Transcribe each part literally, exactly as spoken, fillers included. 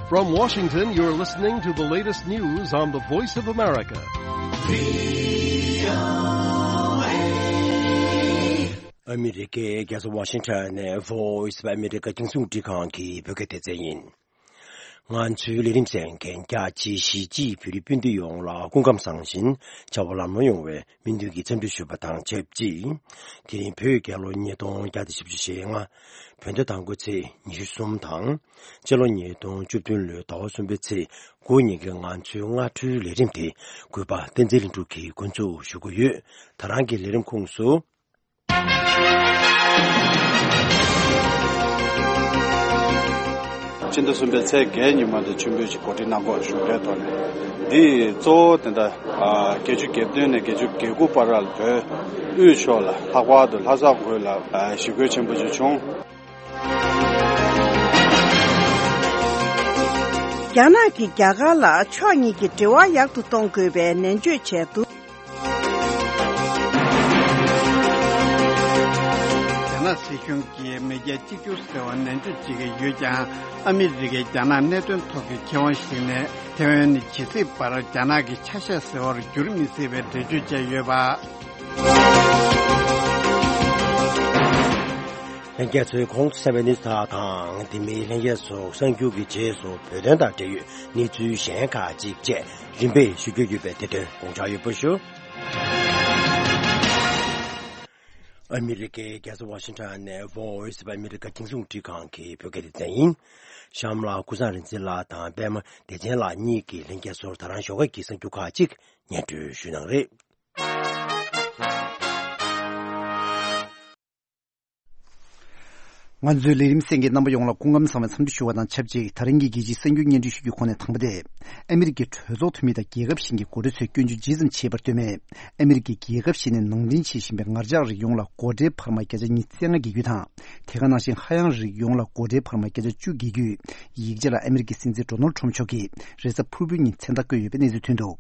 From Washington, you're listening to the latest news on the Voice of America. ཨ་མི་རི་ཀའི་རྒྱལ་ས་ཝ་ཤིང་ཊོན་ནས་Voice of America་རྒྱང་སྲིང་རླུང་འཕྲིན་ཁང་གི་བོད་སྐད་སྡེ་ཚན་ཡིན། ང་ཚོའི་ལས་རིམ་གསན་མཁན་རྒྱ་ཆེའི་གཞིས་བྱེས་བོད་རིགས་སྤུན་ཟླ་ཡོངས་ལ་སྐུ་ཁམས་བཟང་ཞིང་བྱ་བ་ལམ་ལྷོང་ཡོང་བའི་སྨོན་འདུན་གྱི་འཚམས་འདྲི་ཞུ་བ་དང་ཆབས་ཅིག་དེ་རིང་བོད་རྒྱལ་ལོ་ཉིས་སྟོང་བརྒྱ་དང་བཞི་བཅུ་ཞེ་ལྔ། བོད་ཟླ་དང་པོའི་ཚེས་ཉི་ཤུ་གསུམ་དང་། སྤྱི་ལོ་ཉིས་སྟོང་བཅུ་བདུན་ལོའི་ཟླ་བ་གསུམ་པའི་ཚེས་དགུ་ཉིན་གྱི་ང་ཚོའི་སྔ་དྲོའི་ལས་རིམ་དེ་གུས་པ་བསྟན་འཛིན་ལྷུན་གྲུབ་ཀྱིས་འགོ་འཛུགས་ཞུ་གི་ཡོད། ད་རང་གི་ལས་རིམ་ཁོངས་སུ། སྤྱི་ཟླ་གསུམ་པའི་ཚེས་བརྒྱད་ཉིན་མ་དེ་མཆོད་འབུལ་གྱི་གོ་སྒྲིག་གནང་སྐོར་ཞུ་མཁན་ཐོག་ནས། འདི་གཙོ་བོ་དེ་འདྲ་བརྒྱད་ཅུ་གྱ་བདུན་ནས་བརྒྱད་ཅུ་གྱ་དགུ་བར་ལ་བོད་དབུས་ཕྱོགས་ལ་ལྷག་པར་དུ་ལྷ་ས་ཁུལ་ལ་ཞི་རྒོལ་ཆེན་པོ་ཞིག་བྱུང་། རྒྱ་ནག་གིས་རྒྱ་གར་ལ་ཕྱོགས་གཉིས་ཀྱི་འབྲེལ་བ་ཡག་ཏུ་གཏོང་དགོས་པའི་ནན་བརྗོད་བྱས་འདུག་རྒྱ་ནག་སྲིད་གཞུང་གིས་མེས་རྒྱལ་གཅིག་གྱུར་ཟེར་བ་ནན་བརྗོད་བྱེད་ཀྱི་ཡོད་ཀྱང་། ཨ་མི་རི་ཀས་རྒྱ་ནག་གནད་དོན་ཐོག་གི་ཁེ་དབང་ཞིག་ནས་ཐེ་ཝན་ནི་ཇི་སྲིད་བར་རྒྱ་ནག་གི་ཆ་ཤས་ཟེར་བར་འགྱུར་མི་སྲིད་པའི་འགྲེལ་བརྗོད་བྱས་ཡོད་པ། ལྷན་རྒྱས་ཚོས་གོང་དུ་གསན་པའི་གནས་ཚུལ་དག་དང་དེ་མིན་ལྷན་རྒྱས་ཚོ་གསར་འགྱུར་གྱི་རྗེས་སུ་བོད་དོན་དང་འབྲེལ་ཡོད་གནས་ཚུལ་གཞན་ཁག་ཅིག་བཅས་རིམ་པས་ཞུ་རྒྱུ་ཡོད་པས་དེ་དོན་དགོངས་འཇགས་ཡོད་པ་ཞུ། ཨ་མི་རི་ཀའི་རྒྱལ་ས་ཝ་ཤིང་ཊོན་ནས་Voice of America་རྒྱང་སྲིང་རླུང་འཕྲིན་ཁང་གི་བོད་སྐད་སྡེ་ཚན་ཡིན། གཤམ་ལ་ཀུན་བཟང་རིག་འཛིན་ལགས་དང་པད་མ་བདེ་ཆེན་ལགས་གཉིས་ཀྱིས་ལྷན་རྒྱས་ཚོར་ད་རང་ཞོགས་ཀས་ཀྱི་གསར་འགྱུར་ཁག་ཅིག་སྙན་སྒྲོན་ཞུ་གནང་རེད། ང་ཚོའི་ལས་རིམ་གསན་མཁན་རྣམ་པ་ཡོངས་ལ་སྐུ་ཁམས་བཟང་བའི་འཚམས་འདྲི་ཞུ་བ་དང་ཆབས་ཅིག་དེ་རིང་གི་རྒྱལ་སྤྱིའི་གསར་འགྱུར་སྙན་སྒྲོན་ཞུ་རྒྱུའི་ཁོངས་ནས་དང་པོ་དེ། ཨ་མི་རི་ཀའི་གྲོས་ཚོགས་འཐུས་མི་དང་རྒྱལ་ཁབ་གཞན་གྱི་འགོ་ཁྲིད་ཚོས་སྐྱོན་བརྗོད་ཇི་ཙམ་བྱས་པར་ལྟོས་མེད། ཨ་མི་རི་ཀའི་རྒྱལ་ཁབ་གཞན་ནས་ནང་འདྲེན་བྱེད་བཞིན་པའི་ངར་ལྕགས་རིགས་ཡོངས་ལ་སྒོ་ཁྲལ་འཕར་མ་བརྒྱ་ཆ་ཉི་ཤུ་རྩ་ལྔ་འགེལ་རྒྱུ་དང་། དེ་ག་ནང་བཞིན་ཧ་ཡང་རིགས་ཡོངས་ལ་སྒོ་ཁྲལ་འཕར་མ་བརྒྱ་ཆ་བཅུ་འགེལ་རྒྱུའི་ཡིག་ཆ་ལ་ཨ་མི་རི་ཀའི་སྲིད་འཛིན་ཌོ་ནལ་ཊམ་མཆོག་གིས་རེས་གཟའ་ཕུར་བུའི་ཉིན་མཚན་རྟགས་བཀོད་ཡོད་པའི་གནས་ཚུལ་ཐོན་འདུག་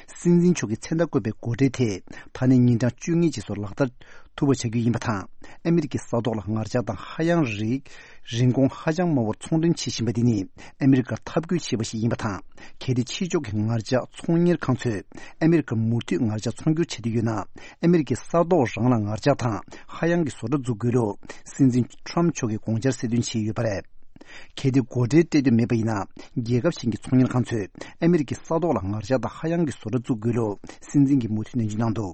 སྲིད་འཛིན་མཆོག་གིས་མཚན་རྟགས་བཀོད་པའི་སྒོ་ཁྲལ་དེ་ད་ནས་ཉིན་གྲངས་བཅོ་ལྔ་རྗེས་སུ་ལག་བསྟར་ཐུབ་པ་བྱ་རྒྱུ་ཡིན་པ་དང་། ཨ་མི་རི་ཀའི་ས་ཐོག་ལ་ངར་ལྕགས་དང་ཧ་ཡང་རིགས་རིན་གོང་ཧ་ཅང་དམའ་བར་ཚོང་འབྲེལ་བྱེད་བཞིན་པ་འདི་ནི་ཨ་མི་རི་ཀར་འཐབ་རྒོལ་བྱས་པ་ཞིག་ཡིན་པ་དང་། གལ་ཏེ་ཕྱི་ཕྱོགས་ཀྱི་ངར་ལྕགས་ཚོང་གཉེར་ཁང་ཚོས་ཨ་མི་རི་ཀར་མུ་མཐུད་ངར་ལྕགས་ཚོང་སྒྱུར་བྱེད་འདོད་ཡོད་ན། ཨ་མི་རི་ཀའི་ས་ཐོག་རང་ལ་ངར་ལྕགས་དང་ཧ་ཡང་གི་བཟོ་གྲྭ་འཛུགས་དགོས་ལུགས་སྲིད་འཛིན་ཊམ་མཆོག་གིས་དགོངས་འཆར་གསལ་སྟོན་བྱས་ཡོད་པ་རེད། གལ་ཏེ་སྒོ་ཁྲལ་སྤྲད་འདོད་མེད་པ་ཡིན་ན། རྒྱལ་ཁབ་གཞན་གྱི་ཚོང་གཉེར་ཁང་ཚོས་ཨ་མི་རི་ཀའི་ས་ཐོག་ལ་ངར་ལྕགས་དང་ཧ་ཡང་གི་བཟོ་གྲྭ་བཙུགས་དགོས་ལུགས་སྲིད་འཛིན་གྱིས་མུ་མཐུད་ནན་བརྗོད་གནང་འདུག་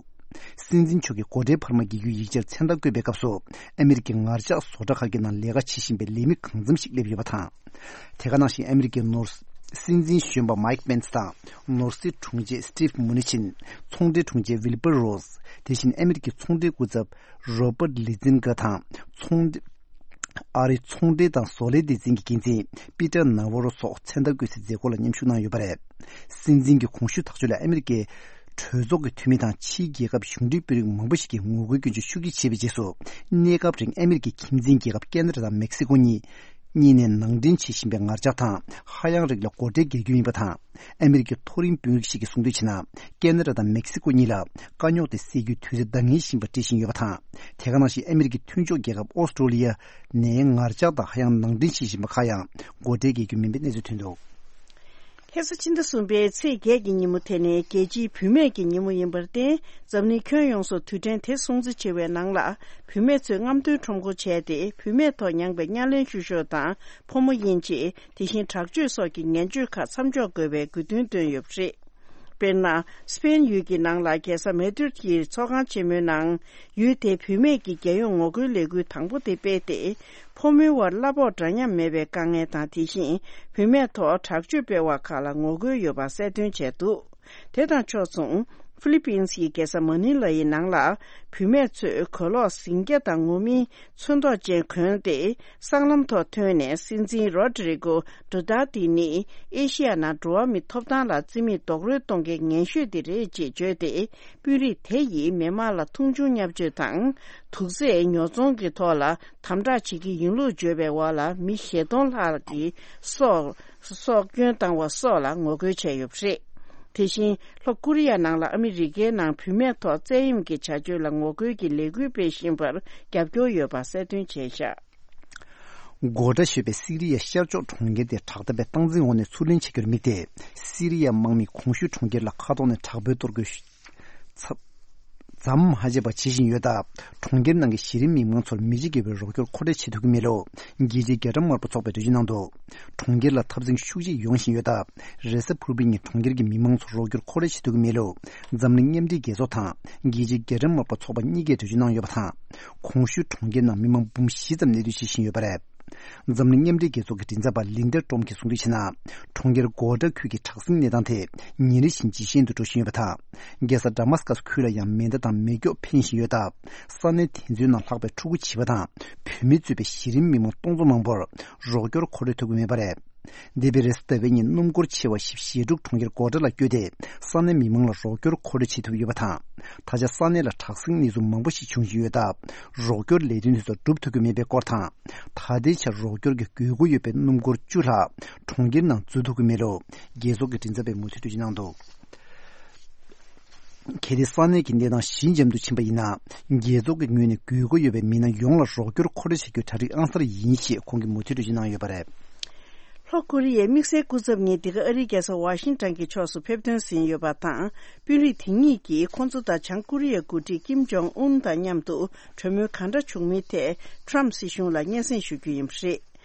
སྲིད་འཛིན་མཆོག་གིས་སྒོ་ཁྲལ་འཕར་མ་འགེལ་རྒྱུའི་ཡིག་ཆར་མཚན་རྟགས་བཀོད་པའི་སྐབས་སུ། ཨ་མི་རི་ཀའི་ངར་ལྕགས་བཟོ་གྲྭ་ཁག་གི་ནང་ལས་ཀ་བྱེད་བཞིན་པའི་ལས་མི་གང་འཚམ་ཞིག་སླེབས་ཡོད་པ་དང་། དེ་ག་ནང་བཞིན་ཨ་མི་རི་ཀའི་ནོར་སྲིད་འཛིན་གཞོན་པ་མའིག་པེན་སི་དང་ནོར་སྲིད་དྲུང་ཆེ་སི་ཊིབ་མུ་ནི་ཆིན། ཚོང་འབྲེལ་དྲུང་ཆེ་ཝིལ་པར་རོ་སི། དེ་བཞིན་ཨ་མི་རི་ཀའི་ཚོང་འབྲེལ་སྐུ་ཚབ་རོ་པར་ལི་ཛིན་གྷ་དང་། ཚོང་འབྲེལ། ཨ་རིའི་ཚོང་འབྲེལ་དང་བཟོ་ལས་སྡེ་ཚན་གྱི་འགན་འཛིན་པི་ཏར་ན་ཝོ་རོ་སོགས་མཚན་རྟགས་བཀོད་སའི་མཛད་སྒོ་ལ་མཉམ་ཞུགས་གནང་ཡོད་པ་རེད། སྲིད་འཛིན་གྱི་གོང་ཞུས་ཐག་གཅོད་ལས་ཨ་མི་རི་ཀའི་གྲོས་ཚོགས་ཀྱི་འཐུས་མི་དང་ཕྱིའི་རྒྱལ་ཁབ་གཞུང་འབྲེལ་དཔོན་རིགས་མང་པོ་ཞིག་གིས་ངོ་རྒོལ་སྐྱོན་བརྗོད་ཤུགས་ཆེ་བྱས་པའི་རྗེས་སུ། གནས་སྐབས་རིང་ཨ་མི་རི་ཀའི་ཁྱིམ་མཚེས་རྒྱལ་ཁབ་ཁེ་ན་ཌ་དང་མེག་སི་ཀོ་གཉིས་གཉིས་ནས་ནང་འདྲེན་བྱེད་བཞིན་པའི་ངར་ལྕགས་དང་ཧ་ཡང་རིགས་ལ་སྒོ་ཁྲལ་འགེལ་རྒྱུ་ཡིན་པ་དང་། ཨ་མི་རི་ཀའི་མཐོ་རིམ་དཔོན་རིགས་ཤིག་གིས་གསུངས་དོན་བྱས་ན། ཁེ་ན་ཌ་དང་མེག་སི་ཀོ་གཉིས་ལ་དཀའ་རྙོག་དེ་སེལ་རྒྱུའི་དུས་ཚོད་འདང་ངེས་ཤིག་ཡིན་པ་འགྲེལ་བཞིན་ཡོད་པ་དང་། དེ་ག་ནང་བཞིན་ཨ་མི་རི་ཀའི་མཐུན་ཕྱོགས་རྒྱལ་ཁབ་ཨོ་སི་ཀྲོ་ལི་ཡ་ནས་ངར་ལྕགས་དང་ཧ་ཡང་ནང་འདྲེན་བྱེད་བཞིན་པ་ཁག་ཡང་སྒོ་ཁྲལ་འགེལ་རྒྱུ་མིན་པའི་གནས་ཚུལ་ཐོན་འདུག་ལྷ་ས་ཕྱི་ཟླ་གསུམ་པའི་ཚེས་བརྒྱད་ཀྱི་ཉིན་མོ་དེ་ནི་རྒྱལ་སྤྱིའི་བུད་མེད་ཀྱི་ཉིན་མོ་ཡིན་པར་བརྟེན། འཛམ་གླིང་ཁྱོན་ཡོངས་སུ་དུས་དྲན་དེ་སྲུང་བརྩི་བྱེད་པའི་ནང་ལ། བུད་མེད་ཚོས་རྔམ་སྟོན་ཁྲོམ་སྐོར་བྱས་ཏེ། བུད་མེད་ཐོག་མྱངས་པའི་བརྙན་ལེན་བཤུ་གཞོག་དང་ཕོ་མོ་དབྱེ་འབྱེད། དེ་བཞིན་དྲག་སྤྱོད་སོགས་ཀྱི་ངན་སྤྱོད་ཁག་མཚམས་འཇོག་དགོས་པའི་དགོས་འདུན་བཏོན་ཡོད་པ་རེད། དཔེར་ན། སི་པེན་ཡུལ་གྱི་ནང་ལ་རྒྱལ་ས་མེ་ཏིར་གྱི་ཚོགས་ཁང་ཆེན་མོའི་ནང་། ཡུལ་དེའི་བུད་མེད་ཀྱི་རྒྱལ་ཡོངས་ངོ་རྒོལ་ལས་འགུལ་དང་པོ་དེ་སྤེལ་ཏེ། ཕོ་མོའི་དབར་གླ་ཕོགས་འདྲ་མཉམ་མེད་པའི་དཀའ་ངལ་དང་། དེ་བཞིན་བུད་མེད་ཐོག་དྲག་སྤྱོད་སྤེལ་བ་ཁག་ལ་ངོ་རྒོལ་ཡོད་པ་གསལ་སྟོན་བྱས་འདུག་དེ་དང་ཕྱོགས་མཚུངས། ཧྥི་ལི་པིན་སི་ཡི་རྒྱལ་ས་མ་ནི་ལ་ཡི་ནང་ལ། བུད་མེད་ཚོས་གོས་ལོག་ཟིང་སྐྱ་དང་ངུར་སྨྲིག་ཚོན་མདོག་ཅན་གོན་ཏེ། སྲང་ལམ་ཐོག་ཐོན་ནས། སྲིད་འཛིན་རོ་ཌི་རི་གོ་ཌུ་ཏར་ཏེ་ནི་ཨེ་ཤི་ཡ་ནང་འགྲོ་བ་མིའི་ཐོབ་ཐང་ལ་བརྩི་མེད་རྡོག་རོལ་གཏོང་མཁན་ངན་ཤོས་དེ་རེད་ཅེས་བརྗོད་དེ། དཔོན་རིགས་དེ་ཡིས་མི་དམངས་ལ་མཐོང་ཆུང་བརྙས་བཅོས་དང་། དུག་རྫས་ཉོ་ཚོང་གི་ཐོག་ལ་དམ་དྲག་བྱེད་ཀྱི་ཡིན་ལུགས་བརྗོད་པའི་འོག་ལ། མི་བཞི་སྟོང་ལྷག་གི་སྲོག་སྲོག་སྐྱོན་བཏང་བ་སོགས་ལ་ངོ་རྒོལ་བྱས་ཡོད་པ་རེད། དེ་བཞིན་ལྷོ་ཀོ་རི་ཡ་ནང་ལ་ཨ་མི་རི་ཀའི་ནང་བུད་མེད་ཐོག་བཙན་གཡེམ་གྱི་བྱ་སྤྱོད་ལ་ངོ་རྒོལ་གྱི་ལས་འགུལ་སྤེལ་བཞིན་པར་རྒྱབ་སྐྱོར་ཡོད་པ་གསལ་སྟོན་བྱས་བཞག་གོ་ཌ་ཞེས་པའི་སི་རི་ཡའི་ཤར་ཕྱོགས་གྲོང་ཁྱེར་དེ་དྲག་འཐབ་པའི་སྟངས་འཛིན་འོག་ནས་ཚུར་ལེན་བྱེད་རྒྱུར་དམིགས་ཏེ། སི་རི་ཡའི་དམག་མིས་གོང་ཞུས་གྲོང་ཁྱེར་ལ་མཁའ་ཐོག་ནས་དྲག་པོའི་གཏོར་རྒོལ་ཞུ། ཚ། ཙམ་མ་བྱས་པ་བྱེད་བཞིན་ཡོད་སྟབས། གྲོང་ཁྱེར་ནང་གི་གཞི་རིམ་མི་མང་ཚོར་མི་འཇིགས་བསྐྱེད་པའི་རོགས་སྐྱོར་མཁོ་སྤྲོད་བྱེད་ཐུབ་ཀྱི་མེད་ལུགས། རྒྱལ་སྤྱིའི་རྒྱལ་ཁབ་དམར་པོ་ཚོགས་པས་འགྲེལ་བརྗོད་གནང་འདུག་གྲོང་ཁྱེར་ལ་འཐབ་འཛིང་ཤུགས་ཆེ་ཡོང་བཞིན་ཡོད་སྟབས། རེས་གཟའ་ཕུར་བུའི་ཉིན་གྲོང་ཁྱེར་གྱི་མི་མང་ཚོར་རོགས་སྐྱོར་མཁོ་སྤྲོད་བྱེད་ཐུབ་ཀྱི་མེད་ལུགས། འཛམ་གླིང་མཉམ་འབྲེལ་རྒྱལ་ཚོགས་དང་རྒྱལ་སྤྱིའི་རྒྱལ་ཁབ་དམར་པོ་ཚོགས་པ་གཉིས་ཀས་འགྲེལ་བརྗོད་གནང་ཡོད་པ་དང་། གོང་ཞུས་གྲོང་ཁྱེར་ནང་མི་མང་འབུམ་བཞི་ཙམ་གནས་སྡོད་བྱེད་བཞིན་ཡོད་པ་རེད། འཛམ་གླིང་མཉམ་འབྲེལ་རྒྱལ་ཚོགས་ཀྱི་མགྲིན་ཚབ་པ་ལིན་ཌ་ཀྲོམ་གྱིས་གསུངས་དོན་བྱས་ན། གྲོང་ཁྱེར་གོ་ཌ་ཁུལ་གྱི་དྲག་ཟིང་གནས་སྟངས་དེ་ཉིན་རེ་བཞིན་ཇེ་ཞན་དུ་འགྲོ་བཞིན་ཡོད་པ་དང་། རྒྱལ་ས་ཌ་མཱ་སི་ཀཱ་སི་ཁུལ་ལ་ཡང་མེ་མདའ་དང་མེ་སྒྱོགས་འཕེན་བཞིན་ཡོད་སྟབས། ས་གནས་དེ་ཚོའི་ནང་ལྷག་པའི་ཕྲུ་གུ་བྱིས་པ་དང་བུད་མེད་གཙོས་པའི་གཞི་རིམ་མི་མང་སྟོང་ཚོ་མང་པོར་རོགས་སྐྱོར་མཁོ་སྤྲོད་ཐུབ་ཀྱི་མེད་པ་རེད། འདས་པའི་རེས་གཟའ་ཟླ་བའི་ཉིན་སྣུམ་འཁོར་ཆེ་བ་ཞེ་ཞེ་དྲུག་གྲོང་ཁྱེར་གོ་ཌ་ལ་བསྐྱོད་དེ། ས་གནས་མི་མང་ལ་རོགས་སྐྱོར་མཁོ་སྤྲོད་བྱེད་ཐུབ་ཡོད་པ་དང་། ད་ཆ་ས་གནས་ལ་དྲག་ཟིང་གནས་ཚུལ་མང་པོ་ཞིག་འབྱུང་བཞིན་ཡོད་སྟབས། རོགས་སྐྱོར་ལས་དོན་དེ་ཚོ་སྒྲུབ་ཐུབ་ཀྱི་མེད་པའི་སྐོར་དང་། ད་ལྟའི་ཆར་རོགས་སྐྱོར་གྱི་དགོས་མཁོ་ཡོད་པའི་སྣུམ་འཁོར་བཅུ་ལྷག་གྲོང་ཁྱེར་ནང་འཛུལ་ཐུབ་ཀྱི་མེད་ལུགས། རྒྱལ་ཚོགས་ཀྱི་མགྲིན་ཚབ་པས་མུ་མཐུད་འགྲེལ་བརྗོད་གནང་འདུག་གལ་ཏེ་ས་གནས་ཀྱི་གནས་སྟངས་ཞི་འཇམ་དུ་ཕྱིན་པ་ཡིན་ན། རྒྱལ་ཚོགས་ཀྱི་ངོས་ནས་དགོས་མཁོ་ཡོད་པའི་མི་སྣ་ཡོངས་ལ་རོགས་སྐྱོར་མཁོ་སྤྲོད་བྱ་རྒྱུའི་གྲ་སྒྲིག་ཨང་གསར་ཡིན་ཞེས་ཁོང་གིས་མུ་མཐུད་འགྲེལ་བརྗོད་གནང་ཡོད་པ་རེད། ལྷོ་ཀོ་རི་ཡའི་དམིགས་བསལ་སྐུ་ཚབ་ཉིད་འདི་ག་ཨ་རིའི་རྒྱལ་ས་ཝ་ཤིང་ཊོན་གྱི་ཕྱོགས་སུ་ཕེབས་ཐོན་ཟིན་ཡོད་པ་དང་། དཔོན་རིགས་དེ་གཉིས་ཀྱིས་ཁོང་ཚོ་དང་བྱང་ཀོ་རི་ཡའི་འགོ་ཁྲིད་ཀིམ་ཇོང་ཨུན་དང་མཉམ་དུ་གྲོས་མོལ་གང་འདྲ་བྱུང་མིན་ཐད་ཊྲམ་སྲིད་གཞུང་ལ་སྙན་སེང་ཞུ་རྒྱུ་ཡིན་པ་རེད།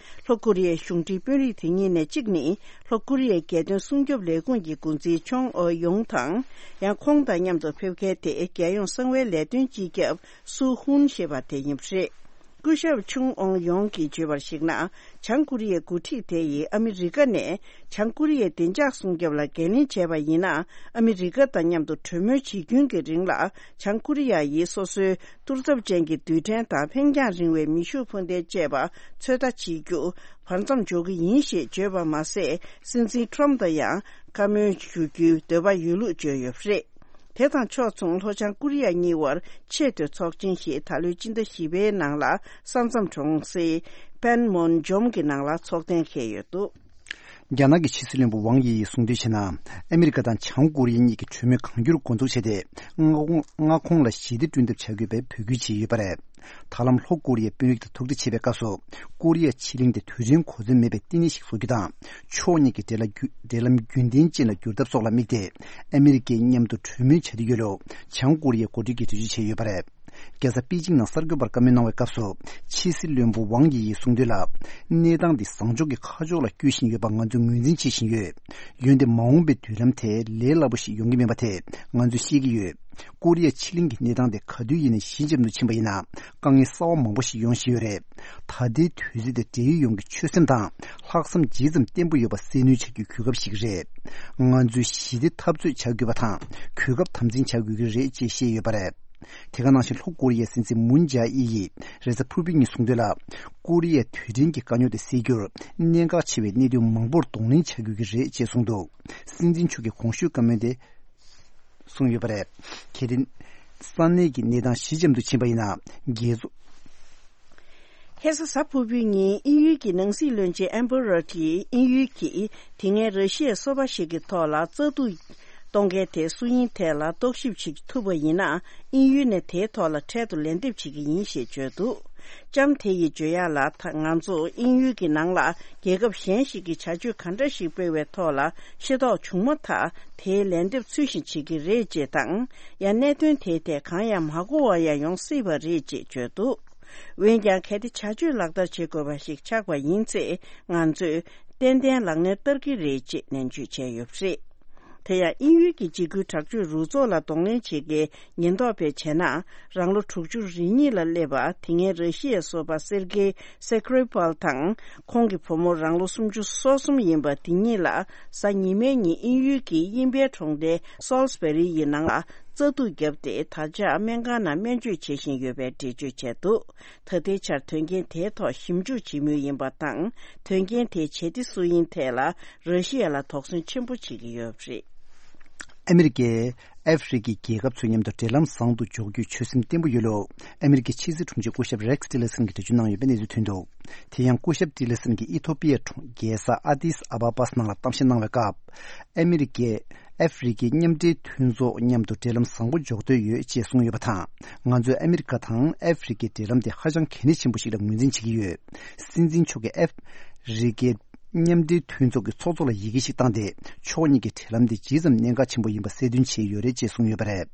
ལྷོ་ཀོ་རི་ཡའི་གཞུང་འབྲེལ་དཔོན་རིགས་དེ་གཉིས་ནས་གཅིག་ནི། ལྷོ་ཀོ་རི་ཡའི་རྒྱལ་དོན་སྲུང་སྐྱོབ་ལས་ཁུངས་ཀྱི་འགོ་འཛིན་ཆོང་ཨོ་ཡོང་དང་། ཡང་ཁོང་དང་མཉམ་དུ་ཕེབས་མཁན་དེ་རྒྱལ་ཡོངས་གསང་བའི་ལས་དོན་སྤྱི་ཁྱབ་སུའུ་ཧུན་ཞེས་པ་དེ་ཡིན་པ་རེད། སྐུ་ཞབས་ཆུང་ཨོང་ཡོང་གིས་བརྗོད་པར་གཞིགས་ན། བྱང་ཀོ་རི་ཡའི་འགོ་ཁྲིད་དེ་ཡིས་ཨ་མི་རི་ཀ་ནས་བྱང་ཀོ་རི་ཡའི་བདེ་འཇགས་སྲུང་སྐྱོབ་ལ་འགན་ལེན་བྱས་པ་ཡིན་ན། ཨ་མི་རི་ཀ་དང་མཉམ་དུ་གྲོས་མོལ་བྱེད་རྒྱུན་གྱི་རིང་ལ། བྱང་ཀོ་རི་ཡ་ཡིས་སོ་སོའི་གཏོར་ཚབས་ཅན་གྱི་རྡུལ་ཕྲན་དང་འཕེན་རྒྱང་རིང་བའི་མེ་ཤུགས་འཕུར་མདེལ་བཅས་པ་ཚོད་ལྟ་བྱེད་རྒྱུ་བར་མཚམས་འཇོག་གི་ཡིན་ཞེས་བརྗོད་པ་མ་ཟད། སྲིད་འཛིན་ཊྲམ་དང་ཡང་བཀའ་མོལ་ཞུ་རྒྱུའི་འདོད་པ་ཡོད་ལུགས་བརྗོད་ཡོད་པ་རེད། དེ་དང་ཕྱོགས་མཚུངས། ལྷོ་བྱང་ཀོ་རི་ཡ་གཉིས་དབར་ཆེས་མཐོའི་ཚོགས་ཆེན་ཞིག་ད་ལོའི་སྤྱི་ཟླ་བཞི་པའི་ནང་ལ་ས་མཚམས་གྲོང་གསེབ་པན་མོན་ཇོམ་གྱི་ནང་ལ་ཚོགས་གཏན་འཁེལ་ཡོད་འདུག་རྒྱ་ནག་གི་ཕྱི་སྲིད་བློན་པོ་ཝང་དབྱི་ཡིས་གསུངས་དོན་བྱས་ན། ཨ་མི་རི་ཀ་དང་བྱང་ཀོ་རི་ཡ་གཉིས་ཀྱིས་གྲོས་མོལ་གང་མགྱོགས་འགོ་འཛུགས་བྱས་ཏེ། མངའ་ཁོངས་མངའ་ཁོངས་ལ་ཞི་བདེ་བསྐྲུན་ཐབས་བྱ་དགོས་པའི་འབོད་སྐུལ་བྱས་ཡོད་པ་རེད། ད་ལམ་ལྷོ་ཀོ་རི་ཡའི་དཔོན་རིགས་དང་ཐུག་འཕྲད་བྱེད་པའི་སྐབས་སུ། ཀོ་རི་ཡ་ཕྱེད་གླིང་དེ་རྡུལ་ཕྲན་གོ་མཚོན་མེད་པའི་ལྟེ་གནས་ཤིག་བཟོ་རྒྱུ་དང་། ཕྱོགས་གཉིས་ཀྱི་འབྲེལ་ལམ་རྒྱུན་འབྲེལ་ལམ་རྒྱུན་ལྡན་ཅན་ལ་བསྒྱུར་ཐབས་སོགས་ལ་དམིགས་ཏེ། ཨ་མི་རི་ཀས་མཉམ་དུ་གྲོས་མོལ་བྱ་རྒྱུ་ཡོད་ལུགས། བྱང་ཀོ་རི་ཡའི་འགོ་ཁྲིད་ཀྱིས་འགྲེལ་བརྗོད་བྱས་ཡོད་པ་རེད། རྒྱལ་ས་པེ་ཅིང་ནང་གསར་འགོད་པར་བཀའ་མོལ་གནང་བའི་སྐབས་སུ། ཕྱི་སྲིད་བློན་པོ་ཝང་དབྱི་ཡིས་གསུངས་དོན་ལ། གནས་སྟངས་འདི་བཟང་ཕྱོགས་ཀྱི་ཁ་ཕྱོགས་ལ་བསྐྱོད་བཞིན་ཡོད་པ་ང་ཚོས་ངོས་འཛིན་བྱེད་བཞིན་ཡོད། འོན་ཏེ་མ་འོངས་པའི་མདུན་ལམ་དེ་ལས་སླ་པོ་ཞིག་ཡོང་གི་མིན་པ་དེ་ང་ཚོས་ཤེས་ཀྱི་ཡོད། ཀོ་རི་ཡ་ཕྱེད་གླིང་གི་གནས་སྟངས་དེ་ག་དུས་ཡིན་ནའང་ཞི་འཇམ་དུ་ཕྱིན་པ་ཡིན་ན། དཀའ་ངལ་གསར་བ་མང་པོ་ཞིག་ཡོང་བཞིན་ཡོད་རེད། ད་ལྟའི་དུས་ཚོད་དེ་འབྲེལ་ཡོད་ཡོངས་ཀྱི་ཆོད་སེམས་དང་ལྷག་བསམ་ཇི་ཙམ་བརྟན་པོ་ཡོད་པ་གསལ་སྣོན་བྱ་རྒྱུའི་གོ་སྐབས་ཤིག་རེད། ང་ཚོས་ཞི་བདེ་འཐབ་རྩོད་བྱ་དགོས་པ་དང་གོ་སྐབས་དམ་འཛིན་བྱ་དགོས་ཀྱི་རེད་ཅེས་བཤད་ཡོད་པ་རེད། དེ་ག་ནང་བཞིན་ལྷོ་ཀོ་རི་ཡའི་སྲིད་འཛིན་མུན་ཇཱ་ཨི་ཡིས་རེས་གཟའ་ཕུར་བུའི་ཉིན་གསུངས་དོན་ལ། ཀོ་རི་ཡའི་དུས་དྲན་གྱི་དཀའ་རྙོག་དེ་སེལ་རྒྱུར་གནད་འགག་ཆེ་བའི་གནད་དོན་མང་པོར་གདོང་ལེན་བྱ་དགོས་ཀྱི་རེད་ཅེས་གསུངས་འདུག་སྲིད་འཛིན་མཆོག་གིས་གོང་ཞུས་བཀའ་མོལ་དེ་གསུངས་ཡོད་པ་རེད། གལ་ཏེ་ས་གནས་ཀྱི་གནས་སྟངས་ཞི་འཇམ་དུ་ཕྱིན་པ་ཡིན་ན། རྒྱལ་ཚོགས། ཁ་སང་གཟའ་ཕུར་བུའི་ཉིན་དབྱིན་ཡུལ་གྱི་ནང་སྲིད་བློན་ཆེན་ཨམ་བྷར་རོ་ཊིས་དབྱིན་ཡུལ་གྱིས་དེ་སྔའི་ར་ཤི་ཡའི་སོ་པ་ཞིག་གི་ཐོག་ལ་རྩ་གཏོར་གཏོང་མཁན་དེ་སུ་ཡིན་ཐད་ལ་རྟོག་ཞིབ་བྱེད་ཐུབ་པ་ཡིན་ན། དབྱིན་ཡུལ་ནས་དེའི་ཐོག་ལ་འཕྲལ་དུ་ལན་འདེབས་བྱེད་ཀྱི་ཡིན་ཞེས་བརྗོད་འདུག་ལྕམ་དེ་ཡིས་བརྗོད་ཡག་ལ། ད་ང་ཚོ་དབྱིན་ཡུལ་གྱི་ནང་ལ་རྒྱལ་ཁབ་གཞན་ཞིག་གིས་བྱ་སྤྱོད་ག་འདྲ་ཞིག་སྤེལ་བའི་ཐོག་ལ་ཤེས་རྟོགས་བྱུང་མ་ཐག་དེའི་ལན་འདེབས་ཚུལ་བཞིན་བྱེད་ཀྱི་རེད་ཅེས་དང་། ཡང་གནད་དོན་དེའི་ཐད་གང་ཡང་མ་གོ་བ་ཡང་ཡོང་སྲིད་པ་རེད་ཅེས་བརྗོད་འདུག་འོན་ཀྱང་། གལ་ཏེ་བྱ་སྤྱོད་ལག་བསྟར་བྱེད་དགོས་པ་ཞིག་ཆགས་པ་ཡིན་ཚེ། ང་ཚོས་ཏན་ཏན་ལག་ལེན་བསྟར་གྱི་རེད་ཅེས་ནན་བརྗོད་བྱས་ཡོད་པ་རེད། དེ་ཡང་། དབྱིན་ཡུལ་གྱི་འཇིགས་སྐུལ་དྲག་སྤྱོད་རུ་ཚོགས་ལ་གདོང་ལེན་བྱེད་མཁན་ཉེན་རྟོག་པས་བྱས་ན། རང་ལོ་དྲུག་ཅུ་རེ་གཉིས་ལ་སླེབས་པ། དེ་སྔའི་ར་ཤི་ཡའི་སོ་པ་སེར་གེ་སེ་ཀྲི་པལ་དང་། ཁོང་གི་བུ་མོ་རང་ལོ་སུམ་ཅུ་སོ་གསུམ་ཡིན་པ་དེ་གཉིས་ལ། གཟའ་ཉི་མའི་ཉིན་དབྱིན་ཡུལ་གྱི་དབྱིན་ཕའི་གྲོང་རྡལ་སོལ་སི་བེ་རི་ཡི་ནང་ལ་རྩ་གཏོར་བརྒྱབ་སྟེ། ད་ཆ་སྨན་ཁང་ནང་སྨན་བཅོས་བྱེད་བཞིན་ཡོད་པའི་འགྲེལ་བརྗོད་བྱས་འདུག་ད་ལྟའི་ཆར་དོན་རྐྱེན་དེའི་ཐོག་ཞིབ་འཇུག་བྱེད་མུས་ཡིན་པ་དང་། དོན་རྐྱེན་དེའི་བྱེད་གཏེ་སུ་ཡིན་ཐད་ལ་ར་ཤི་ཡ་ལ་དོགས་ཟོན་ཆེན་པོ་བྱེད་ཀྱི་ཡོད་པ་རེད། ཨ་མི་རི་ཀས་ཨ་ཧྥེ་རི་ཁའི་རྒྱལ་ཁབ་ཚོའི་མཉམ་དུ་འབྲེལ་ལམ་བཟང་དུ་འཇོག་རྒྱུའི་ཆོད་སེམས་བརྟན་པོ་ཡོད་ལུགས། ཨ་མི་རི་ཀའི་ཕྱི་སྲིད་དྲུང་ཆེ་སྐུ་ཞབས་རེག་ཊི་ལེ་སན་གྱིས་འགྲེལ་བརྗོད་གནང་ཡོད་པའི་གནས་ཚུལ་ཐོན་འདུག་དེ་ཡང་། སྐུ་ཞབས་ཊི་ལེ་སན་གྱིས་ཨི་ཐོ་པི་ཡའི་གྲོང་རྒྱལ་ས་ཨ་དིས་ཨ་བ་པཱས་ནང་ལ་གཏམ་བཤད་གནང་བའི་སྐབས། ཨ་མི་རི་ཀས་ ཨ་ཧྥེ་རི་ཁའི་མཉམ་འབྲེལ་མཐུན་ཚོགས་མཉམ་དུ་འབྲེལ་ལམ་བཟང་པོ་འཇོག་འདོད་ཡོད་ཅེས་གསུངས་ཡོད་པ་དང་། ང་ཚོས་ཨ་མི་རི་ཀ་དང་ཨ་ཧྥེ་རི་ཁའི་འབྲེལ་ལམ་དེ་ཧ་ཅང་གལ་གནད་ཆེན་པོ་ཞིག་ལ་ངོས་འཛིན་བྱེད་ཀྱི་ཡོད། སྲིད་འཛིན་མཆོག་གིས་ཨ་ཧྥེ་རི་ཁའི་མཉམ་འབྲེལ་མཐུན་ཚོགས་ཀྱི་ཚོགས་གཙོ་ལ་ཡི་གེ་ཞིག་བཏང་སྟེ། ཕྱོགས་གཉིས་ཀྱི་འབྲེལ་ལམ་དེ་ཇི་ཙམ་གནད་འགག་ཆེན་པོ་ཡིན་པ་གསལ་སྟོན་བྱས་ཡོད་རེད་ཅེས་གསུངས་ཡོད་པ་རེད།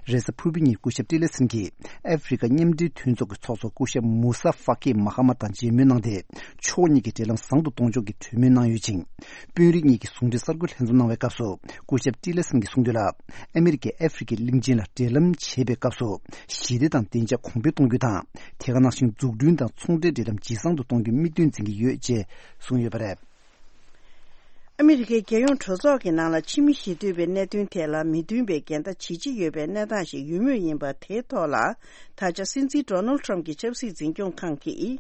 རེས་གཟའ་ཕུར་བུ་ཉིན་སྐུ་ཞབས་ཏི་ལེ་སན་གྱིས་ཨ་ཧྥེ་རི་ཁ་མཉམ་འབྲེལ་མཐུན་ཚོགས་ཀྱི་ཚོགས་གཙོ་སྐུ་ཞབས་མུ་ས་ཧྥ་ཀི་མ་ཧ་མ་དང་མཇལ་མོལ་གནང་སྟེ། ཕྱོགས་གཉིས་ཀྱི་འབྲེལ་ལམ་བཟང་དུ་གཏོང་ཕྱོགས་ཀྱི་གྲོས་མོལ་གནང་ཡོད་ཅིང་། དཔོན་རིགས་གཉིས་ཀྱི་ཟུང་འབྲེལ་གསར་འགོད་ལྷན་འཛོམས་གནང་བའི་སྐབས་སུ། སྐུ་ཞབས་ཏི་ལེ་སན་གྱིས་གསུངས་དོན་ལ། ཨ་མི་རི་ཀས་ཨ་ཧྥེ་རི་ཁའི་གླིང་ཆེན་ལ་འབྲེལ་ལམ་བྱེད་པའི་སྐབས་སུ། ཞི་བདེ་དང་བདེ་འཇགས་གོང་འཕེལ་གཏོང་རྒྱུ་དང་། དེ་ག་ནང་བཞིན་འཛུགས་སྐྲུན་དང་ཚོང་འབྲེལ་འབྲེལ་ལམ་ཇེ་བཟང་དུ་གཏོང་རྒྱུ་དམིགས་དོན་འཛིན་གྱི་ཡོད་ཅེས་གསུངས་ཡོད་པ་རེད། ཨ་མི་རི་ཀའི་རྒྱལ་ཡོངས་གྲོས་ཚོགས་ཀྱི་ནང་ལ་ཕྱི་མི་ཞི་གཏོད་པའི་གནད་དོན་ཐད་ལ་མི་མཐུན་པའི་འགལ་ཟླ་ཇི་ཆེ་ཡོད་པའི་གནས་སྟངས་ཤིག་ཡོད་མུས་ཡིན་པ་དེའི་ཐོག་ལ། ད་ཆ་སྲིད་འཛིན་ཌོ་ནལ་ཊམ་གྱི་ཆབ་སྲིད་འཛིན་སྐྱོང་ཁང་གིས།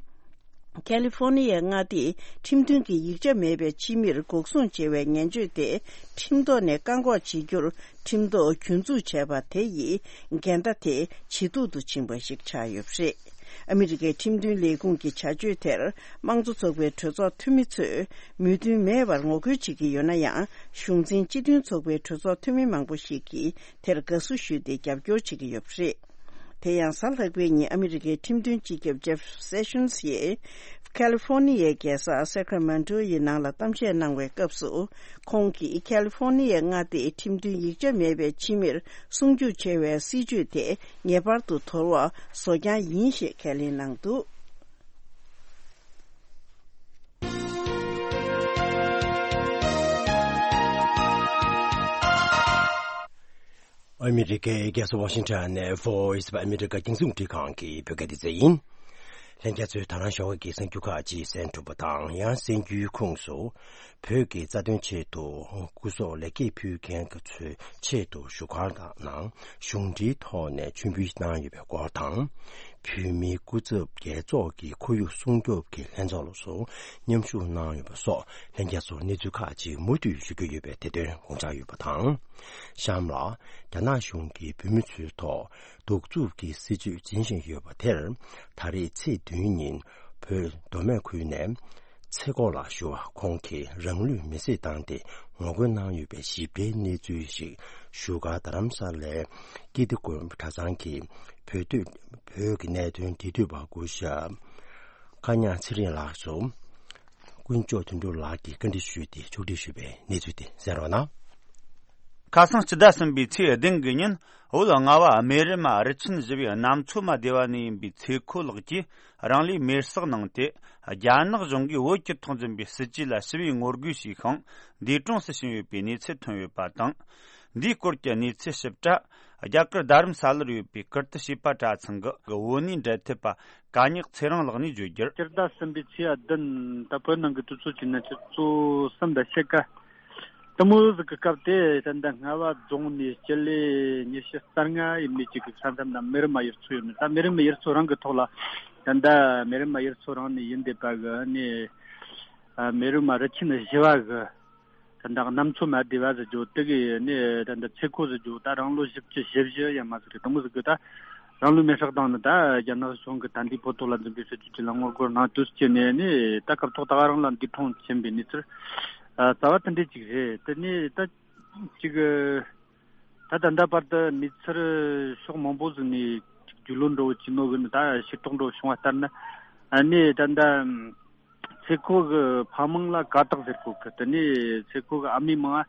ཁ་ལི་ཧྥོ་ནི་ཡའི་མངའ་སྡེས་ཁྲིམས་མཐུན་གྱི་ཡིག་ཆ་མེད་པའི་ཕྱི་མིར་འགོག་སྲུང་བྱེད་པའི་ངན་བྱུས་དེ་ཁྲིམས་ཐོག་ནས་བཀག་འགོག་བྱེད་རྒྱུར་ཁྲིམས་ཐོག་གྱོང་འཛུགས་བྱས་པ་དེ་ཡིས་འགལ་ཟླ་དེ་ཇེ་སྡུག་ཏུ་ཕྱིན་པ་ཞིག་ཆགས་ཡོད་པ་རེད། ཨ་མི་རི་ཀའི་ཁྲིམས་མཐུན་ལས་ཁུངས་ཀྱི་བྱ་སྤྱོད་དེར་དམངས་གཙོ་ཚོགས་པའི་གྲོས་ཚོགས་འཐུས་མི་ཚོས་མོས་མཐུན་མེད་པར་ངོ་རྒོལ་བྱེད་ཀྱི་ཡོད་ན་ཡང་། གཞུང་འཛིན་སྤྱི་མཐུན་ཚོགས་པའི་གྲོས་ཚོགས་འཐུས་མི་མང་པོ་ཞིག་གིས་དེར་དགའ་བསུ་ཞུས་ཏེ་རྒྱབ་སྐྱོར་བྱེད་ཀྱི་ཡོད་པ་རེད། དེ་ཡང་གཟའ་ལྷག་པའི་ཉིན་ཨ་མི་རི་ཀའི་ཁྲིམས་དོན་སྤྱི་ཁྱབ་ཇེབ་སེ་ཤོན་སི་ཡིས་ཁ་ལི་ཧྥོ་ནི་ཡའི་རྒྱལ་ས་སེ་ཀ་ར་མེན་ཊོ་ཡི་ནང་ལ་གཏམ་བཤད་གནང་བའི་སྐབས་སུ། ཁོང་གིས་ཁ་ལི་ཧྥོ་ནི་ཡའི་མངའ་སྡེའི་ཁྲིམས་མཐུན་ཡིག་ཆ་མེད་པའི་ཕྱི་མིར་སྲུང་སྐྱོབ་བྱེད་པའི་སྲིད་ཇུས་དེ་ངེས་པར་དུ་དོར་བ་བཟོ་རྐྱང་ཡིན་ཞེས་ཁས་ལེན་གནང་འདུག་ཨ་མི་རི་ཀའི་རྒྱལ་ས་ཝ་ཤིང་ཊོན་ནས་Voice of America རྒྱང་སྲིང་རླུང་འཕྲིན་ཁང་གི་བོད་སྐད་སྡེ་ཚན་ཡིན། ལྷན་རྒྱས་ཚོས་ད་རང་ཞོགས་ཀྱི་གསར་འགྱུར་ཁག་ཅིག་གསན་ཐུབ་པ་དང་། ཡང་གསར་འགྱུར་ཁོངས་སུ། བོད་ཀྱི་རྩ་དོན་ཆེད་དུ་སྐུ་སྲོག་ལེགས་སྐྱེས་ཕུལ་མཁན་གྱི་ཚོའི་ཆེད་དུ་བཞུགས་སྒར་ནང་གཞུང་འབྲེལ་ཐོག་ནས་མཆོད་འབུལ་གནང་ཡོད་པའི་སྐོར་དང་། བོད་མིའི་སྐུ་ཚབ་རྒྱལ་ཚོགས་ཀྱི་ཁོར་ཡུག་སྲུང་སྐྱོབ་ཀྱི་ལྷན་ཚོགས་ལ་སོགས་མཉམ་ཞུགས་གནང་ཡོད་པ་སོགས་ལྷན་རྒྱས་ཚོར་གནས་ཚུལ་ཁག་ཅིག་མུ་མཐུད་ཞུ་རྒྱུ་ཡོད་པའི་དེ་དོན་དགོངས་འཇགས་ཡོད་པ་དང་། གཤམ་ལ། རྒྱ་ནག་གཞུང་གིས་བོད་མི་ཚོའི་ཐོག་གདུག་རྩུབ་ཀྱི་སྲིད་བྱུས་འཛིན་བཞིན་ཡོད་པ་དེར། ད་རེས་ཚེས་བདུན་ཉིན་བོད་མདོ་སྨད་ཁུལ་ནས་ཚེ་སྒོ་ལ་ཞུ་བ་ཁོང་གིས་རང་ལུས་མེར་སྲེག་བཏང་སྟེ་ངོ་རྒོལ་གནང་ཡོད་པའི་ཞིབ་ཕྲའི་གནས་ཚུལ་ཞིག་བཞུགས་སྒར་རྡ་རམ་ས་ལའི་ཀིརྟི་དགོན་གྲྭ་ཚང་གི་བོད་དོན་བོད་ཀྱི་གནད་དོན་འབྲེལ་མཐུད་པ་སྐུ་ཞབས་ཀ་ཉག་ཚེ་རིང་ལགས་སུ་དཀོན་མཆོག་དོན་གྲུབ་ལགས་ཀྱིས་བཀའ་འདྲི་ཞུས་ཏེ་ཕྱོགས་སྒྲིག་ཞུས་པའི་གནས་ཚུལ་དེ་གསན་རོགས་གནང་། ཁ་སང་སྤྱི་ཟླ་གསུམ་པའི་ཚེས་བདུན་གྱི་ཉིན། བོད་རྔ་བ་སྨན་རི་མ་རི་ཆེན་བཞི་བའི་གནམ་མཚོ་མ་སྡེ་བ་ནས་ཡིན་པའི་ཚེ་ཁོ་ལགས་ཀྱིས་རང་ལུས་མེར་སྲེག་གནང་སྟེ། རྒྱ་ནག་གཞུང་གིས་བོད་ཀྱི་ཐོག་འཛིན་པའི་སྲིད་ཇུས་ལ་ཞི་བའི་ངོ་རྒོལ་བྱས་ཤིང་། འདས་གྲོངས་སུ་ཕྱིན་ཡོད་པའི་གནས་ཚུལ་ཐོན་ཡོད་པ་དང་། འདིའི་སྐོར་གྱི་གནས་ཚུལ་ཞིབ་ཕྲ། རྒྱ་གར་རྡ་རམ་ས་ལར་ཡོད་པའི་ཀིརྟི་བྱིས་པ་གྲྭ་ཚང་གི་བོད་གནས་འབྲེལ་མཐུད་པ་ཀ་ཉག་ཚེ་རིང་ལགས་ནས་བརྗོད་རྒྱུར། སྤྱི་ཟླ་གསུམ་པའི་ཚེས་བདུན། ད་བོད་ནང་གི་དུས་ཚོད་ཀྱི་གནས་ཚུལ་གཙོ་བོ་གསུམ་པ་ཕྱེད་ཀ་དེ་མོ་ཟིག་གི་སྐབས་དེ། ད་ལྟ་རྔ་བ་རྫོང་ནས་སྤྱི་ལེ་ཉི་ཤུ་རྩ་ལྔ་ཡས་མས་ཅིག་གི་ས་མཚམས་ན་སྨན་རི་མ་ཡུལ་ཚོ་ཡོད་ནི། ད་སྨན་རི་མ་ཡུལ་ཚོ་རང་གི་ཐོག་ལ། ད་ལྟ་སྨན་རི་མ་ཡུལ་ཚོ་རང་ནས་ཡིན་བསྡད་པ་གི་ནི། ཨ། སྨན་རི་མ་རི་ཆེན་བཞི་བ་གི། ད་ལྟ་གནམ་མཚོ་མ་སྡེ་བ་ཟེར་རྒྱུ་དེ་གི་ནི། ད་ལྟ་ཚེ་ཁོ་ཟེར་རྒྱུ་ད་རང་ལོ་བཞི་བཅུ་ཞེ་བཞི་ཡས་མས་ཟིག་རེད། དེ་མོ་ཟིག་གི་ད་རང་ལུས་མེར་སྲེག་བཏང་ནི། ད་རྒྱ་ནག་གཞུང་གི་ད་འདི་བོད་ཐོག་ལ་འཛིན་པའི་སྲིད་བྱུས་ཅིག་ལ་ངོ་རྒོལ་གནང་དུས་སྐྱེས་ནས་ནི། ད་སྐབས་ཐོག་ད་ག་རང་ལ་འདས་གྲོངས་ཕྱིན་པའི་གནས་ཚུལ། ཨ། རྩ་བ་དེ་འདྲས་ཅིག་རེད། དེ་ནས་ད་ཅིག་ད་ད་ལྟ་བར་དུ་མི་ཚེར་ཕྱོགས་མང་པོ་ཟིག་ནས་ཅིག་རྒྱུས་ལོན་འདྲ་བོ་བྱས་ནོ་གི་ནི། ད་ཤེས་རྟོགས་འདྲ་བོ་བྱུང་བ་ལྟར་ན། ཨ་ནི་ད་ལྟ་ཚེ་ཁོ་གི་ཕ་མིང་ལ་ཀ་དག་ཟེར་གོ་གི། དེ་ནས་ཚེ་ཁོ་གི་ཨ་མའི་མིང་ང་།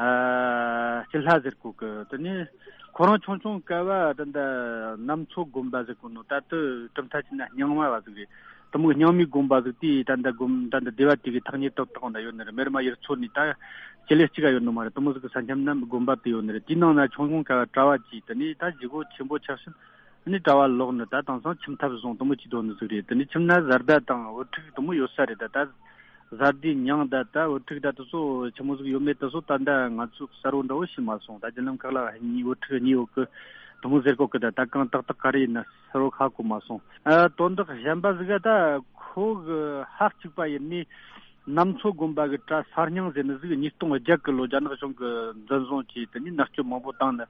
ཨ། སྐྱིད་ལྷ་ཟེར་གོ་གི། དེ་ནས་ཁོ་རང་ཆུང་ཆུང་སྐབས་བ་ད་ལྟ་གནམ་མཚོ་དགོན་པ་ཟེར་གོ་ནོ། ད་ལྟ་གྲུབ་མཐའ་བྱས་ན་རྙིང་མ་བ་ཟིག་རེད། དེ་མོ་རྙིང་མའི་དགོན་པ་ཟིག་དེ། ད་ལྟ་དགོན། ད་ལྟ་སྡེ་བ་དེ་གི་ཐག་ཉེ་ཏག་ཏག་ན་ཡོད་ནི་རེད། སྨན་རི་མ་ཡུལ་ཚོ་ནས་ད་སྤྱི་ལེ་གཅིག་ག་ཡོད་ནི་མ་རེད། དེ་མོ་ཟིག་གི་ས་མཚམས་ན་དགོན་པ་དེ་ཡོད་ནི་རེད། དེའི་ནང་ན་ཆུང་ཆུང་སྐབས་བ་གྲྭ་བ་བྱས། དེ་ནས་ད་བཞེས་སྒོ་ཆེན་པོ་ཆགས་ཕྱིན། ནི་གྲྭ་བ་ལོག་ནི། ད་དེང་སང་ཁྱིམ་ཐབ་བཟུང་དེ་མོ་བྱས་སྡོད་ནི་ཟིག་རེད། དེ་ནས་ཁྱིམ་ན་བཟའ་ཟླ་དང་བུ་ཕྲུག་དེ་མོ་ཡོད་ས་རེད། ད་ད་བཟའ་ཟླའི་མྱིང་ད་ད་བུ་ཕྲུག་ད་དེ་ཚོ་ཆི་མོ་ཟིག་ཡོད་མེད་དེ་ཚོ་ད་ད་ང་ཚོས་གསལ་བོ་འདྲ་བོ་ཤེས་མ་སོང་། ད་རྒྱུན་ལམ་ཁག་ལ་གཉིས་བུ་ཕྲུག་གཉིས་ཡོད་གི་དེ་མོ་ཟེར་གོ་གི། ད་ད་གང་ཏག་ཏག་ག་རེ་ཡིན་ན་གསལ་བོ་ཧ་གོ་མ་སོང་། ཨ། དོན་དག་གཞན་པ་ཟིག་ག་ད་ཁོ་གི་ཕ་གཅིག་པ་ཡིན་ནི། གནམ་མཚོ་དགོན་པ་གི་གྲྭ་གསར་རྙིང་ཟེར་ནི་ཟིག་ཉིས་སྟོང་བརྒྱད་གི་ལོ་རྒྱ་ནག་གཞུང་གི་འཛིན་བཟུང་བྱས། དེ་ནས་མནར་གཅོད་མང་པོ་བཏང་ནི།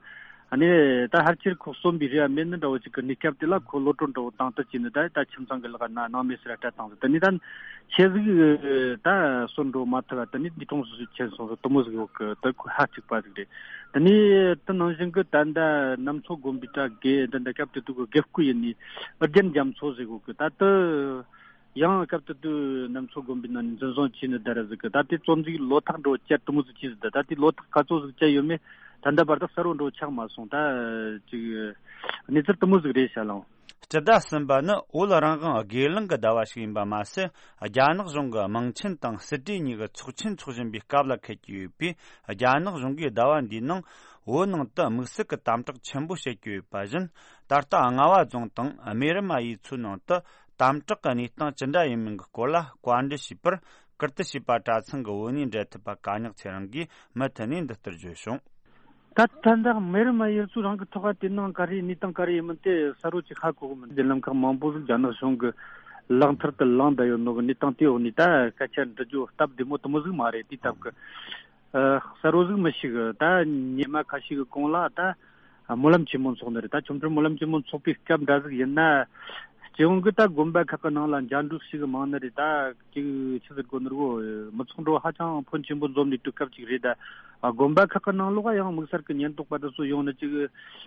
ཨ་ནི་ད་ཕལ་ཆེར་ཁོ་གསོན་པའི་རེ་བ་མེད་ནི་འདྲ་བོ་ཅིག་གི་གནས་སྐབས་དེ་ལ་ཁོ་གློད་གྲོལ་འདྲ་བོ་བཏང་ཐུབ་ཀྱི་ནི། ད་ད་ཁྱིམ་ཚང་གི་ལག་ན་སྣང་མེད་ཟེར་སྤྲད་བཏང་ཟིག་དེ་ནི་ད་ཁྱེད་ཟིག་ད་གསོན་འགྲོ་མ་ཐུབ་པ་དེ་ནི་འདས་གྲོངས་སུ་ཕྱིན་སོང་ཟིག་དེ་མོ་ཟིག་ཡོད་གི། ད་ཁོ་ཧ་ཅིག་པ་ཟིག་རེད། དེ་ནི་དེ་ནང་བཞིན་གི་ད་ད་གནམ་མཚོ་དགོན་པའི་གྲྭ་དགེ་འདི་འདྲ་སྐབས་དེ་དུས་གི་དགེ་བསྐོས་ཡིན་ནི་ཨུ་རྒྱན་རྒྱ་མཚོ་ཟིག་ཡོད་གི། ད་དེ་ཡང་སྐབས་དེ་དུས་གནམ་མཚོ་དགོན་པའི་ནང་ནས་འཛིན་བཟུང་བྱས་ནས་བསྡད་ར་ཟིག་གི། ད་དེ་བཙོན་འཇུག་ལོ་ཐག་འགྲོ་བཅད་དེ་མོ་ཟིག་བྱས་ཟིག་ད་ད་དེ་ལོ་ཐག་ག་ཚོད་ཟིག་བཅད་ཡོད་མེད་ད་ལྟ་བར་དུ་གསལ་བོ་འགྲོ་ཆགས་མ་སོང་། ད་ཅིག་གནས་ཚུལ་དེ་མོ་ཟིག་རེད་ཤག་ལགས། སྤྱི་ཟླ་གསུམ་པ་ནི་བོད་རང་དབང་སྒེར་ལངས་ཀྱི་ཟླ་བ་ཞིག་ཡིན་པ་མ་ཟད། རྒྱ་ནག་གཞུང་གི་དམངས་ཆེན་དང་སྲིད་གྲོས་གཉིས་ཀྱི་ཚོགས་ཆེན་འཚོགས་བཞིན་པའི་སྐབས་ལ་འཁེལ་གྱི་ཡོད་པས། རྒྱ་ནག་གཞུང་གིས་ཟླ་བ་འདིའི་ནང་བོད་ནང་དུ་དམིགས་བསལ་གྱི་དམ་དྲག་ཆེན་པོ་བྱེད་ཀྱི་ཡོད་པ་བཞིན། ད་ལྟ་རྔ་བ་རྫོང་དང་རྨེ་རུ་མ་ཡུལ་ཚོའི་ནང་དུ་དམ་དྲག་གི་གནས་སྟངས་ཅི་འདྲ་ཡིན་མིན་གྱི་སྐོར་ལ་བཀའ་འདྲི་ཞུས་པར། ཀིརྟི་བྱིས་པ་གྲྭ་ཚང་གི་བོད་གནས་འབྲེལ་མཐུད་པ་ག་ཉག་ཚེ་རིང་གིས་མུ་མཐུད་ནས་འདི་ལྟར་བརྗོད་བྱུང་། ད་ད་ལྟ་རྨེ་རུ་མ་ཡུལ་ཚོ་རང་གི་ཐོག་ག་དེ་ནང་ག་རེ་གནས་སྟངས་ག་རེ་ཡིན་མིན་དེ་གསལ་བོ་ཅིག་ཧ་གོ་གི་མི་འདུག་དེ་ལམ་ཁག་མང་པོ་ཟིག་རྒྱ་ནག་གཞུང་གི་ལག་མཐིལ་དུ་ལངས་བསྡད་ཡོད་ནོ་གི་གནས་སྟངས་དེའི་འོག་ནས་ད་སྐད་ཆ་འདྲི་རྒྱུ་སྟབས་བདེ་མོ་དེ་མོ་ཟིག་མ་རེད། དེའི་སྟབས་ཀྱི་ཨ་གསལ་བོ་ཟིག་མི་ཤེས་གི། ད་ཉི་མ་ཁ་ཤས་ཀྱི་གོང་ལ་ད་སྨོན་ལམ་ཆེན་མོ་འཚོགས་ནི་རེད། ད་ཆོ་འཕྲུལ་སྨོན་ལམ་ཆེན་མོ་འཚོགས་པའི་སྐབས་འདྲ་ཟིག་ཡིན་ན། སྤྱི་ཡོངས་ཀྱི་ད་དགོན་པ་ཁག་གི་ནང་ལ་འཇའ་འབྲུག་ཞིག་མང་ནི་རེད། ད་ཅིག་ཆི་ཟེར་དགོས་ནི་རེད་གོ། མི་ཚོགས་འགྲོ་ཧ་ཅང་ཕོན་ཆེན་པོ་འཛོམས་ནས་དུས་སྐབས་ཅིག་རེད། ད་དགོན་པ་ཁག་གི་ནང་ལོགས་ཡང་དམིགས་བསལ་གྱི་ཉེན་རྟོག་པ་དེ་ཚོ་ཡོང་ནི་ཅིག་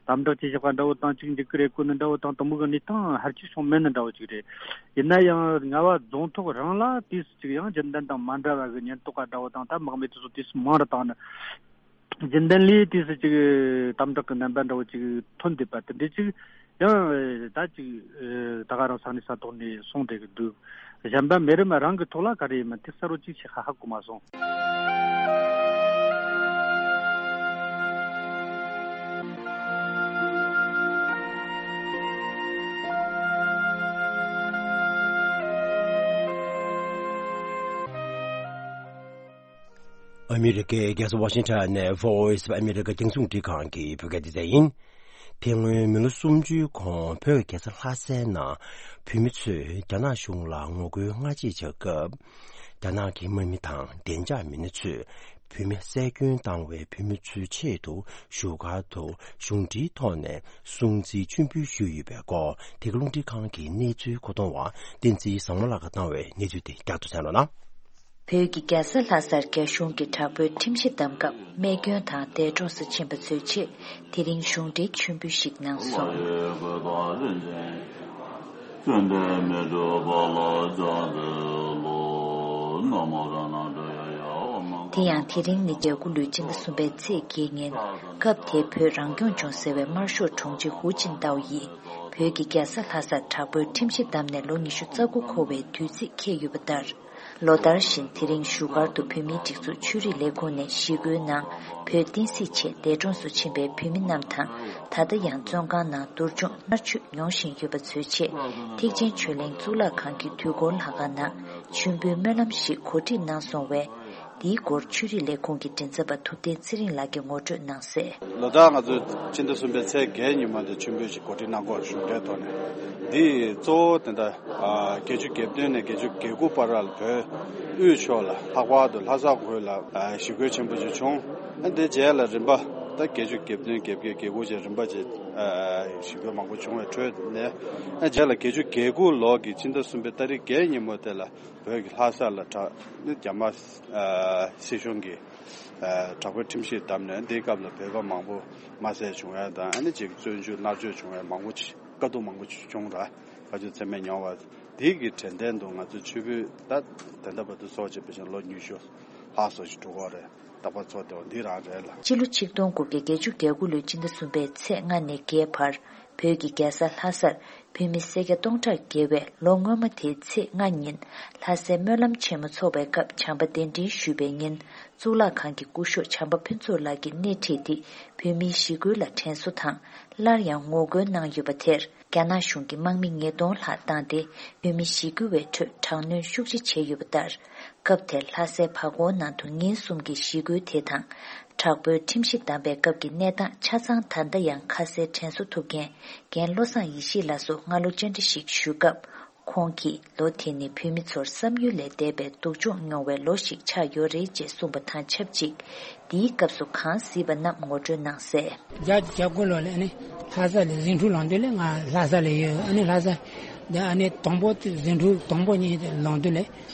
དམ་དྲག་བྱེད་བཞག་པ་འདྲ་བོ་དང་། ཅིག་འཇིགས་སྐུལ་རེ་བཀོད་ནི་འདྲ་བོ་དང་། དེ་མོ་གི་གནས་སྟངས་ཧར་ཅིག་བྱུང་མེད་ནི་འདྲ་བོ་ཅིག་རེད། ཡིན་ན་ཡང་རྔ་བ་རྫོང་ཐོག་རང་ལ་དུས་སུ་ཅིག་ཡང་རྒྱུན་ལྡན་དང་མ་འདྲ་བ་གི་ཉེན་རྟོག་པ་འདྲ་བོ་དང་། ད་དམག་མི་དེ་ཚོ་དུས་སུ་མང་རུ་བཏང་ནི། རྒྱུན་ལྡན་ལས་དུས་སུ་ཅིག་དམ་དྲག་གི་རྣམ་པ་འདྲ་བོ་ཅིག་ཐོན་བསྡད་པ་དེ་འདྲ་ཅིག་ཡང་ད་ཅིག་ད་ག་རང་ས་གནས་ས་ཐོག་ནས་སོང་བསྡད་ཀྱི་འདུག་གཞན་པ་མེ་རི་མ་རང་གི་ཐོག་ལ་ག་རེ་ཡིན་མིན་དེ་གསལ་བོ་ཅིག་ཞིག་ཧ་ཧ་གོ་མ་སོང་། ཨ་མི་རི་ཀའི་རྒྱལ་ས་ཝ་ཤིང་ཊོན་ནས་Voice of America རྒྱང་སྲིང་རླུང་འཕྲིན་ཁང་གི་བོད་སྐད་སྡེ་ཚན་ཡིན། དེ་སྔོན་མི་ལོ་སུམ་ཅུའི་གོང་བོད་རྒྱལ་ས་ལྷ་སའི་ནང་བོད་མི་ཚོས་རྒྱ་ནག་གཞུང་ལ་ངོ་རྒོལ་སྔ་རྗེས་བྱ་སྐབས། རྒྱ་ནག་གི་དམག་མི་དང་བདེ་འཇགས་མི་སྣ་ཚོས་བོད་མི་བསད་སྐྱོན་བཏང་བའི་བོད་མི་ཚོའི་ཆེད་དུ་བཞུགས་སྒར་དུ་གཞུང་འབྲེལ་ཐོག་ནས་སྲུང་བརྩི་མཆོད་འབུལ་ཞུས་ཡོད་པའི་སྐོར། འདི་ག་རླུང་འཕྲིན་ཁང་གི་གནས་ཚུལ་མཁོ་གཏོང་བ་བསྟན་འཛིན་བཟང་མོ་ལགས་ཀྱིས་བཏང་བའི་གནས་ཚུལ་དེ་བསྐྱར་དུ་གསན་རོགས་གནང་། བོད་ཀྱི་རྒྱལ་ས་ལྷ་སར་རྒྱ་གཞུང་གིས་དྲག་པོའི་ཁྲིམས་གཞི་བསྡམས་སྐབས་རྨས་སྐྱོན་དང་འདས་གྲོངས་སུ་ཕྱིན་པ་ཚོའི་ཆེད་དེ་རིང་གཞུང་འབྲེལ་མཆོད་འབུལ་ཞིག་གནང་སོང་། དེ་ཡང་དེ་རིང་ནི་བརྒྱད་དགུ་ལོའི་སྤྱི་ཟླ་གསུམ་པའི་ཚེས་བརྒྱད་ཉིན། སྐབས་དེའི་བོད་རང་སྐྱོང་ལྗོངས་ཟེར་བའི་དམར་ཤོག་དྲུང་ཆེ་ཧུའུ་ཅིན་ཏའོ་ཡིས་བོད་ཀྱི་རྒྱལ་ས་ལྷ་སར་དྲག་པོའི་ཁྲིམས་གཞི་བསྡམས་ནས་ལོ་ཉི་ཤུ་རྩ་དགུ་འཁོར་བའི་དུས་ཚིགས་འཁེལ་ཡོད་པ་ལྟར། ལོ་ལྟར་བཞིན་དེ་རིང་བཞུགས་སྒར་དུ་བོད་མིའི་སྒྲིག་འཛུགས་ཆོས་རིག་ལས་ཁུངས་ནས་ཞི་རྒོལ་ནང་བོད་བསྟན་སྲིད་ཆེད་འདས་གྲོངས་སུ་ཕྱིན་པའི་བོད་མི་རྣམས་དང་། ད་ལྟ་ཡང་བཙོན་ཁང་ནང་སྡུག་སྦྱོང་མནར་གཅོད་མྱོང་བཞིན་ཡོད་པ་ཚོའི་ཆེད་ཐེག་ཆེན་ཆོས་གླིང་གཙུག་ལག་ཁང་གི་དུས་འཁོར་ལྷ་ཁང་ནང་མཆོད་འབུལ་སྨོན་ལམ་ཞིག་གོ་སྒྲིག་གནང་སོང་བས། འདིའི་སྐོར་ཆོས་རིག་ལས་ཁུངས་ཀྱི་མགྲིན་ཚབ་པ་ཐུབ་བསྟན་ཚེ་རིང་ལགས་ཀྱིས་ངོ་སྤྲོད་གནང་གསལ། ལོ་ལྟར་ང་ཚོས་སྤྱི་ཟླ་གསུམ་པའི་ཚེས་བརྒྱད་ཉིན་མ་དེ་མཆོད་འབུལ་ཞིག་གོ་སྒྲིག་གནང་སྐོར་གཞུང་འབྲེལ་ཐོག་ནས། འདི་གཙོ་བོ་དེ་འདྲ་བརྒྱད་ཅུ་གྱ་བདུན་ནས་བརྒྱད་ཅུ་གྱ་དགུ་བར་ལ་བོད་དབུས་ཕྱོགས་ལ་ལྷག་པར་དུ་ལྷ་ས་ཁུལ་ལ་ཞི་རྒོལ་ཆེན་པོ་ཅིག་བྱུང་། དེ་རྗེས་ལ་རིམ་པ་ད་བརྒྱད་ཅུ་གྱ་བདུན་གྱ་བརྒྱད་གྱ་དགུ་བཅས་རིམ་པ་བྱས་ཞི་རྒོལ་མང་པོ་བྱུང་བའི་ཁྲོད་ནས། རྗེས་ལ་བརྒྱད་ཅུ་གྱ་དགུ་ལོ་གི་སྤྱི་ཟླ་གསུམ་པའི་ཏ་རིག་བརྒྱད་ཉིན་མོ་དེ་ལ་བོད་ཀྱི་ལྷ་ས་ལ་དྲག་ནི་རྒྱ་དམར་སྲིད་གཞུང་གིས་དྲག་པོའི་ཁྲིམས་གཞི་བསྡམས་ནས། འདིའི་སྐབས་ལ་བོད་པ་མང་པོ་དམར་གསོད་བྱུང་ཡ་དང་། ཨ་ནི་ཅིག་བཙོན་འཇུག་མནར་གཅོད་བྱུང་ཡ་མང་པོ་ཅིག་དཀའ་སྡུག་མང་པོ་ཅིག་བྱུང་ར། དཀའ་སྤྱད་ཚད་མེད་མྱོང་བ། འདི་གི་དྲན་རྟེན་དུ་ང་ཚོ་མཆོད་འབུལ་ད་དེ་འདྲ་བར་དུ་ཚོགས་བྱས་པ་བཞིན་ལོ་ཉི་ཤུ་ལྷག་སོགས་ཤིག་འགྲོ་གི་རེད། རྟག་པར་ཚོགས་བསྡད་པ་འདི་རང་རེད་ལ། སྤྱི་ལོ་ཆིག་སྟོང་དགུ་བརྒྱ་བརྒྱད་ཅུ་གྱ་དགུ་ལོའི་སྤྱི་ཟླ་གསུམ་པའི་ཚེས་ལྔ་ནས་བརྒྱད་བར། བོད་ཀྱི་རྒྱལ་ས་ལྷ་སར་བོད་མི་སེར་སྐྱ་སྟོང་ཕྲག་བརྒལ་བས། ལོ་སྔོན་མ་དེའི་ཚེས་ལྔ་ཉིན་ལྷ་སའི་སྨོན་ལམ་ཆེན་མོ་འཚོགས་པའི་སྐབས་བྱམས་པ་གདན་འདྲེན་ཞུས་པའི་ཉིན། གཙུག་ལག་ཁང་གི་སྐུ་ཞབས་བྱམས་པ་ཕུན་ཚོགས་ལགས་ཀྱིས་སྣེ་ཁྲིད་དེ་བོད་མིའི་ཞི་རྒོལ་ལ་དྲན་གསོ་དང་། སླར་ཡང་ངོ་རྒོལ་གནང་ཡོད་པ་དེར། རྒྱ་ནག་གཞུང་གིས་དམག་མི་ཉིས་སྟོང་ལྷག་བཏང་སྟེ། བོད་མི་ཞི་རྒོལ་བའི་ཁྲོད་དྲག་གནོན་ཤུགས་ཆེ་བྱས་ཡོད་པ་ལྟར། སྐབས་དེར་ལྷ་སའི་བར་སྐོར་ནང་དུ་ཉིན་གསུམ་གྱི་ཞི་རྒོལ་དེ་དང་། དྲག་པོའི་ཁྲིམས་གཞི་བསྡམས་པའི་སྐབས་ཀྱི་གནས་སྟངས་ཆ་ཚང་ད་ལྟ་ཡང་ཁ་གསལ་དྲན་གསོ་ཐུབ་མཁན་རྒན་བློ་བཟང་ཡེ་ཤེས་ལགས་སུ་སྔ་ལོ་བཅར་འདྲི་ཞིག་ཞུས་སྐབས། ཁོང་གིས་ལོ་དེ་ནི་བོད་མི་ཚོར་བསམ་ཡུལ་ལས་འདས་པའི་སྡུག་སྦྱོང་མྱོང་བའི་ལོ་ཞིག་ཆགས་ཡོད་རེད་ཅེས་གསུངས་པ་དང་ཆབས་ཅིག་འདིའི་སྐབས་སུ་གང་གཟིགས་པ་རྣམས་ངོ་སྤྲོད་གནང་གསལ། བརྒྱད་ཅུ་གྱ་དགུ་ལོ་ལ་ཨ་ནི་ལྷ་ས་ལ་ཟིང་འཁྲུག་ལངས་དུས་ལ་ང་ལྷ་ས་ལ་ཡོད། ཨ་ནི་ལྷ་ས་འདི་ཨ་ནི་དང་པོ་དེ་ཟིང་འཁྲུག་དང་པོ་ཉིད་ལངས་དུས་ལ་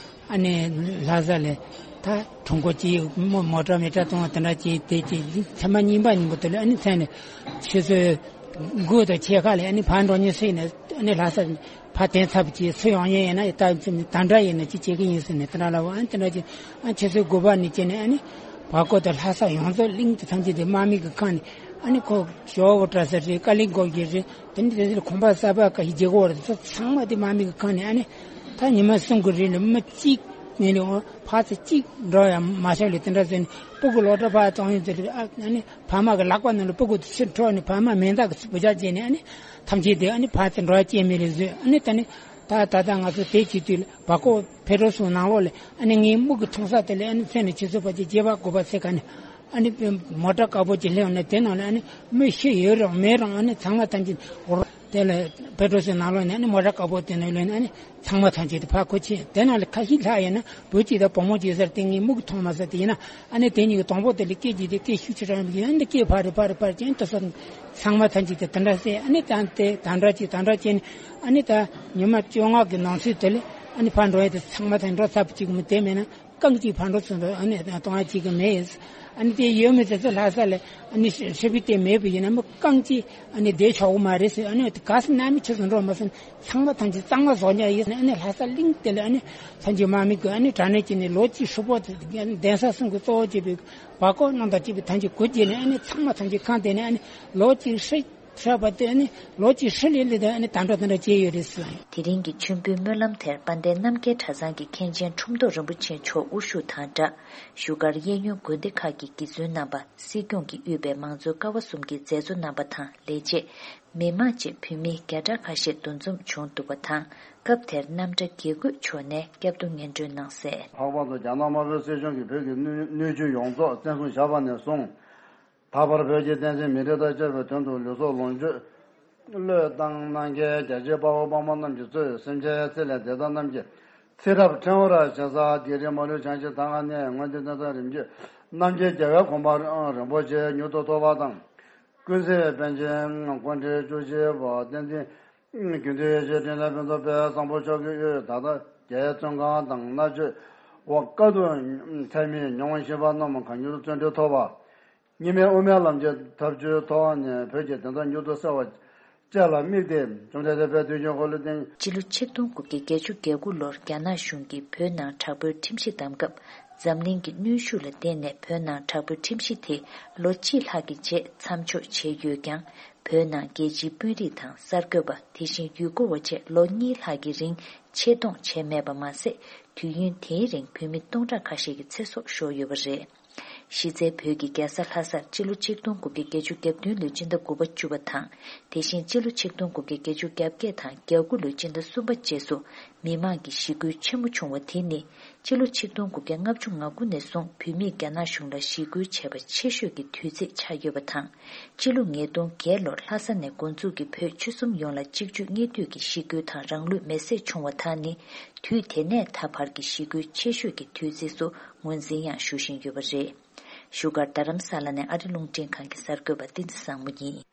ཨ་ནི་ལྷ་ས་ལ་ད་གྲོང་སྐོར་གྱི་མོ་མོ་ཊ་མི་ཊ་གཏོང་བ་དེ་འདྲ་གྱིས་དེ་གྱིས་ཚེས་མ་གཉིས་པ་ཉིན་མོ་དེ་ལ་ཨ་ནི་མཚན་ནས་ཆུ་ཚོད་དགུ་དང་ཕྱེད་ཀ་ལ་ཨ་ནི་ཕར་འགྲོ་ཉེ་སྲིད་ནས་ཨ་ནི་ལྷ་ས་ཕར་དེང་ཚབ་ཀྱི་སུ་ཡོང་ཉེ་ཡིན་ན་ད་ད་འདྲ་ཡིན་ན་ཅི་བྱེད་ཀྱི་ཡིན་ཟེར་ནས་དེ་འདྲ་ལབ། ཨ་ནི་དེ་འདྲ་གྱིས་ཨ་ཆུ་ཚོད་དགུ་པ་ནས་བྱས་ནས་ཨ་ནི་བར་སྐོར་དང་ལྷ་ས་ཡོངས་རྫོགས་གླིང་དེ་ཐམས་ཅད་དེ་དམག་མི་གི་ཁ་ནས་ཨ་ནི་ཁོ་ཞོ་བོ་བཀྲ་ས་རེད། ཀ་ལིང་གོ་གི་རེད། དེ་ནི་དེ་ཚོར་ཁོང་པ་གསར་པ་ཀ་ཞིག་རྒྱལ་གོ་རེད། ཚང་མ་དེ་དམག་མི་གི་ཁ་ནས་ཨ་ནི་ད་ཉི་མ་གསུམ་གི་རིང་ལ་མི་གཅིག་ངན་ལས་འོང་ཕར་ཚུར་གཅིག་འགྲོ་ཡང་མ་ཤོར་ལས་དེ་འདྲ་ཟེར་ནས་སྤུ་གུ་ལོ་གྲྭ་ཕར་གཏོང་ཡོང་དུས་ཨ་ནི་ཕ་མ་གི་ལག་པ་ནང་ལ་སྤུ་གུ་དེ་ཕྱིར་འཕྲོག་ནས་ཕ་མ་མེ་མདའ་གི་བུ་ཆ་བྱས་ནས་ཨ་ནི་ཐམས་ཅད་དེ་ཨ་ནི་ཕར་ཚུར་འགྲོ་ཡ་སྐྱེལ་མེད་རེད་བཟོས། ཨ་ནི་ད་ནི་ད་ད་ལྟ་ང་ཚོ་དེ་བྱེད་དུས་ལ་བར་སྐོར་ཕེ་ཏྲོ་སུ་ནང་ལོགས་ལ་ཨ་ནི་ངའི་མིག་གིས་མཐོང་ས་དེ་ལ་ཨ་ནི་མཚན་ནས་ཆུ་ཚོད་ཕལ་ཆེར་བརྒྱད་པ་དགུ་པ་ཚེ་ག་ནས་ཨ་ནི་མོ་ཊ་དཀར་པོ་ཅིག་སླེབས་ནས་དེ་ནང་ལ་ཨ་ནི་མི་ཤི་ཡོད་རུང་མེད་རུང་ཨ་ནི་ཚང་མ་ཐམས་ཅད་འོར་དེ་ལ་ཕེ་ཏྲོ་སུ་ནང་ལོགས་ནས་ཨ་ནི་མོ་ཊ་དཀར་པོ་དེ་ནང་ལ་ཨ་ནི་ཚང་མ་ཐམས་ཅད་དེ་ཕར་ཁུར་ཕྱིན། དེ་ནང་ལ་ཁ་ཤས་ལྷག་ཡོད་ན་བུ་གཅིག་དང་བུ་མོ་གཅིག་ཟེར་དེ་ངའི་མིག་གིས་མཐོང་མ་ས་དེ་ཡིན་ན་ཨ་ནི་དེ་གཉིས་ཀྱི་དང་པོ་དེ་ལ་སྐད་ཅིག་དེ་སྐད་ཤུགས་ཆེ་དྲགས་ཡིན་པ་ཡིན་ན་འདི་སྐད་ཕར་རེ་ཕར་རེ་ཕར་ཅན་དུ་སོང་། ཚང་མ་ཐམས་ཅད་དེ་དེ་འདྲ་ཟེར། ཨ་ནི་ད་དེ་དེ་འདྲ་ཅིག་དེ་འདྲ་བྱས་ནས་ཨ་ནི་ད་ཉི་མ་བཅོ་ལྔ་གི་ནང་ཚུད་དེ་ལས་ཨ་ནི་ཕར་འགྲོ་ཡ་དེ་ཚང་མ་དེ་འགྲོ་ཚར་བ་ཅིག་མི་དེ་མེད་ན་རྐང་གཅིག་ཕར་འགྲོ་ཚུར་འགྲོ་ཨ་ནི་གཏོང་ཡ་ཅིག་གི་མེད། ཨ་ནི་དེ་ཡོད་མེད་དེ་ཚོ་ལྷ་ས་ལ་ཨ་ནི་ཧྲི་པི་དེ་མེད་པ་ཡིན་ན་མི་རྐང་གཅིག་ཨ་ནི་བསྡད་ཆོག་གི་མ་རེད་ཟེར། ཨ་ནི་ག་ས་ནང་མི་ཆུ་ཚོད་འགྲོ་མ་སོང་། ཚང་མ་ཐམས་ཅད་གཙང་མ་བཟོ་ཉག་ཡིན་ཟེར། ཨ་ནི་ལྷ་ས་གླིང་དེ་ལ་ཨ་ནི་ཐམས་ཅད་དམག་མི་གི་ཨ་ནི་དྲག་གནོན་བྱས་ནས་ལོ་གཅིག་ཧྲིལ་པོ་གདན་ས་གསུམ་གྱི་གཙོ་བོ་བྱས་པའི་བར་སྐོར་གནང་དང་བཅས་པའི་ཐམས་ཅད་གུ་བརྗེས་ནས་ཨ་ནི་ཚང་མ་ཐམས་ཅད་ཁང་དེ་ནས་ཨ་ནི་ལོ་གཅིག་ཧྲིལ་ཧྲ་བ་དེ་ཨ་ནི་ལོ་གཅིག་ཧྲིལ་ལས་ལས་དང་ཨ་ནི་ད་འགྲོ་དེ་འདྲ་བྱས་ཡོད་རེད་ཟེར། དེ་རིང་གི་མཆོད་འབུལ་སྨོན་ལམ་དེར་དཔལ་ལྡན་རྣམ་རྒྱལ་གྲྭ་ཚང་གི་མཁན་ཆེན་ཁྲོམ་ཐོག་རིན་པོ་ཆེ་མཆོག་དབུ་བཞུགས་དང་སྦྲགས་བཞུགས་སྒར་གཡས་གཡོན་དགོན་སྡེ་ཁག་གི་དགེ་བཙུན་རྣམ་པ། སྲིད་སྐྱོང་གིས་དབུས་པའི་མང་གཙོའི་ཀ་བ་གསུམ་གྱི་མཛད་གཙོ་རྣམ་པ་དང་ལས་བྱེད། མི་མང་བཅས་བོད་མི་བརྒྱ་ཕྲག་ཁ་ཤས་འདུ་འཛོམས་བྱུང་འདུག་པ་དང་། སྐབས་དེར་རྣམ་གྲྭ་དགེ་བསྐོས་མཆོག་ནས་བསྐྱར་ཟློས་སྙན་སྒྲོན་གནང་གསལ། ལྷག་པར་དུ་རྒྱ་ནག་དམར་པོའི་སྲིད་གཞུང་གིས་བོད་ཀྱི་སྣོད་སྣོད་བཅུད་ཡོངས་རྫོགས་བཙན་བཟུང་བཞག་པ་ནས་བཟུང་། ད་བར་བོད་ཀྱི་བསྟན་སྲིད་མི་རིགས་དང་བཅས་པའི་དོན་དུ་ལུས་སྲོག་ལོངས་སྤྱོད་བློས་བཏང་གནང་མཁན་རྒྱལ་གཅེས་དཔའ་བོ་དཔའ་མོ་རྣམས་ཀྱིས་གཙོས་སེམས་ཅན་ཚེ་ལས་འདས་ས་རྣམས་ཀྱི་ཚེ་རབས་ཕྲེང་བར་བྱིན་ས་བགེགས་རིགས་མ་ལུས་བྱང་ཆུབ་མཐའ་ལྔ་ནས་མངོན་མཐོའི་མཐའ་རིམ་བརྒྱུད་རྣམ་མཁྱེན་རྒྱལ་བའི་གོ་འཕང་རིན་པོ་ཆེ་མྱུར་དུ་ཐོབ་པ་དང་། ཀུན་གཟིགས་པཎ་ཆེན་སྐུ་ཕྲེང་བཅུ་བཞི་པ་བསྟན་འཛིན་དགེ་འདུན་ཡེ་ཤེས་འཕྲིན་ལས་ཕུན་ཚོགས་དཔལ་བཟང་པོ་མཆོག་གི་དབུས་ད་ལྟ་རྒྱའི་བཙོན་ཁང་དང་མནར་གཅོད་འོག་དཀའ་སྡུག་ཚད་མེད་མྱོང་བཞིན་པ་རྣམས་གང་མྱུར་བརྩོན་འགྲུས་ཐོབ་པ། གཉིས་སྨན་དབུ་མའི་ལམ་གྱི་ཐབས་ཇུས་ཐོག་ནས་བོད་ཀྱི་བདེན་མཐའ་མྱུར་དུ་གསལ་བ་བཅས་ལ་དམིགས་ཏེ་བཅོམ་ལྡན་འདས་དཔལ་དུས་ཀྱི་འཁོར་ལོ་བསྟན། སྤྱི་ལོ་ཆིག་སྟོང་དགུ་བརྒྱ་བརྒྱད་ཅུ་གྱ་དགུ་ལོར་རྒྱ་ནག་གཞུང་གིས་བོད་ནང་དྲག་པོའི་ཁྲིམས་གཞི་བསྡམས་སྐབས། འཛམ་གླིང་གི་གནོན་ཤུགས་ལ་བརྟེན་ནས་བོད་ནང་དྲག་པོའི་ཁྲིམས་གཞི་དེ་ལོ་གཅིག་ལྷག་གི་རྗེས་མཚམས་འཇོག་བྱས་ཡོད་ཀྱང་། བོད་ནང་རྒྱལ་སྤྱིའི་དཔོན་རིགས་དང་གསར་འགོད་པ། དེ་བཞིན་ཡུལ་སྐོར་བ་བཅས་ལོ་གཉིས་ལྷག་གི་རིང་ཆེད་གཏོང་བྱས་མེད་པ་མ་ཟད། དུས་ཡུན་དེའི་རིང་བོད་མི་སྟོང་ཕྲག་ཁ་ཤས་ཀྱི་ཚེ་སྲོག་ཤོར་ཡོད་པ་རེད། གཞི་རྩའི་བོད་ཀྱི་རྒྱལ་ས་ལྷ་སར་སྤྱི་ལོ་ཆིག་སྟོང་དགུ་བརྒྱ་བརྒྱད་ཅུ་གྱ་བདུན་ལོའི་སྤྱི་ཟླ་དགུ་པ་བཅུ་པ་དང་། དེ་བཞིན་སྤྱི་ལོ་ཆིག་སྟོང་དགུ་བརྒྱ་བརྒྱད་ཅུ་གྱ་བརྒྱད་དང་གྱ་དགུ་ལོའི་སྤྱི་ཟླ་གསུམ་པ་བཅས་སུ་མི་མང་གི་ཞི་རྒོལ་ཆེན་མོ་བྱུང་བ་དེ་ནི། སྤྱི་ལོ་ཆིག་སྟོང་དགུ་བརྒྱ་ལྔ་བཅུ་ང་དགུ་ནས་བཟུང་བོད་མིས་རྒྱ་ནག་གཞུང་ལ་ཞི་རྒོལ་བྱས་པ་ཆེ་ཤོས་ཀྱི་དུས་ཚིགས་ཆགས་ཡོད་པ་དང་། སྤྱི་ལོ་ཉིས་སྟོང་བརྒྱད་ལོར་ལྷ་ས་ནས་འགོ་འཛུགས་ཀྱིས་བོད་ཆོལ་གསུམ་ཡོངས་ལ་གཅིག་གྱུར་གཉིས་མཐུད་ཀྱི་ཞི་རྒོལ་དང་རང་ལུས་མེར་སྲེག་བྱུང་བ་དག་ནི། དུས་དེ་ནས་ད་བར་གྱི་ཞི་རྒོལ་ཆེ་ཤོས་ཀྱི་དུས་ཚིགས་སུ་ངོས་འཛིན་ཡང་ཞུ་བཞིན་ཡོད་པ་རེད། བཞུགས་སྒར་རྡ་རམ་ས་ལ་ནས་ཨ་རི་རླུང་འཕྲིན་ཁང་གི་གསར་འགོད་པ་བསྟན་འཛིན་བཟང་མོ་ཡིན།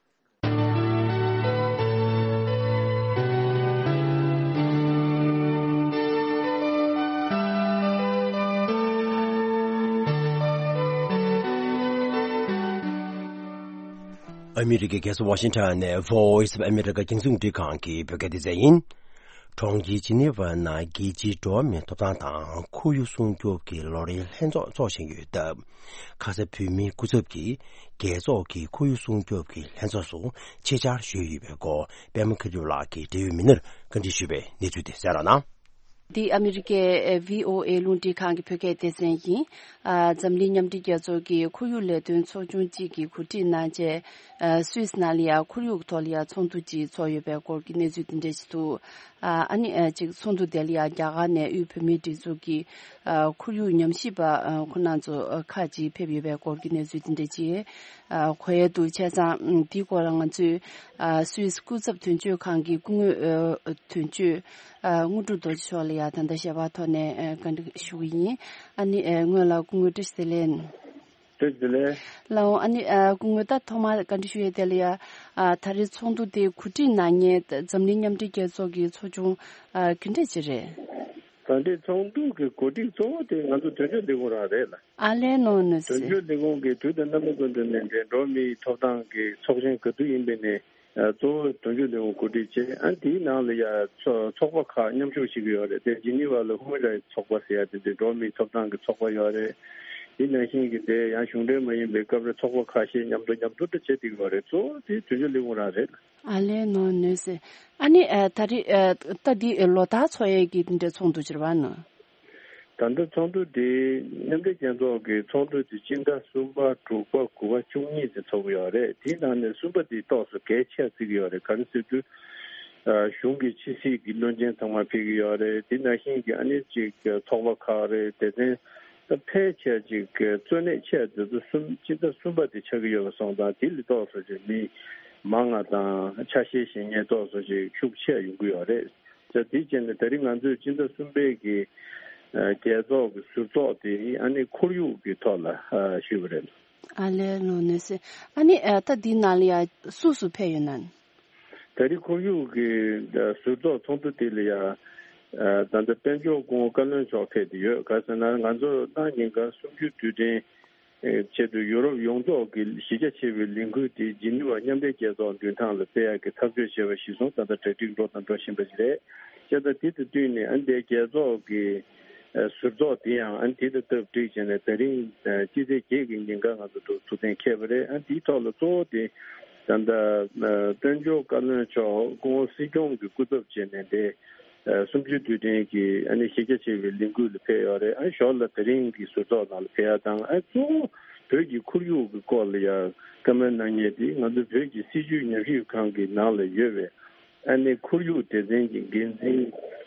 ཨ་མི་རི་ཀའི་རྒྱལ་ས་ཝ་ཤིང་ཊོན་ནས་Voice of America་རྒྱང་སྲིང་རླུང་འཕྲིན་ཁང་གི་བོད་སྐད་སྡེ་ཚན་ཡིན། གྲོང་ཁྱེར་ཇི་ནི་ཝར་ནང་རྒྱལ་སྤྱིའི་འགྲོ་བ་མིའི་ཐོབ་ཐང་དང་ཁོར་ཡུག་སྲུང་སྐྱོབ་ཀྱི་ལོ་རེའི་ལྷན་ཚོགས་འཚོགས་བཞིན་ཡོད་སྟབས། ཁ་ས་བོད་མིའི་སྐུ་ཚབ་ཀྱིས་རྒྱལ་ཚོགས་ཀྱི་ཁོར་ཡུག་སྲུང་སྐྱོབ་ཀྱི་ལྷན་ཚོགས་སུ་ཆེད་བཅར་ཞུས་ཡོད་པའི་སྐོར་པད་མ་མཁའ་འགྲུབ་ལགས་ཀྱིས་འབྲེལ་ཡོད་མི་སྣར་བཀའ་འདྲི་ཞུས་པའི་གནས་ཚུལ་དེ་གསན་རོགས་གནང་། འདི་ཨ་མི་རི་ཀའི་ཨེ་ཝི་ཨོ་ཨེ་རླུང་འཕྲིན་ཁང་གི་བོད་སྐད་སྡེ་ཚན་ཡིན། ཨ་འཛམ་གླིང་མཉམ་འབྲེལ་རྒྱལ་ཚོགས་ཀྱི་ཁོར་ཡུག་ལས་དོན་ཚོགས་ཆུང་གཅིག་གིས་གོ་སྒྲིག་གནང་རྗེས། ཨ་སུད་སི་ནང་ལ་ཡང་ཁོར་ཡུག་ཐོག་ལ་ཡང་ཚོགས་འདུ་གཅིག་ཚོགས་ཡོད་པའི་སྐོར་གྱི་གནས་ཚུལ་འདི་འདྲ་ཞིག་འདུག་ཨ་ཨ་ནི་ཨ་གཅིག་ཚོགས་འདུ་དེ་ལ་ཡང་རྒྱ་གར་ནས་དབུས་བོད་མིའི་སྒྲིག་འཛུགས་ཀྱི་ཨ་ཁོར་ཡུག་ཉམས་ཞིབ་པ་ཨ་ཁོང་རྣམ་ཚོ་ཨ་ཁག་ཅིག་ཕེབས་ཡོད་པའི་སྐོར་གྱི་གནས་ཚུལ་འདི་འདྲ་ཅིག་ཨ་གོ་ཡས་འདུག་བྱས་ཙང་ཨ་འདིའི་སྐོར་ལ་ང་ཚོས་ཨ་སུད་སི་སྐུ་ཚབ་དོན་གཅོད་ཁང་གི་སྐུ་ངོ་ཨ་དོན་གཅོད་ ཨ། དངོས་གྲུབ་རྡོ་རྗེ་མཆོག་ལ་ཡང་ད་ལྟ་ཞལ་པར་ཐོག་ནས་ཨ། བཀའ་འདྲི་ཞུ་གི་ཡིན། ཨ་ནི་ཨ། སྔོན་ལ་སྐུ་ངོ་བཀྲ་ཤིས་བདེ་ལེགས། བཀྲ་ཤིས་བདེ་ལེགས། ལགས་འོང་། ཨ་ནི་ཨ། སྐུ་ངོ་ད་ཐོག་མར་བཀའ་འདྲི་ཞུ་ཡས་དེ་ལ་ཡང་ཨ། ད་རེས་ཚོགས་འདུ་དེ་གོ་སྒྲིག་གནང་མཁན་འཛམ་གླིང་མཉམ་འབྲེལ་རྒྱལ་ཚོགས་ཀྱི་ཚོགས་ཆུང་ཨ། ག་འདྲས་ཅིག་རེད། ད་ལྟའི་ཚོགས་འདུ་གི་གོ་སྒྲིག་གཙོ་བོ་དེ་ང་ཚོ་དོན་གཅོད་ལས་ཁུངས་རང་རེད་ལ། ཨ་ལས་ནོ་ནོ་དོན་སི། གཅོད་ལས་ཁུངས་ཀྱིས་དུས་དང་རྣམ་པ་ཀུན་ཏུ་ནས་འབྲེལ་འགྲོ་མིའི་ཐོབ་ཐང་གི་ཚོགས་ཆེན་ག་དུས་ཡིན་པའི་ནས་ཨ། གཙོ་བོ་དོན་གཅོད་ལས་ཁུངས་གོ་སྒྲིག་བྱས། ཨ། དེའི་ནང་ལ་ཡ་ཚོ་ཚོགས་པ་ཁག་མཉམ་ཞུགས་བྱེད་ཀྱི་ཡོད་རེད། དེ་ཇི་ནི་ཝ་ལ་ཧུ་མན་རའེ་ཚོགས་པ་ཟེར་ཡ་དེ་འདྲའི་འགྲོ་མིའི་ཐོབ་ཐང་གི་ཚོགས་པ་ཡོད་རེད། དེ་ནང་བཞིན་གྱི་དེ་ཡང་གཞུང་འབྲེལ་མ་ཡིན་པའི་སྐབས་རེ་ཚོགས་པ་ཁ་ཤས་མཉམ་དུ་མཉམ་དུ་འདྲ་བྱེད་ཀྱི་ཡོད་རེད། གཙོ་བོ་དེ་དོན་གཅོད་ལས་ཁུངས་རང་རེད། ཨ་ལས་ནོ་ནོ་སི། ཨ་ནི་ཨ། ད་རེས་ཨ། ད་འདི་ལོ་ལྟར་འཚོགས་ཡས་ཀྱི་འདི་འདྲའི་ཚོགས་འདུ་ཅིག་རེད་པ་ནོ། ད་ལྟ་ཚོགས་འདུ་དེ་མཉམ་འབྲེལ་རྒྱལ་ཚོགས་ཀྱི་ཚོགས་འདུ་དེ་སྤྱི་ཟླ་གསུམ་པ། དྲུག་པ། དགུ་པ། བཅུ་གཉིས་ཚེ་ཚོགས་ཀྱི་ཡོད་རེད། དེའི་ནང་ནས་གསུམ་པ་དེ་ཏོག་ཙམ་གལ་ཆེ་བརྩི་གི་ཡོད་རེད། ག་རེ་ཟེར་དུས་ཨ། གཞུང་གི་ཕྱི་སྲིད་ཀྱི་བློན་ཆེན་ཚང་མ་ཕེབས་ཀྱི་ཡོད་རེད། དེ་ནང་བཞིན་གྱི་ཨ་ནི་ཅིག་ཚོགས་པ་ཁག་རེད། དེ་ཚན་ད་ཕལ་ཆེར་ཅིག་གཙོ་གནད་ཆེ་དེ་ཚོ་གསུམ་སྤྱི་ཟླ་གསུམ་པ་དེ་ཆགས་ཀྱི་ཡོད་པ་སོང་ཙང་། དེ་ལས་ཏོག་ཙམ་ཅིག་མི་མང་ང་དང་ཆ་ཤས་བཞེས་མཁན་ཏོག་ཙམ་ཅིག་ཤུགས་ཆེ་ཡོང་གི་ཡོད་རེད། ད་དེ་བྱས་ནས་ད་རིང་ང་ཚོས་སྤྱི་ཟླ་གསུམ་པའི་གི་ཨ། རྒྱལ་ཚོགས་ཀྱི་ཟུར་ཚོགས་དེ་ཨ་ནི་ཁོར་ཡུག་གི་ཐོག་ལ་ཨ། ཞུས་པ་རེད། ཨ་ལས་ནོ་ནོ་སི། ཨ་ནི་ཨ། ད་འདི་ནང་ལ་ཡ་སུ་སུ་ཕེབས་ཡོད་ན། ད་རེས་ཁོར་ཡུག་གི་ཟུར་ཚོགས་ཚོགས་འདུ་དེ་ལ་ཡ་ད་ལྟ་དཔལ་འབྱོར་སྐུ་ངོ་བཀའ་བློན་མཆོག་ཕེབས་ཏེ་ཡོད། ག་ཟེར་ན་ང་ཚོ་ཏང་ཉིན་གང་གསུམ་བཅུའི་དུས་དྲན་ཆེད་དུ་ཡུ་རོབ་ཡོངས་རྫོགས་ཀྱི་གཞི་རྒྱ་ཆེ་བའི་ལས་འགུལ་དེ་ཇི་ནི་ཝ་མཉམ་འབྲེལ་རྒྱལ་ཚོགས་མདུན་ཐང་ལ་སྤེལ་ཡག་གི་ཐག་གཅོད་བྱས་པ་གཞིར་བཟུང་ད་ལྟ་གྲ་སྒྲིག་འགྲོ་དང་འགྲོ་བཞིན་པ་ཞིག་རེད། བྱས་ཙང་དེ་དང་བསྟུན་ནས་ཨ་ནི་དེ་རྒྱལ་ཚོགས་ཀྱི་ཟུར་ཚོགས་དེ་ཡང་ཨ་ནི་དེ་དང་སྟབས་བསྒྲིགས་བྱས་ནས་ད་རིང་སྤྱི་ཚེས་བརྒྱད་ཀྱི་ཉིན་ཀ་ང་ཚོ་ཐུགས་ཐུགས་གཏན་འཁེལ་བ་རེད། ཨ་ནི་དེའི་ཐོག་ལ་གཙོ་བོ་དེ་ད་ལྟ་དཔལ་འབྱོར་བཀའ་བློན་མཆོག་སྐུ་ངོ་སྲིད་སྐྱོང་གི་སྐུ་ཚབ་བྱས་ནས་དེ་སུམ་ཅུ་དུས་དྲན་གྱི་ཨ་ནི་གཞི་རྒྱ་ཆེ་བའི་ལས་འགུལ་ལ་ཕེབས་ཡོད་རེད། ཨ་ཞོར་ལ་དེ་རིང་གི་ཟུར་ཚོགས་ནང་ལ་ཕེབས་ཡ་དང་། ཨ་གཙོ་བོ་བོད་ཀྱི་ཁོར་ཡུག་གི་སྐོར་ལ་ཡང་བཀའ་མོལ་གནང་མཁན་དེ་ང་ཚོ་བོད་ཀྱི་སྲིད་བྱུས་ཉམས་ཞིབ་ཁང་གི་ནང་ལ་ཡོད་པའི་ཨ་ནི་ཁོར་ཡུག་སྡེ་ཚན་གྱི་འགན་འཛིན་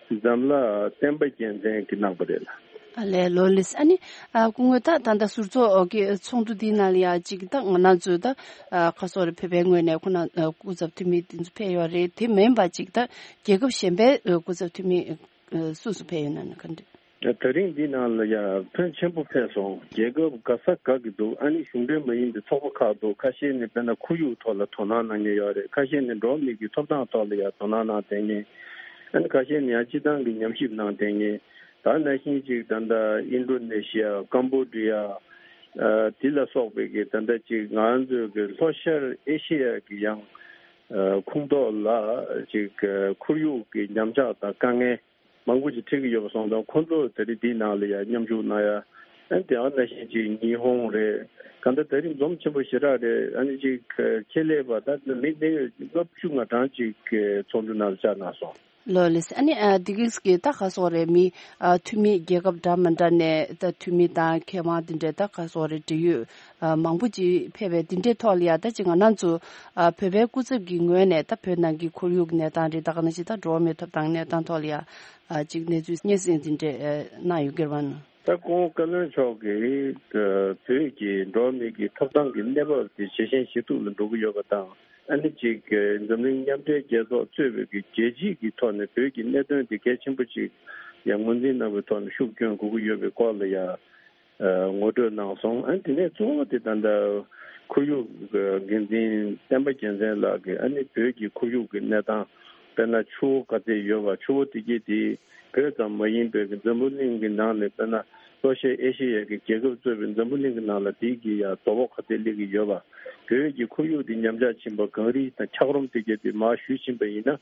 འཛམ་ལྷ་བསྟན་པ་རྒྱལ་མཚན་གྱིས་གནང་པ་རེད་ལ། ཨ་ལས་ལོ་ལིས། ཨ་ནི་ཨ་སྐུ་ངོ་ད་ད་ལྟ་ཟུར་ཚོགས་ཀྱི་ཚོགས་འདུ་འདིའི་ནང་ལ་ཡང་ཅིག་ད་ང་རང་ཚོའི་ད་ཨ་ཁ་སོ་རེ་བོད་པའི་ངོས་ནས་ཁོ་ན་ཨ་སྐུ་ཚབ་འཐུས་མི་དེ་ཚོ་ཕེབས་ཡོད་རེད། དེ་མིན་པ་ཅིག་ད་རྒྱལ་ཁབ་གཞན་པའི་ཨ་སྐུ་ཚབ་འཐུས་མི་ཨ་སུ་སུ་ཕེབས་ཡོད་ན་ན་ག་འདྲ། ད་རིང་འདི་ནང་ལ་ཡང་ཕོན་ཆེན་པོ་ཕེབས་སོང་། རྒྱལ་ཁབ་ག་ས་ག་གི་འདུག་ཨ་ནི་གཞུང་འབྲེལ་མ་ཡིན་པའི་ཚོགས་པ་ཁག་འདུག་ཁ་ཤས་ནི་དཔེར་ན་ཁོར་ཡུག་ཐོག་ལ་དོ་སྣང་གནང་མཁན་ཡོད་རེད། ཁ་ཤས་ནི་འགྲོ་བ་མི་གི་ཐོབ་ཐང་ཐོག་ལ་ཡང་དོ་སྣང་གནང་བསྡད་མཁན། ཨ་ནི་ཁ་ཤས་ནི་ཡང་སྤྱི་བཏང་གི་ཉམས་ཞིབ་གནང་བསྡད་མཁན། ད་ནང་བཞིན་ཅིག་ད་ལྟ་ཨིན་ཌོ་ནེ་ཤི་ཡ། ཀམ་བོ་ཌི་ཡ། ཨ་དེ་ལ་སོགས་པའི་གི་ད་ལྟ་ཅིག་ང་ཚོའི་གི་ལྷོ་ཤར་ཨེ་ཤེ་ཡ་གི་ཡང་ཨ་ཁོངས་གཏོགས་ལ་ཅིག་ཨ་ཁོར་ཡུག་གི་ཉམས་ཆག་དང་དཀའ་ངལ་མང་པོ་ཅིག་འཕྲད་ཀྱི་ཡོད་པ་སོང་ཙང་། ཁོང་ཚོ་ད་རེས་འདིའི་ནང་ལ་ཡང་མཉམ་ཞུགས་གནང་ཡ། ཨ་ནི་དེ་ཨ་ནང་བཞིན་ཅིག་ཉི་ཧོང་རེད། གང་ལྟར་ད་རེས་འཛོམས་ཆེན་པོ་ཞེ་དྲག་རེད། ཨ་ནི་ཅིག་ཁྱད་ལས་པ་ད་མི་གནད་ཡོད་ལྔ་བཅུ་ང་གྲངས་ཅིག་ཚོགས་འདུ་ནང་ལ་བཅར་གནང་སོང་། ལོ་ལིས། ཨ་ནི་ཨ་འདི་གིས་ཀྱི་ད་ག་སོགས་རེད། མི་ཨ་འཐུས་མི་རྒྱལ་ཁབ་འདྲ་མི་འདྲ་ནས་ད་འཐུས་མི་དང་མཁས་དབང་འདི་འདྲའི་ད་ག་སོགས་རེད། འབྲེལ་ཡོད་ཨ་མང་པོ་ཅིག་ཕེབས་པའི་འདི་འདྲའི་ཐོག་ལ་ཡ་ད་ཅིག་ང་རང་ཚོ་ཨ་བོད་པའི་སྐུ་ཚབ་ཀྱི་ངོས་ནས་ད་བོད་ནང་གི་ཁོར་ཡུག་གི་གནས་སྟངས་རེད། ད་ག་ནང་བཞིན་ད་འགྲོ་བ་མིའི་ཐོབ་ཐང་གནས་སྟངས་ཐོག་ལ་ཡ་ཨ་ཅིག་གནས་ཚུལ་སྙན་སེང་འདི་འདྲའི་ཨ་གནང་ཡོད་ཀྱི་རེད་པ་ན། ད་སྐུ་ངོ་བཀའ་བློན་མཆོག་གིས་བོད་ཀྱི་འགྲོ་བ་མི་གི་ཐོབ་ཐང་གི་གནས་བབ་དེ་ཇེ་ཞན་ཇེ་སྡུག་ལ་འགྲོ་གི་ཡོད་པ་དང་། ཨ་ནི་ཅིག་འཛམ་གླིང་མཉམ་འབྲེལ་རྒྱལ་ཚོགས་གཙོས་པའི་གི་རྒྱལ་སྤྱི་གི་ཐོག་ནས་བོད་ཀྱི་གནད་དོན་དེ་གལ་ཆེན་པོ་ཅིག་ཡང་ངོས་འཛིན་གནང་བའི་ཐོག་ནས་ཤུགས་སྐྱོན་དགོས་ཀྱི་ཡོད་པའི་སྐོར་ལ་ཡང་ངོ་སྤྲོད་གནང་སོང་། ཨ་ནི་དེ་ནས་གཙོ་བོ་དེ་ད་ལྟ་ཁོར་ཡུག་འགན་འཛིན་བསྟན་པ་རྒྱལ་མཚན་ལགས་ཀྱིས་ཨ་ནི་བོད་ཀྱི་ཁོར་ཡུག་གི་གནས་སྟངས། དཔེར་ན་ཆུ་བོ་ག་ཚད་ཡོད་པ། ཆུ་བོ་དེ་གས་དེ་བོད་ཙམ་མ་ཡིན་པའི་འཛམ་བུ་གླིང་གི་ནང་ནས། དཔེར་ན་ལྷོ་ཤར་ཨེ་ཤེ་ཡ་གི་རྒྱལ་ཁབ་གཙོས་པའི་འཛམ་བུ་གླིང་གི་ནང་ལ་དེ་གི་ཡ་དོ་ཕོག་ག་ཚད་སླེབས་ཀྱི་ཡོད་པ། བོད་ཀྱི་ཁོར་ཡུག་དེ་ཉམས་ཆག་ཕྱིན་པ། གངས་རི་དང་འཁྱགས་རོམ་དེ་གས་དེ་མར་ཞུ་ཕྱིན་པ་ཡིན་ན།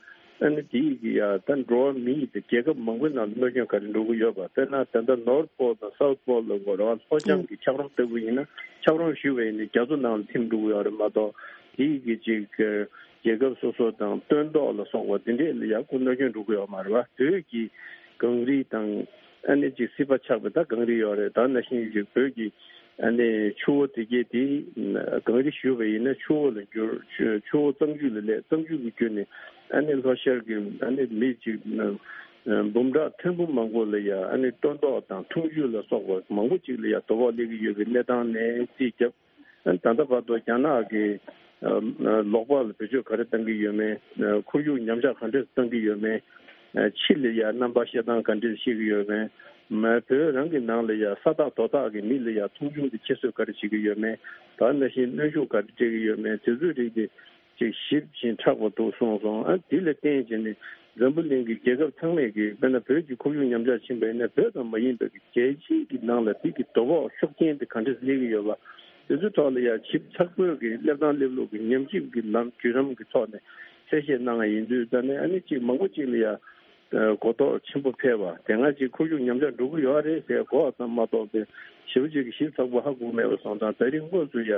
ཨ་ནི་དེ་གི་ཡ་ད་འགྲོ་བ་མི་ཡི་དང་རྒྱལ་ཁབ་མང་པོའི་ནང་ལ་གནོད་སྐྱོན་ག་རེ་འགྲོ་གི་ཡོད་པ། དཔེར་ན་ད་ལྟ་ནོར་ཐ་པོལ་དང་སའུ་ཐ་པོལ་ལ་གོ་ར་བ་ལྷོ་བྱང་གི་འཁྱགས་རོམ་ལྟ་བུ་ཡིན་ན། འཁྱགས་རོམ་ཞུ་བ་ཡིན་ན་རྒྱ་མཚོ་ནང་ལ་ཐིམ་འགྲོ་གི་ཡོད་རེད་མ་གཏོགས། དེ་གི་ཅིག་རྒྱལ་ཁབ་སོ་སོ་དང་སྟོན་ཐོག་ལ་སོགས་པ་དེ་འདྲས་ལ་ཡག་པོ་གནོད་སྐྱོན་འགྲོ་གི་ཡོད་མ་རེད་བ། བོད་ཀྱི་གངས་རི་དང་ཨ་ནི་ཅིག་སྲིད་པ་ཆགས་པའི་ད་གངས་རི་ཡོད་རེད། ད་ནང་བཞིན་ཅིག་བོད་ཀྱི་ཨ་ནི་ཆུ་བོ་དེ་གས་དེ་གངས་རི་ཞུ་བ་ཡིན་ན་ཆུ་བོ་ལ་འགྱུར། ཆུ་ཆུ་བོ་གཙང་ཆུ་ལ་སླེབས། གཙང་ཆུ་གི་བརྒྱུད་ནས་ཨ་ནི་ལྷོ་ཤར་གྱི་ཨ་ནི་མི་ཅིག་འབུམ་ཕྲག་ཐེར་འབུམ་མང་པོ་ལ་ཡ་ཨ་ནི་སྟོན་ཐོག་དང་འཐུང་ཆུ་ལ་སོགས་པ་མང་པོ་ཅིག་ལ་ཡ་དོ་ཕོག་སླེབས་ཀྱི་ཡོད་པའི་གནས་སྟངས་ནས་རྩིས་བརྒྱབ། ད་ལྟ་བར་དུ་རྒྱ་ནག་གིས་ལོགས་པ་ལ་བེད་སྤྱོད་ག་རེ་བཏང་གི་ཡོད་མེད། ཁོར་ཡུག་ཉམས་ཆག་ག་འདྲས་བཏང་གི་ཡོད་མེད། ཕྱི་ལ་ཡ་རྣམ་པ་བཤད་སྟངས་ག་འདྲས་བཤད་ཀྱི་ཡོད་མེད། མ་བོད་རང་གི་ནང་ལ་ཡ་ས་ཐག་རྡོ་ཐག་གི་མི་ལ་ཡ་མཐོང་ཆུང་དེ་ཁྱད་གསོད་ག་རེ་བྱེད་ཀྱི་ཡོད་མེད། ད་ནང་བཞིན་གནོན་ཤུགས་ག་རེ་སྤྲད་ཀྱི་ཡོད་མེད་དེ་ཚོའི་རིགས་དེ་ཅིག་ཞིབ་ཅིང་ཕྲ་བ་འདུག་གསུངས་སོང་། ཨ་དེ་ལ་བརྟེན་བྱས་ནས་འཛམ་བུ་གླིང་གི་རྒྱལ་ཁབ་ཚང་མས་ཀྱི་དཔེར་ན་བོད་ཀྱི་ཁོར་ཡུག་ཉམས་ཆག་ཕྱིན་པ་ཡིན་ན་བོད་ཙམ་མ་ཡིན་པའི་རྒྱལ་སྤྱིའི་གི་ནང་ལ་དེ་གི་དོ་ཕོག་ཤུགས་རྐྱེན་དེ་ག་འདྲས་སླེབས་ཀྱི་ཡོད་པ། དེ་ཚོའི་ཐོག་ལ་ཡ་ཞིབ་ཚགས་པོའི་གི་སླེབས་སྟངས་སླེབས་ལུགས་ཀྱི་ཉམས་ཞིབ་ཀྱི་ལམ་བརྒྱུད་རིམ་གྱི་ཐོག་ནས་གསལ་བཤད་གནང་བ་ཡིན་དུས། ད་ནས་ཨ་ནི་གཅིག་མང་པོ་གཅིག་ལ་ཡ་གོ་རྟོགས་ཆེན་པོ་འཕེལ་བ་དེ་སྔ་ཅིག་ཁོར་ཡུག་ཉམས་ཆག་འགྲོ་གི་ཡོད་རེད་ཟེར་གོ་བ་ཙམ་མ་གཏོགས་པའི་ཞེ་པོ་ཅིག་གི་ཞིབ་ཚགས་པོ་ཧ་གོ་མེད་པ་སོང་ཙང་། ད་རིང་དངོས་སུ་ཡ་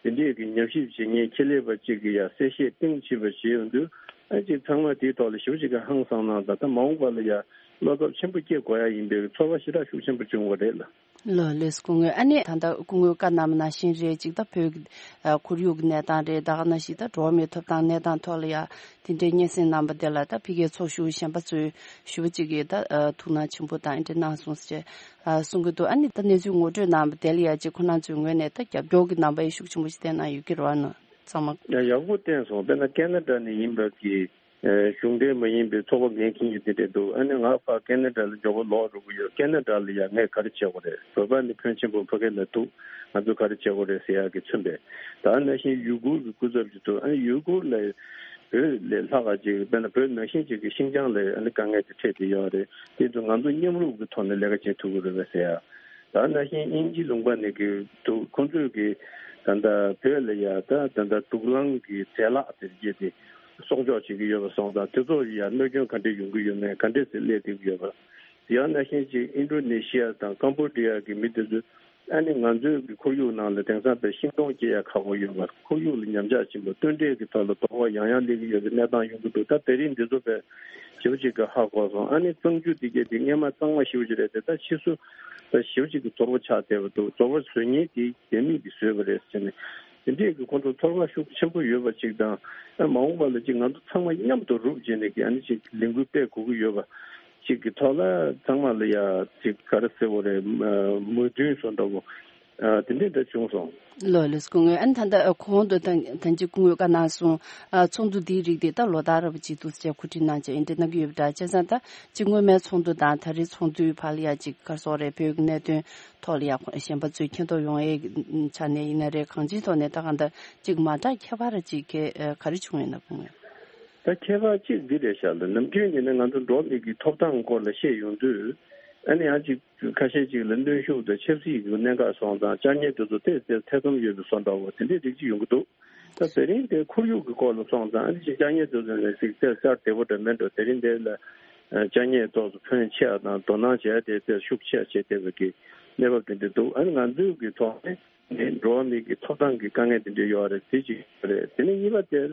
དེ་འདྲས་ཀྱི་ཉམས་ཞིབ་བྱེད་མཁན་ཆེད་ལས་པ་གཅིག་གིས་ཡ་གསལ་བཤད་གཏིང་ཟབ་པ་བྱས་ཡོང་དུས། ཨ་ཅིག་ཚང་མ་དེའི་ཐོག་ལ་ཞེ་པོ་ཅིག་གི་ཧང་སངས་གནང་དང་། ད་མ་འོངས་པ་ལ་ཡ་བློ་འཚབ་ཆེན་པོ་སྐྱེ་དགོས་ཡ་ཡིན་པའི་ཚོར་བ་ཞེ་དྲག་ཤུགས་ཆེན་པོ་བྱུང་བ་རེད་ལ། ལགས་ལགས་སོ། སྐུ་ངོ་ཨ་ནི་ད་ལྟ་སྐུ་ངོའི་བཀའ་གནང་བ་ནང་བཞིན་རེད། ཅིག་ད་བོད་ཀྱི་ཨ་ཁོར་ཡུག་གི་གནས་སྟངས་རེད། ད་ག་ནང་བཞིན་ད་འགྲོ་བ་མིའི་ཐོབ་ཐང་གནས་སྟངས་ཐོག་ལ་ཡ་དེ་འདྲའི་སྙན་སེང་གནང་བ་དེ་ལ་ད་ཕ་གིའི་ཚོགས་ཞུགས་གཞན་པ་ཚོས་ཞུ་བ་ཅིག་གིས་ད་ཨ་ཐུགས་སྣང་ཆེན་པོ་དང་ཨེ་འདྲ་གནང་སོང་ཟེར་ཨ་གསུང་གི་འདུག་ཨ་ནི་ད་གནས་ཚུལ་ངོ་སྤྲོད་གནང་བ་དེ་ལ་ཡ་ཅིག་ཁོ་རང་ཚོའི་ངོས་ནས་ད་རྒྱབ་སྐྱོར་གྱི་རྣམ་པ་ཡ་ཤུགས་ཆེན་པོ་ཞིག་བསྟན་གནང་ཡོད་ཀྱི་རེད་བ། ནོ་ཚང་མ། ཡ་ཡག་པོ་བསྟན་སོང་། དཔེར་ན་ཁེ་ན་ཌ་ནས་ཡིན་པ་གི་ཨ་གཞུང་འབྲེལ་མ་ཡིན་པའི་ཚོགས་པ་འགན་འཁྱེར་མཁན་དེ་འདྲས་འདུག་ཨ་ནི་ང་ཕར་ཁེ་ན་ཌ་ལ་མགྱོགས་པོ་ལོག་འགྲོ་གི་ཡོད། ཁེ་ན་ཌ་ལ་ཡ་ངས་ག་རེ་བྱེད་དགོས་རེད། བོད་པ་ནི་ཕོན་ཆེན་པོ་ཕ་གི་ལ་འདུག་ང་ཚོ་ག་རེ་བྱེད་དགོས་རེད་ཟེར་ཡག་གི་མཚོན་པས། ད་ནང་བཞིན་ཡུ་གུར་གྱི་སྐུ་ཚབ་ཅིག་འདུག་ཨ་ནི་ཡུ་གུར་ལ་བོད་ལས་ལྷག་ག་ཅིག་དཔེར་ན་བོད་ནང་བཞིན་ཅིག་གི་ཤིང་ཅང་ལ་ཨ་ནི་དཀའ་ངལ་དེ་འཕྲད་བསྡད་ཡོད་རེད། དེ་ཚོ་ང་ཚོ་མཉམ་རུབ་ཀྱི་ཐོག་ནས་ལས་ཀ་བྱེད་ཐུབ་ཀྱི་རེད་པས་ཟེར་ཡ། ད་ནང་བཞིན་དབྱིན་ཇི་ལུང་པ་ནས་ཀྱི་འདུག་ཁོང་ཚོས་ཀྱི་ད་ལྟ་བོད་ལ་ཡ་ད་ད་ལྟ་དུག་རླངས་ཀྱི་རྫས་ལག་དེ་བརྒྱད་དེ་གསོག་འཇོག་བྱེད་ཀྱི་ཡོད་པ་སོང་ཙང་། དེ་ཚོ་ཡ་གནོད་སྐྱོན་ག་འདྲས་ཡོང་གི་ཡོད་མེད། ག་འདྲས་སེ་སླེབས་བསྡད་ཀྱི་ཡོད་པ། ཡང་ནང་བཞིན་ཅིག་ཨིན་ཌོ་ནེ་ཤི་ཡ་དང་ཀམ་པོ་ཌི་ཡ་གི་མི་དེ་ཚོས་ཨ་ནི་ང་ཚོའི་གི་ཁོར་ཡུག་ནང་ལ་དེང་སང་པའི་ཤིང་སྡོང་སྐྱེ་ཡ་ཁག་པོ་ཡོད་པ། ཁོར་ཡུག་ལ་ཉམས་ཆག་ཕྱིན་པ། སྟོན་འབྲས་ཀྱི་ཐོག་ལ་དོ་ཕོག་ཡང་ཡང་སླེབས་ཀྱི་ཡོད་པའི་གནས་སྟངས་ཡོང་གི་འདུག་ད་དེ་རིང་འདི་ཚོ་པའི་ཞེ་པོ་ཅིག་གི་ཧ་གོ་སོང་། ཨ་ནི་གཙང་ཆུ་དེ་གས་དེ་སྔས་མ་གཙང་མ་ཞེ་པོ་ཅིག་རེད་དེ། ད་ཕྱིས་སུ་ད་ཞེ་པོ་ཅིག་གི་ཚོར་བ་ཆགས་བསྡད་པ་འདུག་ཚོར་བ་བཟོ་མཁན་དེ་རྒྱ་མི་གིས་བཟོས་པ་རེད་ཟེར་ནས། དེ་འདྲས་ཀྱི་ཁོང་ཚོ་ཚོར་བ་ཤུགས་ཆེན་པོ་ཡོད་པ་ཅིག་དང་། ཨ་མ་འོངས་པ་ལ་ཅིག་ང་ཚོ་ཚང་མ་མཉམ་དུ་རུབ་བྱས་ནས་ཀྱི་ཨ་ནི་ཅིག་ལས་འགུལ་སྤེལ་དགོས་ཀྱི་ཡོད་པ་ཅིག་གི་ཐོག་ལ་ཚང་མ་ལ་ཡ་ཅིག་ག་རེ་ཟེར་དགོས་རེད། མོས་མཐུན་བཟོ་འདྲ་བོ་ཨ་དེ་འདྲས་འདྲ་བྱུང་སོང་། ལགས་ལགས་སོ། སྐུ་ངོ་ཨ་ནི་ད་ལྟ་གོང་དུ་ད་ད་ཅིག་སྐུ་ངོས་བཀའ་གནང་སོང་། ཨ་ཚོགས་འདུ་འདིའི་རིགས་དེ་ད་ལོ་ལྟར་ར་བ་ཅིག་འདུག་ཟེར་གོ་སྒྲིག་གནང་བྱས་ཨེ་འདྲ་གནང་གི་ཡོད་པ་འདྲ། བྱས་ཙང་ད་ཅིག་སྔོན་མའི་ཚོགས་འདུ་དང་ད་རེས་ཚོགས་འདུའི་བར་ལ་ཡ་ཅིག་ག་རེ་ཟེར་དགོས་རེད། བོད་ཀྱི་གནད་དོན་ཐོག་ལ་ཡ་གཞན་པ་ཚོས་མཁྱེན་རྟོགས་ཡོང་ཡས་ཆ་ནས་ཡིན་ན་རེད། གང་ཅིའི་ཐོག་ནས་ད་གང་ལྟར་ཅིག་མ་འདྲ་ཁྱད་པར་ཅིག་ག་ག་རེ་བྱུང་ཡོད་ན་དགོངས་ཡོད། ད་ཁྱད་པར་གཅིག་འདི་རེད་ཤག་ལ། ནམ་རྒྱུན་ཡིན་ན་ང་ཚོ་འགྲོ་བ་མི་གི་ཐོབ་ཐང་སྐོར་ལ་བཤད་ཡོང་དུས། ཨ་ནི་ཡང་ཅིག་ཁ་ཤས་ཅིག་ལ་གནོན་ཤུགས་དང་ཆབ་སྲིད་ཀྱི་གནད་འགག་སོང་ཙང་། ཅ་དངོས་དེ་ཚོ་ཏོག་ཙམ་ཐེ་ཚོམ་ཡོད་པའི་བཟོ་འདྲ་བོ་དེ་འདྲའི་རིགས་ཅིག་ཡོང་གི་འདུག་ད་དེ་རིང་དེ་ཁོར་ཡུག་གི་སྐོར་ལ་སོང་ཙང་། ཨ་ནི་ཅིག་ཅ་དངོས་དེ་ཚོ་ནས་ཅིག་ཙེ་ཙར་བདེ་པོ་འདྲ་མེད་འགྲོ། དེ་རིང་དེ་ལ་ཅ་དངོས་ཏོག་ཙམ་ཕོན་ཆེ་བ་དང་དོ་སྣང་བྱས་ཏེ་ཙེ་ཤུགས་ཆེ་བ་བྱས་བསྡད་པའི་གི་གནས་བབ་དེ་འདྲ་འདུག་ཨ་ནི་ང་ཚོའི་གི་ཐོག་ནས་ནས་འགྲོ་བ་མི་གི་ཐོབ་ཐང་གི་དཀའ་ངལ་དེ་འདྲ་ཡོད་རེད། དེ་གཅིག་རེད། དེ་ནས་གཉིས་པ་དེར་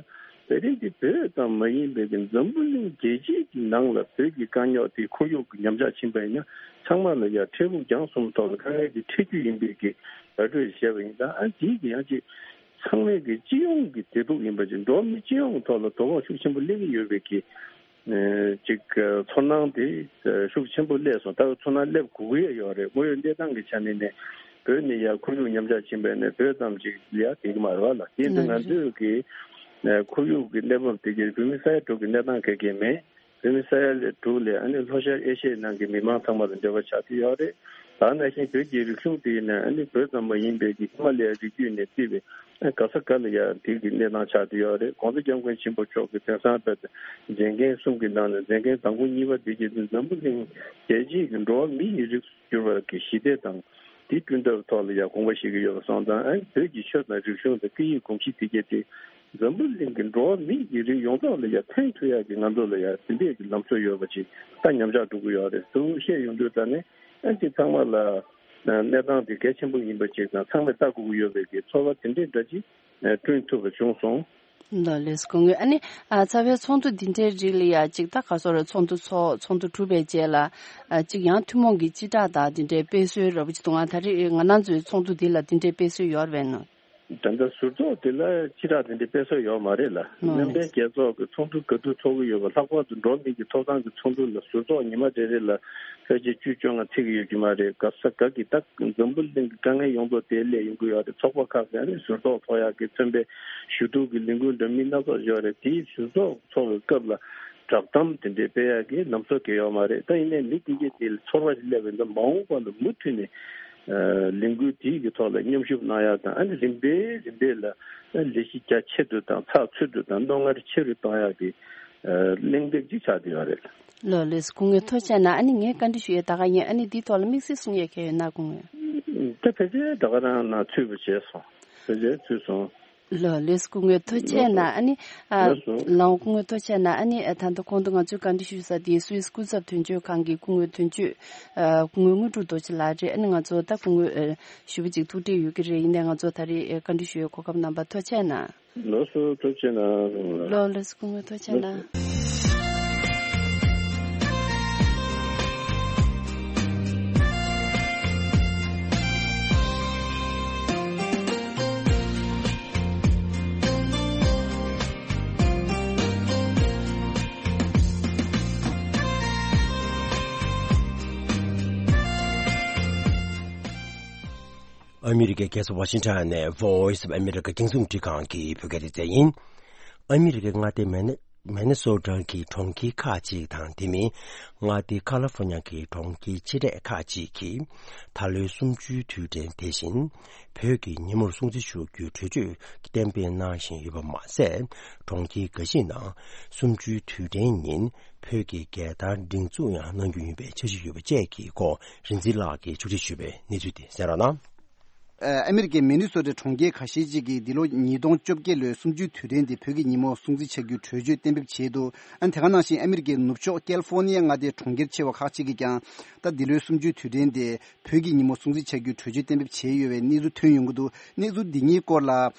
དེ་རིང་འདི་བོད་ཙམ་མ་ཡིན་པའི་གི་འཛམ་བུ་གླིང་རྒྱལ་སྤྱིའི་གི་ནང་ལ་བོད་ཀྱི་དཀའ་རྙོག་དེ་ཁོར་ཡུག་གི་ཉམས་ཆག་ཕྱིན་པ་ཡིན་ན། ཚང་མ་ལ་ཡ་འཕྲལ་ཕུགས་རྒྱང་གསུམ་ཐོག་ལ་དཀའ་ངལ་དེ་འཕྲད་རྒྱུ་ཡིན་པའི་གི་བར་སྤྲོད་བྱས་པ་ཡིན་ཙང་། ཨ་འདིའི་གི་ཡང་ཅིག་ཚང་མའི་གི་སྤྱི་ཡོངས་ཀྱི་བདེ་སྡུག་ཡིན་པ་ཅིག་འགྲོ་བ་མི་སྤྱི་ཡོངས་ཐོག་ལ་དོ་ཕོག་ཤུགས་ཆེན་པོ་སླེབས་ཀྱི་ཡོད་པའི་གི་ཅིག་ཚོར་སྣང་དེ་ཤུགས་ཆེན་པོ་སླེབས་སོང་། ད་ཚོར་སྣང་སླེབས་དགོས་ཀྱི་ཡོད་རེད། དངོས་ཡོད་གནས་སྟངས་ཀྱི་ཆ་ནས་ནས་བོད་ནས་ཡ་ཁོར་ཡུག་ཉམས་ཆག་ཕྱིན་པ་ཡིན་ན་བོད་ཙམ་ཅིག་ལ་ཡ་བསྡད་ཀྱི་མ་རེད་བ་ལ། དེ་ཡིན་དུས་ང་ཚོས་ཀྱི་ཁོར་ཡུག་གི་གནས་བབ་དེ་གའི་བོད་མི་ས་ཡ་དྲུག་གི་གནས་སྟངས་ག་གེ་མེད། བོད་མི་ས་ཡ་ལས་དྲུག་ལས་ཨ་ནི་ལྷོ་ཤར་ཨེ་ཤི་ཡའི་ནང་གི་མི་མང་ཚང་མ་ལ་འབྲེལ་བ་ཆགས་ཀྱི་ཡོད་རེད། ད་ནང་བཞིན་བོད་ཀྱི་རིག་གཞུང་དེ་ཡིན་ན་ཨ་ནི་བོད་ཙམ་མ་ཡིན་པའི་གི་ཧི་མ་ལ་ཡའི་རི་རྒྱུད་ནས་བརྩིས་པའི་ཨ་ག་ས་ག་ལ་ཡ་དེ་གི་གནས་སྟངས་ཆགས་ཀྱི་ཡོད་རེད། ༸གོང་ས་༸སྐྱབས་མགོན་ཆེན་པོ་མཆོག་གི་དེང་སང་བོད་མཛད་འགན་གསུམ་གྱི་ནང་ནས་མཛད་འགན་དང་པོ་གཉིས་པ་དེ་གི་འཛམ་བུ་གླིང་རྒྱལ་སྤྱིའི་གི་འགྲོ་བ་མི་ཡི་རིགས་གྱུར་པ་གི་ཞི་བདེ་དང་དེ་བསྐྲུན་ཐབས་ཐོག་ལ་ཡང་དགོངས་པ་བཞེས་ཀྱི་ཡོད་པ་སོང་ཙང་། ཨ་ནི་བོད་ཀྱི་ཆོས་དང་རིག་གཞུང་དང་སྐད་ཡིག་གོམས་གཤིས་དེ་གས་དེ་འཛམ་བུ་གླིང་གི་འགྲོ་བ་མི་ཡི་རིགས་ཡོངས་རྫོགས་ལ་ཡང་ཕན་ཐོགས་ཡག་གི་ང་ཚོ་ལ་ཡང་དེ་འདྲས་ཀྱི་ལམ་སྲོལ་ཡོད་པ་ཅིག་ད་ཉམས་ཆག་འགྲོ་གི་ཡོད་རེད་ཟེར་བཤད་ཡོང་དུས། ད་ནི་ཨ་ཅིག་ཚང་མ་ལ་གནས་སྟངས་དེ་གལ་ཆེན་པོ་ཡིན་པ་ཅིག་དང་། ཚང་མས་ལྟ་དགོས་ཀྱི་ཡོད་པའི་གི་ཚོར་བ་དེ་འདྲས་འདྲ་ཅིག་བསྐྲུན་ཐུབ་པ་བྱུང་སོང་། ལགས་ལགས་སོ། སྐུ་ངོ་ཨ་ནི་ཨ་རྩ་བའི་ཚོགས་འདུ་འདི་འདྲའི་རིགས་ལ་ཡ་ཅིག་ད་ག་སོ་ར་ཚོགས་འདུ་ཚོགས་ཚོགས་འདུ་གྲུབ་པའི་རྗེས་ལ་ཨ་ཅིག་ཡང་ཐུན་མོང་གི་སྤྱི་བསྒྲགས་དང་འདི་འདྲའི་དཔེ་སྲོལ་ར་བ་ཅིག་འདུག་ང་ད་རེས་ང་རང་ཚོའི་ཚོགས་འདུ་འདི་ལ་འདི་འདྲའི་དཔེ་སྲོལ་ཡོད་རེད་པས་ནོ། ད་ལྟ་ཟུར་ཚོགས་འདི་ལ་སྤྱི་བསྒྲགས་འདི་འདྲའི་དཔེ་སྲོལ་ཡོད་མ་རེད་ལ། ཨ་མཉམ་འབྲེལ་རྒྱལ་ཚོགས་ཀྱི་ཚོགས་འདུ་ག་དུས་ཚོགས་ཀྱི་ཡོད་པ། ལྷག་པར་དུ་འགྲོ་བ་མི་གི་ཐོབ་ཐང་གི་ཚོགས་འདུ་ལ་ཟུར་ཚོགས་ཉི་མ་རེ་རེ་ལ་ཕལ་ཆེར་བཅུ་བཅོ་ལྔ་ཚིག་གི་ཡོད་ཀྱི་མ་རེད། ག་ས་ག་གི་ད་འཛམ་བུ་གླིང་གི་དཀའ་ངལ་ཡོངས་རྫོགས་དེ་སླེབས་ཡོང་གི་ཡོད་རེད། ཚོགས་པ་ཁག་གི་ཨ་ནི་ཟུར་ཚོགས་ཚོགས་ཡག་གི་མཚོན་པའི་ཞུ་གཏུག་གི་ལས་འགུལ་འདྲ་མིན་སྣ་ཚོགས་ཡོད་རེད། དེའི་ཟུར་ཚོགས་ཚོགས་པའི་སྐབས་ལ་ བསྒྲགས་གཏམ་དེ་འདྲའི་སྤེལ་ཡག་གི་ལམ་སྲོལ་གང་ཡང་ཡོད་མ་རེད། ད་ཡིན་ནའི་མི་དེ་གས་དེ་ལ་ཚོར་བ་ཞིག་སླེབས་པ་ཡིན་ན་མ་འོངས་པ་ལ་མུ་མཐུད་ནས་ལས་འགུལ་དེ་གི་ཐོག་ལ་མཉམ་ཞུགས་གནང་ཡག་དང་། ཨ་ནི་རིམ་པས་རིམ་པས་ལ་ལས་གཞི་རྒྱ་ཆེ་རུ་དང་ཚགས་ཚུད་རུ་དང་རྣོ་ངར་ཆེ་རུ་གཏོང་ཡག་གི་གླེང་སྟེགས་ཅིག་ཆགས་བསྡད་ཡོད་རེད། ལགས་ལགས་སོ། སྐུ་ངོ་ཐུགས་རྗེ་གནང་། ཨ་ནི་ངས་བཀའ་འདྲི་ཞུ་ཡས་ད་ག་ཡིན། ཨ་ནི་འདིའི་ཐོག་ལ་དམིགས་བསལ་གསུང་ཡས་གང་ཡོད་ན། སྐུ་ངོ། ད་ཕལ་ཆེར་ད་ག་རང་ནང་ཚུད་པ་བྱས་སོང་། ཕལ་ཆེར་ཚུད་སོང་། ལགས་ལགས་སོ། སྐུ་ངོ་ཐུགས་རྗེ་གནང་། ཨ་ནི་ཨ་ལགས་སོ། ལགས་སྐུ་ངོ་ཐུགས་རྗེ་གནང་། ཨ་ནི་ཨ་ད་ལྟ་གོང་དུ་ང་ཚོས་བཀའ་འདྲི་ཞུས་ས་དེ་སུད་སི་སྐུ་ཚབ་དོན་གཅོད་ཁང་གི་སྐུ་ངོ་དོན་གཅོད་ཨ་སྐུ་ངོ་དངོས་གྲུབ་རྡོ་རྗེ་ལགས་རེད། ཨ་ནི་ང་ཚོ་ད་སྐུ་ངོ་ཨ་ཞེ་པོ་ཅིག་ཐུགས་ཁྲལ་ཡོད་ཀྱི་རེད། ཡིན་ནའི་ང་ཚོ་ད་རེས་ཨ་བཀའ་འདྲི་ཞུ་ཡས་གོ་སྐབས་གནང་བར་ཐུགས་རྗེ་གནང་། ལགས་སོ། ཐུགས་རྗེ་གནང་། ལགས་ལགས་སོ། སྐུ་ངོ་ཐུགས་རྗེ་གནང་། ཨ་མི་རི་ཀའི་རྒྱལ་ས་ཝ་ཤིང་ཊོན་ནས་Voice of America རྒྱང་སྲིང་རླུང་འཕྲིན་ཁང་གི་བོད་སྐད་སྡེ་ཚན་ཡིན། ཨ་མི་རི་ཀའི་མངའ་སྡེ་མེ་ནེ་མེ་ནེ་སོ་ཊ་གི་གྲོང་ཁྱེར་ཁག་ཅིག་དང་དེ་མིན་མངའ་སྡེ་ཁ་ལི་ཧྥོ་ནི་ཡ་གི་གྲོང་ཁྱེར་ཆེ་གྲས་ཁག་ཅིག་གིས་ད་ལོའི་གསུམ་བཅུའི་དུས་དྲན་དེ་བཞིན་བོད་ཀྱི་ཉིན་མོར་སྲུང་བརྩི་ཞུ་རྒྱུའི་གྲོས་ཆོད་གཏན་འབེབས་གནང་བཞིན་ཡོད་པ་མ་ཟད། གྲོང་ཁྱེར་འགའ་ཞིག་ནང་གསུམ་བཅུའི་དུས་དྲན་ཉིན་བོད་ཀྱི་རྒྱལ་དར་སྒྲེང་འཛུགས་ཡང་གནང་རྒྱུ་ཡིན་པའི་འཆར་གཞི་ཡོད་པ་བཅས་ཀྱི་སྐོར་རིག་འཛིན་ལགས་ཀྱིས་ཕྱོགས་སྒྲིག་ཞུས་པའི་གནས་ཚུལ་དེ་གསན་རོགས་གནང་། ཨ་མི་རི་ཀའི་མི་ནི་སོ་ཊའི་གྲོང་ཁྱེར་ཁ་ཤས་ཅིག་གིས་འདི་ལོ་ཉིས་སྟོང་བཅོ་བརྒྱད་ལོའི་གསུམ་བཅུའི་དུས་དྲན་དེ་བོད་ཀྱི་ཉིན་མོར་སྲུང་བརྩི་བྱ་རྒྱུའི་གྲོས་ཆོད་གཏན་འབེབས་བྱས་འདུག་ཨ་ནི་དེ་ག་ནང་བཞིན་ཨ་མི་རི་ཀའི་ནུབ་ཕྱོགས་ཀལ་ཧྥོ་ནི་ཡ་མངའ་སྡེའི་གྲོང་ཁྱེར་ཆེ་བ་ཁག་ཅིག་གིས་ཀྱང་ད་འདི་ལོའི་གསུམ་བཅུའི་དུས་དྲན་དེ་བོད་ཀྱི་ཉིན་མོ་སྲུང་བརྩི་བྱ་རྒྱུའི་གྲོས་ཆོད་གཏན་འབེབས་བྱས་ཡོད་པའི་གནས་ཚུལ་ཐོན་ཡོང་གི་འདུག་གནས་ཚུལ་འདི་གཉིས་སྐོར་ལ་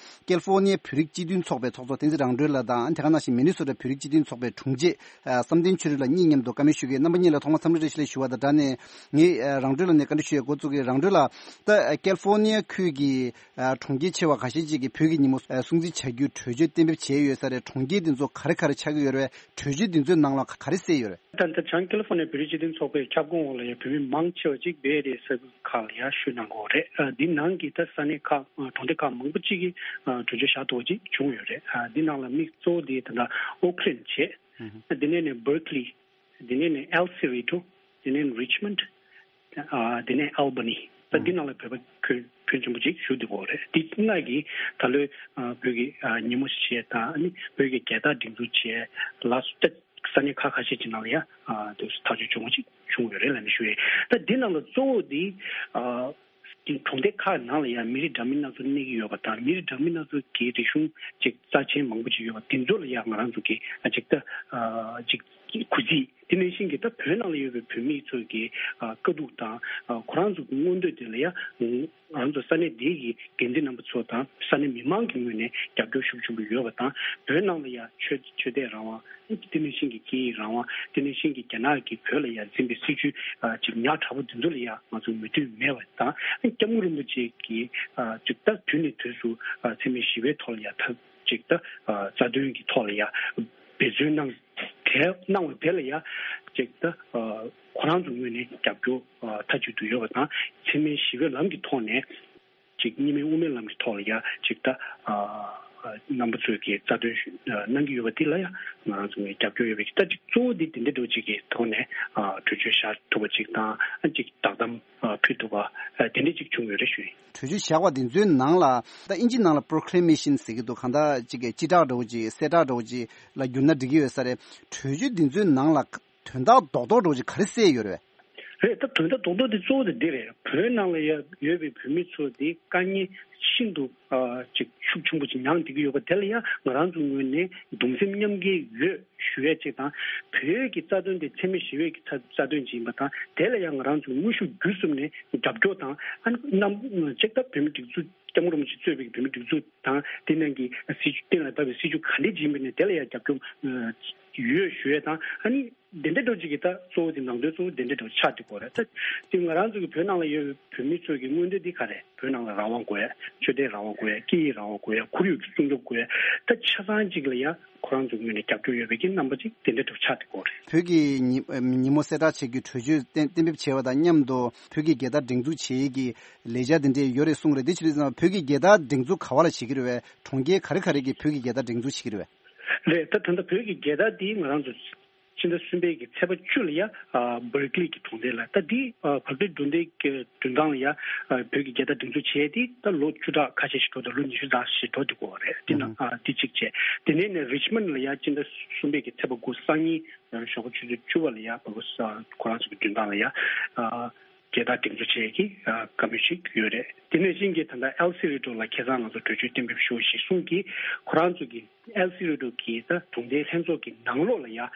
ཀལ་ཧྥོ་ནི་ཡའི་བོད་རིགས་སྤྱི་མཐུན་ཚོགས་པའི་ཚོགས་གཙོ་བསྟན་འཛིན་རང་གྲོལ་ལགས་དང་དེ་ག་ནང་བཞིན་མི་ནི་སོ་ཊ་བོད་རིགས་སྤྱི་མཐུན་ཚོགས་པའི་དྲུང་ཆེ་བསམ་གཏན་ཆོས་སྒྲོན་ལགས་གཉིས་མཉམ་དུ་བཀའ་མོལ་ཞུ་གི་ཡོད། རྣམ་པ་གཉིས་ལ་ཐོག་མར་འཚམས་འདྲི་བཀྲ་ཤིས་བདེ་ལེགས་ཞུ་བ་དང་སྦྲགས་ནས་ངས་རང་གྲོལ་ལགས་ནས་བཀའ་འདྲི་ཞུ་ཡས་འགོ་བཙུགས་ཀྱི། རང་གྲོལ་ལགས། ད་ཀལ་ཧྥོ་ནི་ཡ་ཁུལ་གྱི་གྲོང་ཁྱེར་ཆེ་བ་ཁ་ཤས་ཅིག་གིས་བོད་ཀྱི་ཉིན་མོ་སྲུང་བརྩི་བྱ་རྒྱུའི་གྲོས་ཆོད་གཏན་འབེབས་བྱས་ཡོད་ས་རེད། གྲོང་ཁྱེར་འདི་ཚོ་ག་རེ་ག་རེ་ཆགས་ཀྱི་ཡོད་རེད། གྲོས་ཆོད་འདི་ཚོའི་ནང་ལ་ག་རེ་གསལ་ཡོད་རེད། ད་ལྟ་བྱང་ཀེ་ལི་ཧྥོ་ནི་ཡ་བོད་རིགས་སྤྱི་མཐུན་ཚོགས་པའི་ཁྱབ་ཁོངས་འོག་ལ་ཡང་བོད་མི་མང་ཆེ་བ་ཅིག་བེ་རི་ཡའི་ས་ཁུལ་ཁག་ལ་ཡང་བཞུགས་གནང་གི་ཡོད་རེད། ཨ་འདི་ནང་གི་ད་ས་གནས་ཁག་ཨ་གྲོང་སྡེ་ཁག་མང་པོ་ཅིག་གིས་ཨ་གྲོས་ཆོད་བཞག་ཐུབ་པ་ཅིག་བྱུང་ཡོད་རེད། ཨ་འདི་ནང་ལ་དམིགས་གཙོ་བོ་དེ་ད་ལྟ་ཨོ་ཁི་ལན་བྱས། ཨ་དེ་ནས་ནས་བར་ཁི་ལི། དེ་ནས་ནས་ཨེལ་སི་རི་ཊོ། དེ་ནས་རི་ཆི་མོན་ཌི། ཨ་དེ་ནས་ཨལ་བྷ་ནི། ད་འདི་ནང་ལ་བོད་པ་ཁྱོན་ཁྱོན་ཆེན་པོ་ཅིག་བཞུགས་བསྡད་ཡོད་རེད། འདི་ལྔ་གིས་ད་ལོའི་ཨ་བོད་ཀྱི་ཨ་ཉིན་མོ་བྱས་དང་ཨ་ནི་བོད་ཀྱི་རྒྱལ་དར་སྒྲེང་འཛུགས་བྱས་ལ་སོགས་ད་ས་གནས་ཁག་ཁ་ཤས་ཀྱི་ནང་ལ་ཡང་ཨ་དེ་ཐག་གཅོད་བྱུང་བ་ཅིག་བྱུང་ཡོད་རེད་ལབ་ནས་ཞུ་ཡས། ད་འདི་ནང་ལ་གཙོ་བོ་འདི་ཨ་གྲོང་སྡེ་ཁག་ནང་ལ་ཡང་མི་རིགས་འདྲ་མིན་སྣ་ཚོགས་གནས་ཀྱི་ཡོད་པ་དང་མི་རིགས་འདྲ་མིན་སྣ་ཚོགས་ཀྱི་རིག་གཞུང་ཅིག་རྩ་ཆེན་མང་པོ་ཅིག་ཡོད་པ་དེ་ཚོ་ལ་ཡང་ང་རང་ཚོ་གི་ཨ་ཅིག་ད་ཨ་ཅིག་གུས་བརྩི། དེ་ནང་བཞིན་གྱི་ད་བོད་ནང་ལ་ཡོད་པའི་བོད་མི་ཚོ་གི་ཨ་དཀའ་སྡུག་དང་ཨ་ཁོ་རང་ཚོ་གི་མངོན་འདོད་དེ་ལ་ཡང་ང་རང་ཚོ་ས་གནས་འདི་གི་འགན་འཛིན་རྣམ་པ་ཚོ་དང་ས་གནས་མི་མང་གི་ངོས་ནས་རྒྱབ་སྐྱོར་ཤུགས་ཆེན་པོ་ཡོད་པ་དང་བོད་ནང་ལ་ཡང་ཆོས་ཆོས་དད་རང་དབང་དེ་ནང་བཞིན་གྱི་སྐད་ཡིག་རང་དབང་དེ་ནང་བཞིན་གྱི་རྒྱ་ནག་གིས་བོད་ལ་ཡང་འཛིན་པའི་སྲིད་བྱུས་ཨ་ཅིག་ཉག་ཕྲ་པོ་དེ་ཚོ་ལ་ཡང་ང་ཚོ་མོས་མཐུན་མེད་པ་དང་སྐྱབས་མགོན་རིན་པོ་ཆེ་གིས་ཨ་ཅིག་ད་དུས་ནས་དུས་སུ་ཨ་འཚེ་མེད་ཞི་བའི་ཐོག་ལ་ཡང་ད་ཅིག་ད་ཨ་རྩ་དོན་གྱི་ཐོག་ལ་ཡང་འབད་བརྩོན་གནང་དེ་གནང་བ་དེ་ལ་ཡང་ཅིག་ད་ཨ་ཁོ་རང་ཚོ་ངོས་ནས་རྒྱབ་སྐྱོར་ཨ་མཐའ་གཅིག་ཏུ་ཡོད་པ་དང་འཚེ་མེད་ཞི་བའི་ལམ་གྱི་ཐོག་ནས་ཅིག་གཉིས་སྨན་དབུ་མའི་ལམ་གྱི་ཐོག་ལ་ཡང་ཅིག་ད་ཨ་རྣམ་པ་ཚོས་ཀྱི་རྩ་དོན་ཞུ་ཨ་གནང་གི་ཡོད་པ་འདི་ལ་ཡང་ང་རང་ཚོ་ངས་རྒྱབ་སྐྱོར་ཡོད་པའི་ད་ཅིག་གཙོ་བོ་འདི་འདི་འདྲ་འདྲ་བོ་ཅིག་གི་ཐོག་ནས་ཨ་གྲོས་ཆོད་བཞག་ཐུབ་པ་ཅིག་དང་ཨ་ཅིག་བསྒྲགས་གཏམ་ཨ་ཕུལ་ཐུབ་པ་ཨ་དེ་འདྲ་ཅིག་བྱུང་ཡོད་རེད་ཞུ་ཡིན། གྲོས་ཆོད་བཞག་པ་འདི་ཚོའི་ནང་ལ་ད་ཨིན་ཇི་ནང་ལ་པོ་རོ་ཀི་ལེ་མེ་ཤན་ཟེར་གྱི་འདུག་གང་ལྟར་ཅིག་གི་སྤྱི་བསྒྲགས་འདྲ་བོ་ཅིག་གསལ་བསྒྲགས་འདྲ་བོ་ཅིག་ལ་བསྒྱུར་ན་འགྲིག་གི་ཡོད་ས་རེད། གྲོས་ཆོད་འདི་ཚོའི་ནང་ལ་དོན་དག་རྡོག་རྡོག་འདྲ་བོ་ཅིག་ག་རེ་གསལ་ཡོད་རེད། རེད། ད་དོན་དག་རྡོག་རྡོག་དེ་གཙོ་བོ་དེ་འདི་རེད། བོད་ནང་ལ་ཡ་ཡོད་པའི་བོད་མི་ཚོ་དེ་དཀའ་ངལ་ཤིན་ཏུ་ཨ་ཅིག་ཤུགས་ཆེན་པོ་ཅིག་མྱངས་བསྡད་ཀྱི་ཡོད་པ་དེ་ལ་ཡ་ང་རང་ཚོའི་ངོས་ནས་གདུང་སེམས་མཉམ་སྐྱེད་ཡོད་ཞུ་ཡ་ཅིག་དང་། བོད་ཀྱི་རྩ་དོན་དེ་འཚེ་མེད་ཞི་བའི་གི་རྩ་རྩ་དོན་ཅིག་ཡིན་པ་དང་། དེ་ལ་ཡ་ང་རང་ཚོས་དངོས་ཤུགས་བརྒྱུད་གསུམ་ནས་རྒྱབ་སྐྱོར་དང་། ཨ་ནི་རྣམ་ཅིག་ད་བོད་མི་སྒྲིག་འཛུགས་སྐྱབས་མགོན་རིན་པོ་ཆེ་གཙོས་པའི་བོད་མི་སྒྲིག་འཛུགས་དང་། དེ་ནང་གི་སྲིད་བྱུས་གཏན་ལ་ཕབ་པའི་སྲིད་བྱུས་ག་འདྲས་ཅིག་ཡིན་པ་ནས་དེ་ལ་ཡ་རྒྱབ་སྐྱོར་ཡོད་ཞུ་ཡ་དང་། ཨ་ནི། དེ་འདྲ་འདྲ་ཅིག་གི་ད་གཙོ་བོ་དེ་ནང་དོན་གཙོ་བོ་དེ་འདྲ་འདྲ་ཆགས་བསྡད་ཀྱི་ཡོད་རེད། ད་དེ་ང་རང་ཚོ་གི་བོད་ནང་ལ་ཡོད་པའི་བོད་མི་ཚོ་གི་མངོན་འདོད་འདི་ག་རེད། བོད་ནང་ལ་རང་དབང་དགོས་ཡ། ཆོས་དད་རང་དབང་དགོས་ཡ། སྐད་ཡིག་རང་དབང་དགོས་ཡ། ཁོར་ཡུག་གི་སྲུང་སྐྱོབ་དགོས་ཡ། ད་ཆ་ཚང་ཅིག་ལ་ཡ་ཁོ་རང་ཚོའི་ངོས་ནས་རྒྱབ་སྐྱོར་ཡོད་པའི་གི་རྣམ་པ་ཅིག་དེ་འདྲ་འདྲ་ཆགས་བསྡད་ཀྱི་ཡོད་རེད། བོད་ཀྱི་ཉི་ཉིན་མོ་གསལ་བསྒྲགས་བྱེད་རྒྱུའི་གྲོས་ཆོད་གཏན་གཏན་འབེབས་བྱས་པ་དང་མཉམ་དུ་བོད་ཀྱི་རྒྱལ་དར་སྒྲེང་འཛུགས་བྱེད་ཡས་ཀྱི་ལས་འཆར་དེ་འདྲས་ཡོད་རེད་གསུངས་རེད། དེ་ཕྱིར་བོད་ཀྱི་རྒྱལ་དར་སྒྲེང་འཛུགས་ག་བ་ལ་བྱེད་ཀྱི་རེད་བས། གྲོང་ཁྱེར་ག་རེ་ག་རེ་གི་བོད་ཀྱི་རྒྱལ་དར་སྒྲེང་འཛུགས་བྱེད་ཀྱི་རེད་བས། རེད། ད་ད་ལྟ་བོད་ཀྱི་རྒྱལ་དར་འདི་ང་རང་ཚོ་ སྤྱི་ཟླ་གསུམ་པའི་གི་ཚེས་པ་བཅུ་ལ་ཡ་ཨ་བར་ཀི་ལི་གི་གྲོང་སྡེ་ལ། ད་འདི་ཨ་བར་ཀི་ལི་གྲོང་སྡེ་གི་མདུན་ཐང་ལ་ཡ་ཨ་བོད་ཀྱི་རྒྱལ་དར་སྒྲེང་འཛུགས་བྱས་ཏེ་ད་ལོ་བཅུ་ཕྲག་ཁ་ཤས་ཤིག་འགྲོ་འདུག་ལོ་ཉི་ཤུ་ཙམ་ཞིག་འགྲོ་འདུག་གོ་རེད། དེ་ན་ཨ་དེ་གཅིག་བྱས། དེ་ནས་ནས་རིཆ་མོན་ལ་ཡ་སྤྱི་ཟླ་གསུམ་པའི་གི་ཚེས་པ་དགུ་སང་ཉིན་ཞོགས་པ་ཆུ་ཚོད་བཅུ་པ་ལ་ཡ་བ་གོ་ས་ཁོ་རང་ཚོ་གི་མདུན་ཐང་ལ་ཡ་ཨ་རྒྱལ་དར་སྒྲེང་འཛུགས་བྱེད་ཀྱི་ཨ་བཀའ་མོལ་ཞིག་ཡོད་རེད། དེ་ནས་གཞན་གྱི་ད་ལྟ་ཨེལ་སི་རི་ཌོ་ལ་ཁ་སང་ང་ཚོ་གྲོས་ཆོད་གཏན་འབེབས་ཞུ་ཞེས་གསུངས་ཀྱིས། ཁོ་རང་ཚོ་གི་ཨེལ་སི་རི་ཌོ་གི་ད་གྲོང་སྡེའི་ལྷན་ཚོགས་ཀྱི་ནང་ལོགས་ལ་ཡ་ཨ་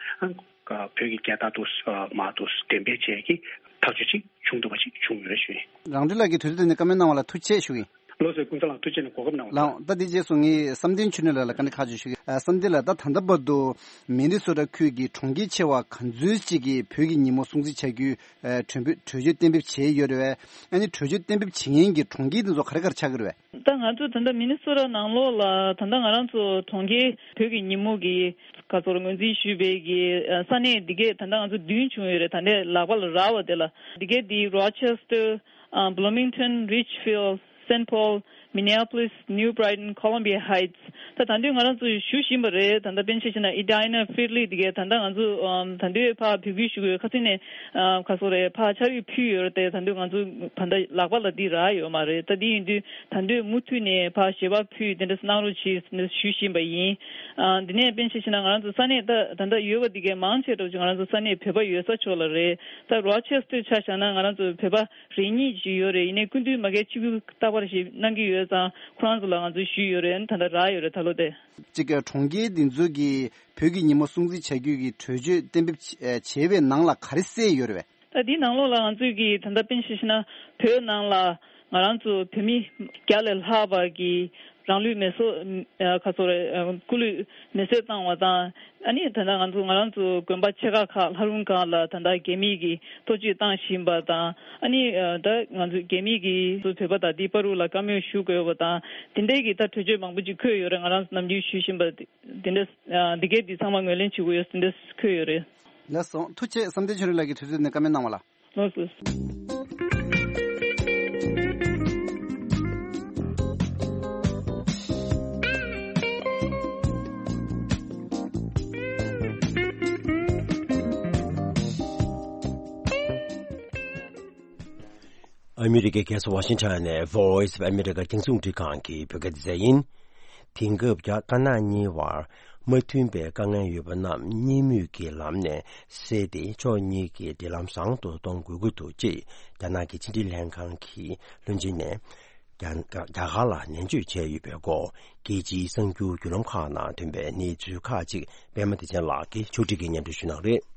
བོད་ཀྱི་རྒྱལ་དར་དུ་ཨ་མར་དུ་འགྲེམས་སྤེལ་བྱེད་ཀྱི་ཐག་གཅོད་ཅིག་བྱུང་འདུག་པ་ཅིག་བྱུང་ཡོད་ཞུ་ཡིན། རང་འགྲེལ་ལགས་ཀྱིས་དུས་ཚོད་དེ་ནས་བཀའ་མོལ་གནང་བ་ལ་ཐུགས་རྗེ་ཆེ་ཞུ་ཡིན། ལགས་སོ། ཀུན་བཟང་ལགས་ཐུགས་རྗེ་ཆེ་ནས་གོ་སྐབས་གནང་བ་ལ། ལགས་ད་དེ་རྗེས་སུ་ངས་བསམ་གཏན་ཆོས་སྒྲོན་ལགས་ལ་བཀའ་འདྲི་ཁག་ཅིག་ཞུ་གི། ཨ་བསམ་གཏན་ལགས་ད་ད་ལྟ་བར་དུ་མི་ནི་སོ་ཊ་ཁུལ་གྱི་གྲོང་ཁྱེར་ཆེ་བ་ག་ཚོད་ཅིག་གིས་བོད་ཀྱི་ཉིན་མོ་སྲུང་བརྩི་བྱ་རྒྱུའི་ཨ་གྲོས་འབོད་གྲོས་ཆོད་གཏན་འབེབས་བྱས་ཡོད་རེད་པས། ཨ་ནི་གྲོས་ཆོད་གཏན་འབེབས་བྱེད་མཁན་གྱི་གྲོང་ཁྱེར་དེ་ཚོ་ག་རེ་ག་རེ་ཆགས་ཀྱི་རེད་པས། ད་ང་ཚོ་ད་ལྟ་མི་ནི་སོ་ཊ་ནང་ལོགས་ལ་ད་ལྟ་ང་རང་ཚོ་གྲོང་ཁྱེར་བོད་ཀྱི་ཉིན་མོ་གི་ག་ཚོད་ངོས་འཛིན་ཞུས་པའི་གི་ས་གནས་འདི་གས་ད་ལྟ་ང་ཚོ་བདུན་བྱུང་ཡོད་རེད། ད་ལྟའི་ལག་པ་ལ་རག་པ་དེ་ལ་འདི་གས་འདི་Rochester, ཨ་Bloomington, Richfield, Saint Paul, Minneapolis, New Brighton, Columbia Heights. ད་ད་དུང་ང་རང་ཚོ་ཞུ་བཞིན་པ་རེད། ད་ལྟ་དཔེར་ན་ཆ་བཞག་ན་Edina, Findlay འདི་གས་ད་ལྟ་ང་ཚོ་ཨམ་ད་དུང་ཕར་འབོད་སྐུལ་ཞུ་དགོས་ཁ་སང་ནས་ཨ་ག་ཚོད་རེད་ཕར་ཕྱག་བྲིས་ཕུལ་ཡོད་རེད་དེ། ད་དུང་ང་ཚོ་ད་ལྟ་ལག་པ་ལ་འདི་རག་ཡོད་མ་རེད། ད་འདི་ཡིན་དུས་ད་དུང་མུ་མཐུད་ནས་ཕར་ཞལ་པར་ཕུལ་དེ་འདྲ་གནང་རོགས་གྱིས་ཞུ་བཞིན་པ་ཡིན། ཨ་འདི་ནས་དཔེར་ན་ཆ་བཞག་ན་ང་རང་ཚོ་ས་གནས་ད་ད་ལྟ་ཡོད་པ་འདི་གས་མང་ཆེ་འདྲ་ཅིག་ང་རང་ཚོ་ས་གནས་བོད་པ་ཡོད་ས་ཕྱོགས་ལ་རེད། ད་Rochester ཆ་བཞག་ན་ང་རང་ཚོ་བོད་པ་རེ་གཉིས་ཅིག་ཡོད་རེད། ཡིན་ནའི་སྐུ་མདུན་མ་གིར་ཆིབས་བསྒྱུར་རྟག་པར་ཞིག་གནང་གི་ཡོད་ཙང་ཁོ་རང་ཚོ་ལ་ང་ཚོས་ཞུས་ཡོད་རེད། ད་ལྟ་རག་ཡོད་རེད་ད་ལོ་དེ། གཅིག་གི་གྲོང་ཁྱེར་འདི་ཚོ་གིས་བོད་ཀྱི་ཉིན་མོ་སྲུང་བརྩི་བྱ་རྒྱུ་གི་གྲོས་ཆོད་གཏན་འབེབས་བྱས་པའི་ནང་ལ་ག་རེ་གསལ་ཡོད་རེད་པས། ད་འདིའི་ནང་ལོགས་ལ་ང་ཚོས་ཀྱི་ད་ལྟ་དཔེར་ན་ཆ་བཞག་ན་བོད་ནང་ལ་ང་རང་ཚོ་བོད་མི་བརྒྱ་ལས་ལྷག་པ་གི་རང་ལུས་མེ་སྲེག་ཨ་ག་ཚོད་རེད་ཨ་སྐུ་ལུས་མེ་སྲེག་བཏང་བ་དང་། ཨ་ནི་ད་ལྟ་ང་ཚོ་ང་རང་ཚོ་དགོན་པ་ཆེ་ཁག་ཁག་ལྷ་རུང་ཁག་ལ་ད་ལྟ་རྒྱ་མི་གིས་གཏོར་བཅོམ་བཏང་བཞིན་པ་དང་། ཨ་ནི་ཨ་ད་ང་ཚོ་རྒྱ་མི་གིས་ཚོ་བོད་པ་དང་དེ་བར་དུ་ལ་བཀའ་མོལ་ཞུ་དགོས་པ་དང་དེ་འདྲའི་གི་ད་གྲོས་ཆོད་མང་པོ་ཅིག་འཁོད་ཡོད་རེད། ང་རང་ཚོ་ནམ་རྒྱུན་ཞུ་བཞིན་པ་དེ་འདྲ་ཨ་འདི་གས་འདི་ཚང་མ་ངོས་ལེན་བྱེད་དགོས་ཡོད་དེ་འདྲ་འཁོད་ཡོད་རེད། ལགས་སོ། ཐུགས་རྗེ་ཆེ། བསམ་གཏན་ཆོས་སྒྲོན་ལགས་ཀྱིས་དུས་ཚོད་ནས་བཀའ་མོལ་གནང་བ་ལ། ལགས་སོ། ཨ་མི་རི་ཀའི་རྒྱལ་ས་ཝ་ཤིང་ཊོན་ནས་Voice of America རྒྱང་སྲིང་རླུང་འཕྲིན་ཁང་གི་བོད་སྐད་སྡེ་ཚན་ཡིན། དེང་སྐབས་རྒྱ་དཀར་ནག་གཉིས་བར་མ་མཐུན་པའི་དཀའ་ངལ་ཡོད་པ་རྣམས་གཉིས་མོས་ཀྱི་ལམ་ནས་སེལ་ཏེ་ཕྱོགས་གཉིས་ཀྱི་འབྲེལ་ལམ་བཟང་དུ་གཏོང་དགོས་ཀྱི་འདུག་ཅེས་རྒྱ་ནག་གི་ཕྱི་འབྲེལ་ལྷན་ཁང་གི་བློན་ཆེན་ནས་རྒྱ་རྒྱ་གར་ལ་ནན་བརྗོད་བྱས་ཡོད་པའི་སྐོར་རྒྱལ་སྤྱིའི་གསར་འགྱུར་བརྒྱུད་ལམ་ཁག་ནང་ཐོན་པའི་གནས་ཚུལ་ཁག་ཅིག་པད་མ་བདེ་ཆེན་ལགས་ཀྱིས་ཕྱོགས་སྒྲིག་གིས་སྙན་སྒྲོན་ཞུ་གནང་རེད།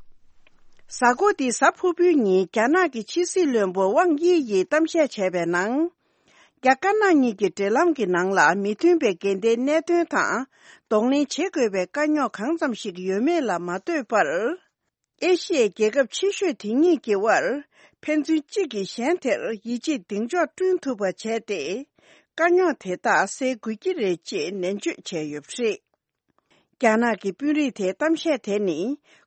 གཟའ་འཁོར་འདིའི་གཟའ་ཕུར་བུའི་ཉིན་རྒྱ་ནག་གི་ཕྱི་སྲིད་བློན་པོ་ཝང་དབྱི་ཡིས་གཏམ་བཤད་བྱས་པའི་ནང་། རྒྱ་དཀར་ནག་གཉིས་ཀྱི་འབྲེལ་ལམ་གྱི་ནང་ལ་མི་མཐུན་པའི་འགལ་ཟླའི་གནད་དོན་དང་གདོང་ལེན་བྱེད་དགོས་པའི་དཀའ་རྙོག་གང་ཙམ་ཞིག་ཡོད་མེད་ལ་མ་ལྟོས་པར། ཨེ་ཤི་ཡའི་རྒྱལ་ཁབ་ཆེ་ཤོས་དེ་གཉིས་ཀྱི་དབར་ཕན་ཚུན་གཅིག་གིས་གཞན་དེར་ཡིད་ཆེས་གདེང་འཇོག་བསྐྲུན་ཐུབ་པ་བྱས་ཏེ། དཀའ་རྙོག་དེ་དག་སེལ་དགོས་ཀྱི་རེད་ཅེས་ནན་བརྗོད་བྱས་ཡོད་པ་རེད། རྒྱ་ནག་གི་དཔོན་རིགས་དེའི་གཏམ་བཤད་དེ་ནི།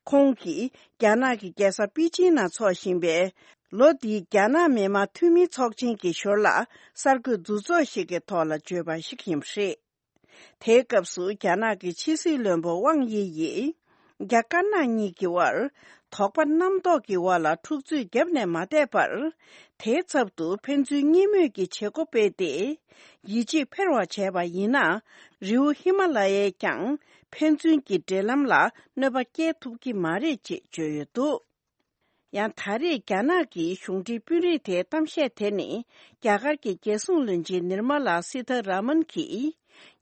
ཁོང་གིས་རྒྱ་ནག་གི་རྒྱལ་ས་པེ་ཅིང་ནང་འཚོགས་བཞིན་པའི་ལོ་འདིའི་རྒྱ་ནག་མི་དམངས་འཐུས་མིའི་ཚོགས་ཆེན་གྱི་ཞོར་ལ་གསར་འགོད་འདུ་ཚོགས་ཤིག་གི་ཐོག་ལ་བརྗོད་པ་ཞིག་ཡིན་པ་རེད། དེའི་སྐབས་སུ་རྒྱ་ནག་གི་ཕྱི་སྲིད་བློན་པོ་ཝང་དབྱི་ཡིས། རྒྱ་དཀར་ནག་གཉིས་ཀྱི་དབར་དོགས་པ་རྣམ་རྟོག་གི་འོག་ལ་འཁྲུག་རྩོད་བརྒྱབ་ནས་མ་བསྡད་པར། དེའི་ཚབ་ཏུ་ཕན་ཚུན་གཉིས་མོས་ཀྱི་བྱེད་སྒོ་སྤེལ་ཏེ། ཡིད་ཆེས་འཕེར་བ་བྱས་པ་ཡིན་ན། རི་བོ་ཧི་མ་ལ་ཡས་ཀྱང་ཕན་ཚུན་གྱི་འབྲེལ་ལམ་ལ་གནོད་པ་སྐྱེལ་ཐུབ་ཀྱི་མ་རེད་ཅེས་བརྗོད་ཡོད་འདུག་ཡང་ད་རེས་རྒྱ་ནག་གི་གཞུང་འབྲེལ་དཔོན་རིགས་དེའི་གཏམ་བཤད་དེ་ནི། རྒྱ་གར་གྱི་རྒྱལ་སྲུང་བློན་ཆེན་ནིར་མ་ལ་སི་ཐ་ར་མན་གྱིས།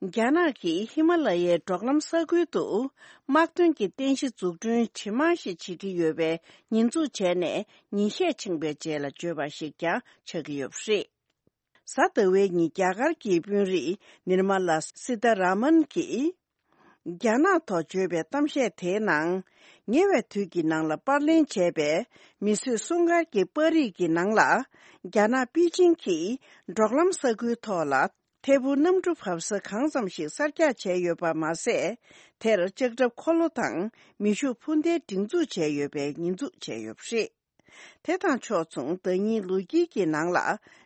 རྒྱ་ནག་གིས་ཧི་མ་ལ་ཡའི་འབྲོག་ལམ་ས་ཁུལ་དུ། དམག་དོན་གྱི་རྟེན་གཞི་འཛུགས་སྐྲུན་ཇེ་མང་ཞིག་བྱེད་ཀྱི་ཡོད་པའི་ཉེས་འཛུགས་བྱས་ནས། ཉིན་ཤས་ཕྱིན་པའི་རྗེས་ལ་བརྗོད་པ་ཞིག་ཀྱང་ཆགས་ཀྱི་ཡོད་པ་རེད། གཟའ་ཟླ་བའི་ཉིན་རྒྱ་གར་གྱི་དཔོན་རིགས་ནིར་མ་ལ་སི་ཐ་ར་མན་གྱིས། རྒྱ་ནག་ཐོག་བརྗོད་པའི་གཏམ་བཤད་དེའི་ནང་། ཉེ་བའི་དུས་ཀྱི་ནང་ལ་པར་ལེན་བྱས་པའི་མིས་བཟོས་སྲུང་སྐར་གྱི་པར་རིས་ཀྱི་ནང་ལ། རྒྱ་ནག་པེ་ཅིང་གིས་འབྲོག་ལམ་ས་ཁུལ་ཐོག་ལ་ཐད་འཕུར་གནམ་གྲུ་བབས་ས་གང་ཙམ་ཞིག་གསར་རྒྱག་བྱས་ཡོད་པ་མ་ཟད། དེར་ལྕགས་ཁྲབ་འཁོར་ལོ་དང་མེ་ཤུགས་འཕུར་མདེལ་སྒྲེང་འཛུགས་བྱས་ཡོད་པའི་ཉེས་འཛུགས་བྱས་ཡོད་པ་རེད། དེ་དང་ཕྱོགས་མཚུངས་ཟླ་ཉིན་ལོ་དཀྱིལ་གྱི་ནང་ལ་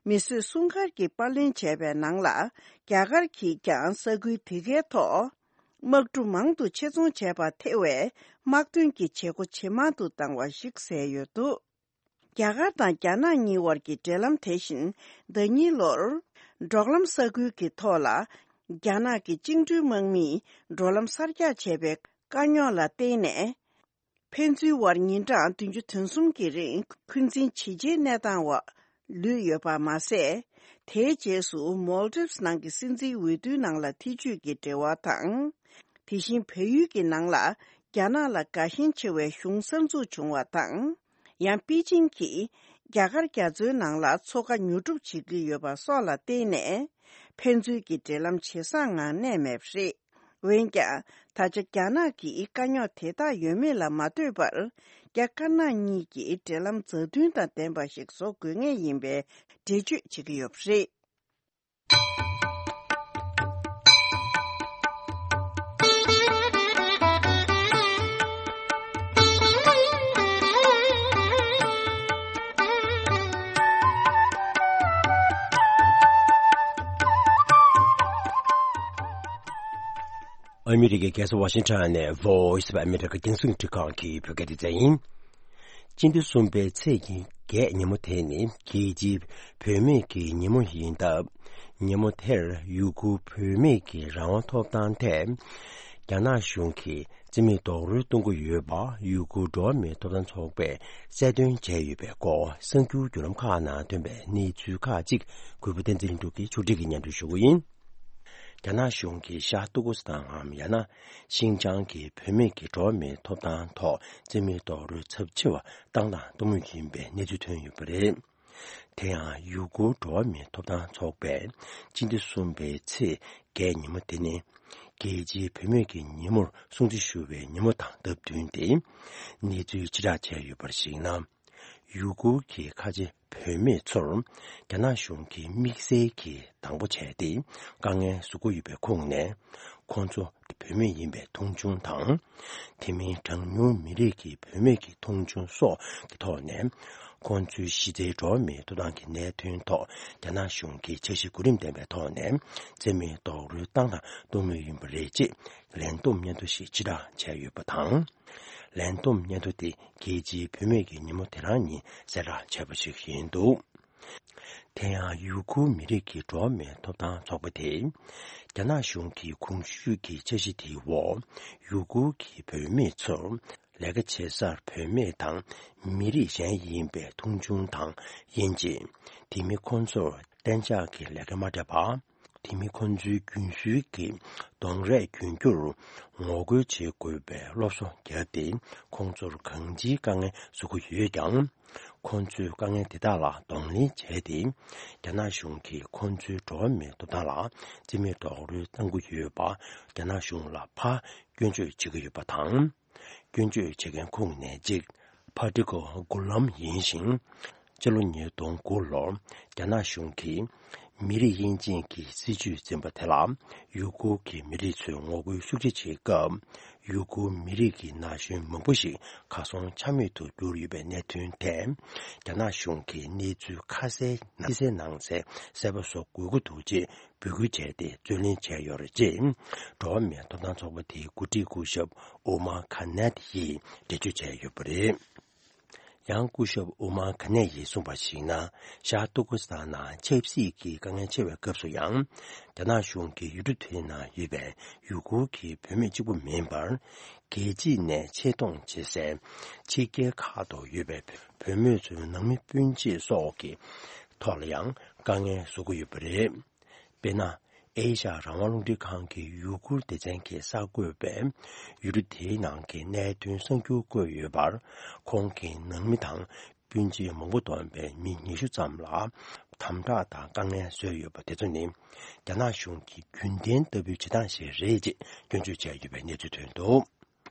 མིས་བཟོས་སྲུང་སྐར་གྱི་པར་ལེན་བྱས་པའི་ནང་ལ། རྒྱ་གར་གྱིས་ཀྱང་ས་ཁུལ་དེ་གའི་ཐོག་ དམག་གྲུ་མང་དུ་ཆེད་རྫོང་བྱས་པར་ཐེ་བའི་དམག་དོན་གྱི་བྱེད་སྒོ་ཇེ་མང་དུ་བཏང་བ་ཞིག་གསལ་ཡོད་འདུག་རྒྱ་གར་དང་རྒྱ་ནག་གཉིས་བར་གྱི་འབྲེལ་ལམ་དེ་བཞིན་ཟླ་ཉིན་ལོར་འབྲོག་ལམ་ས་ཁུལ་གྱི་ཐོག་ལ་རྒྱ་ནག་གི་བཅིངས་འགྲོལ་དམག་མིས་འགྲོ་ལམ་གསར་རྒྱག་བྱས་པའི་དཀའ་རྙོག་ལ་བརྟེན་ནས། ཕན་ཚུན་དབར་ཉིན་གྲངས་བདུན་ཅུ་དོན་གསུམ་གྱི་རིང་འཁོན་འཛིན་ཇེ་ཆེའི་གནས་སྟངས་འོག་ལུས་ཡོད་པ་མ་ཟད། དེའི་རྗེས་སུ་མོལ་ཏིབ་ནང་གི་སྲིད་འཛིན་འོས་བསྡུའི་ནང་ལ་ཐེ་བྱུས་ཀྱི་འབྲེལ་བ་དང་། དེ་བཞིན་བལ་ཡུལ་གྱི་ནང་ལ་རྒྱ་ནག་ལ་དགའ་ཞེན་ཆེ་བའི་གཞུང་གསར་འཛུགས་བྱུང་བ་དང་། ཡང་པེ་ཅིང་གིས་རྒྱ་གར་རྒྱ་མཚོའི་ནང་ལ་མཚོ་ཁ་ཉོ་སྒྲུབ་བྱེད་ཀྱི་ཡོད་པ་སོགས་ལ་བརྟེན་ནས། ཕན་ཚུན་གྱི་འབྲེལ་ལམ་ཇེ་བཟང་ངང་གནས་མེད་པ་རེད། འོན་ཀྱང་། ད་ཆ་རྒྱ་ནག་གིས་དཀའ་རྙོག་དེ་དག་ཡོད་མེད་ལ་མ་ལྟོས་པར། རྒྱ་དཀར་ནག་གཉིས་ཀྱི་འབྲེལ་ལམ་མཛའ་མཐུན་དང་ལྡན་པ་ཞིག་བཟོ་དགོས་ངེས་ཡིན་པའི་འགྲེལ་བརྗོད་བྱེད་ཀྱི་ཡོད་པ་རེད། ཨ་མི་རི་ཀའི་རྒྱལ་ས་ཝ་ཤིང་ཊོན་ནས་Voice of America རྒྱང་སྲིང་འཕྲིན་ཁང་གི་བོད་སྐད་སྡེ་ཚན་ཡིན། སྤྱི་ཟླ་གསུམ་པའི་ཚེས་ཀྱི་བརྒྱད་ཉིན་མོ་དེ་ནི་རྒྱལ་སྤྱིའི་བུད་མེད་ཀྱི་ཉིན་མོ་ཡིན་སྟབས། ཉིན་མོ་དེར་ཡུ་གུར་བུད་མེད་ཀྱི་རང་དབང་ཐོབ་ཐང་ཐད། རྒྱ་ནག་གཞུང་གིས་རྩིས་མེད་རྡོག་རོལ་གཏོང་གི་ཡོད་པ་ཡུ་གུར་འགྲོ་བ་མིའི་ཐོབ་ཐང་ཚོགས་པས་གསལ་སྟོན་བྱས་ཡོད་པའི་སྐོར་གསར་འགྱུར་བརྒྱུད་ལམ་ཁག་ནང་ཐོན་པའི་གནས་ཚུལ་ཁག་ཅིག་གུས་པ་བསྟན་འཛིན་ལྷུན་གྲུབ་ཀྱིས་ཕྱོགས་སྒྲིག་གིས་སྙན་སྒྲོན་ཞུ་གི་ཡིན། རྒྱ་ནག་གཞུང་གིས་ཤར་ཏུར་ཀུ་སི་ཐན་ནམ་ཡང་ན་ཤིན་ཅང་གི་བུད་མེད་ཀྱི་འགྲོ་བ་མིའི་ཐོབ་ཐང་ཐོག་རྩིས་མེད་རྡོག་རོལ་ཚབས་ཆེ་བ་བཏང་དང་གཏོང་མུས་ཡིན་པའི་གནས་ཚུལ་ཐོན་ཡོད་པ་རེད། དེ་ཡང་ཡུ་གུར་འགྲོ་བ་མིའི་ཐོབ་ཐང་ཚོགས་པས་སྤྱི་ཟླ་གསུམ་པའི་ཚེས་བརྒྱད་ཉིན་མོ་དེ་ནི་རྒྱལ་སྤྱིའི་བུད་མེད་ཀྱི་ཉིན་མོར་སྲུང་བརྩི་ཞུ་བའི་ཉིན་མོ་དང་སྟབས་བསྟུན་ཏེ། གནས་ཚུལ་ཕྱིར་བསྒྲགས་བྱས་ཡོད་པར་གཞིགས་ན། ཡུ་གུར་གྱི་ཁ་ཆེ་བུད་མེད་ཚོར་རྒྱ་ནག་གཞུང་གིས་དམིགས་བསལ་གྱིས་དང་པོ་བྱས་ཏེ་དཀའ་ངལ་བཟོ་གི་ཡོད་པའི་ཁུངས་ནས། ཁོང་ཚོ་བུད་མེད་ཡིན་པའི་མཐོང་ཆུང་དང་། དེ་མིན་གྲངས་ཉུང་མི་རིགས་ཀྱི་བུད་མེད་ཀྱི་མཐོང་ཆུང་སོགས་ཀྱི་ཐོག་ནས། ཁོང་ཚོའི་གཞི་རྩའི་འགྲོ་བ་མིའི་ཐོབ་ཐང་གི་གནད་དོན་ཐོག་རྒྱ་ནག་གཞུང་གིས་འཆར་གཞི་གོ་རིམ་ལྡན་པའི་ཐོག་ནས་རྩིས་མེད་རྡོག་རོལ་བཏང་དང་གཏོང་མུས་ཡིན་པ་རེད་ཅེས་ལན་འདེབས་སྙན་ཐོ་ཞིག་ཕྱིར་བསྒྲགས་བྱས་ཡོད་པ་དང་། ལན་འདེབས་སྙན་ཐོ་དེ་རྒྱལ་སྤྱིའི་བུད་མེད་ཀྱི་ཉིན་མོ་དེ་རང་ཉིན་གསལ་བསྒྲགས་བྱས་པ་ཞིག་ཡིན་འདུག་དེ་ཡང་ཡུ་གུར་མི་རིགས་ཀྱི་འགྲོ་བ་མིའི་ཐོབ་ཐང་ཚོགས་པ་དེས། རྒྱ་ནག་གཞུང་གི་གོང་ཞུས་ཀྱི་འཆར་གཞི་དེའི་འོག་ཡུ་གུར་གྱི་བུད་མེད་ཚོར་ལས་ཀ་བྱེད་སར་བུད་མེད་དང་མི་རིགས་གཞན་ཡིན་པའི་མཐོང་ཆུང་དང་དབྱེ་འབྱེད། དེ་མིན་ཁོང་ཚོར་གཏན་འཇགས་ཀྱི་ལས་ཀ་མ་སྤྲད་པ། དེ་མིན་ཁོང་ཚོའི་རྒྱུན་སྲོལ་གྱི་གདོང་རས་གྱོན་རྒྱུར་ངོ་རྒོལ་བྱེད་དགོས་པའི་སློབ་གསོ་བརྒྱབ་སྟེ། ཁོང་ཚོར་གང་ཅིའི་དཀའ་ངལ་བཟོ་གི་ཡོད་ཀྱང་། ཁོང་ཚོས་དཀའ་ངལ་དེ་དག་ལ་གདོང་ལེན་བྱས་ཏེ། རྒྱ་ནག་གཞུང་གིས་ཁོང་ཚོའི་འགྲོ་བ་མིའི་ཐོབ་ཐང་ལ་རྩིས་མེད་རྡོག་རོལ་གཏང་གི་ཡོད་པ་རྒྱ་ནག་གཞུང་ལ་ཕར་སྐྱོན་བརྗོད་བྱེད་ཀྱི་ཡོད་པ་དང་། སྐྱོན་བརྗོད་བྱེད་མཁན་ཁོངས་ནས་གཅིག་ཕ་ཏི་ཀོ་གུ་ལམ་ཡིན་ཞིང་། སྤྱི་ལོ་ཉིས་སྟོང་དགུ་ལོར་རྒྱ་ནག་གཞུང་གིས་མི་རིགས་དབྱེ་འབྱེད་ཀྱི་སྲིད་ཇུས་འཛིན་པ་དེ་ལ་ཡུ་གུར་གྱི་མི་རིགས་ཚོས་ངོ་རྒོལ་ཤུགས་ཆེ་བྱེད་སྐབས། ཡུ་གུར་མི་རིགས་ཀྱི་ན་གཞོན་མང་པོ་ཞིག་གར་སོང་ཆ་མེད་དུ་གྱུར་ཡོད་པའི་གནད་དོན་ཐད། རྒྱ་ནག་གཞུང་གིས་གནས་ཚུལ་ཁ་གསལ་ཕྱི་གསལ་ནང་གསལ་གསལ་པོ་བཟོ་དགོས་ཀྱི་འདུག་ཅེས་འབོད་སྐུལ་བྱས་ཏེ་རྩོད་ལེན་བྱས་ཡོད་རེད་ཅེས། འགྲོ་བ་མིའི་ཐོབ་ཐང་ཚོགས་པ་དེའི་འགོ་ཁྲིད་སྐུ་ཞབས་ཨོ་མ་ཁ་ནད་ཡིས་འགྲེལ་བརྗོད་བྱས་ཡོད་པ་རེད། ཡང་སྐུ་ཞབས་ཨོ་མ་ཁ་ནད་ཡིས་གསུངས་པར་གཞིགས་ན། ཤར་ཏུར་ཀུ་སི་ཐན་ནང་ཆབ་སྲིད་ཀྱི་དཀའ་ངལ་ཆེ་བའི་སྐབས་སུ་ཡང་། རྒྱ་ནག་གཞུང་གིས་ཡུལ་གྲུ་དེའི་ནང་ཡོད་པའི་ཡུ་གུར་གྱི་བུད་མེད་གཅིག་པུ་མིན་པར། རྒྱལ་སྤྱི་ནས་ཆེད་གཏོང་བྱེད་སའི་ཕྱི་རྒྱལ་ཁག་ཏུ་ཡོད་པའི་བུད་མེད་ཚོའི་ནང་མི་སྤུན་མཆེད་སོགས་ཀྱི་ཐོག་ལ་ཡང་དཀའ་ངལ་བཟོ་གི་ཡོད་པ་རེད། དཔེར་ན། ཨེ་ཤ་ཡ་རང་དབང་རླུང་འཕྲིན་ཁང་གི་ཡུ་གུར་སྡེ་ཚན་གྱིས་གསར་འགོད་པས་ཡུལ་གྲུ་དེའི་ནང་གི་གནད་དོན་གསར་འགྱུར་བཀོད་ཡོད་པར། ཁོང་གི་ནང་མི་དང་སྤུན་མཆེད་མང་པོ་བསྡོམས་པའི་མི་ཉི་ཤུ་ཙམ་ལ་དམ་དྲག་དང་དཀའ་ངལ་བཟོས་ཡོད་པ་དེ་ཚོ་ནི་རྒྱ་ནག་གཞུང་གི་རྒྱུན་ལྡན་ལྟ་བུའི་བྱེད་སྟངས་ཤིག་རེད་ཅེས་སྐྱོན་བརྗོད་བྱས་ཡོད་པའི་གནས་ཚུལ་ཐོན་འདུག་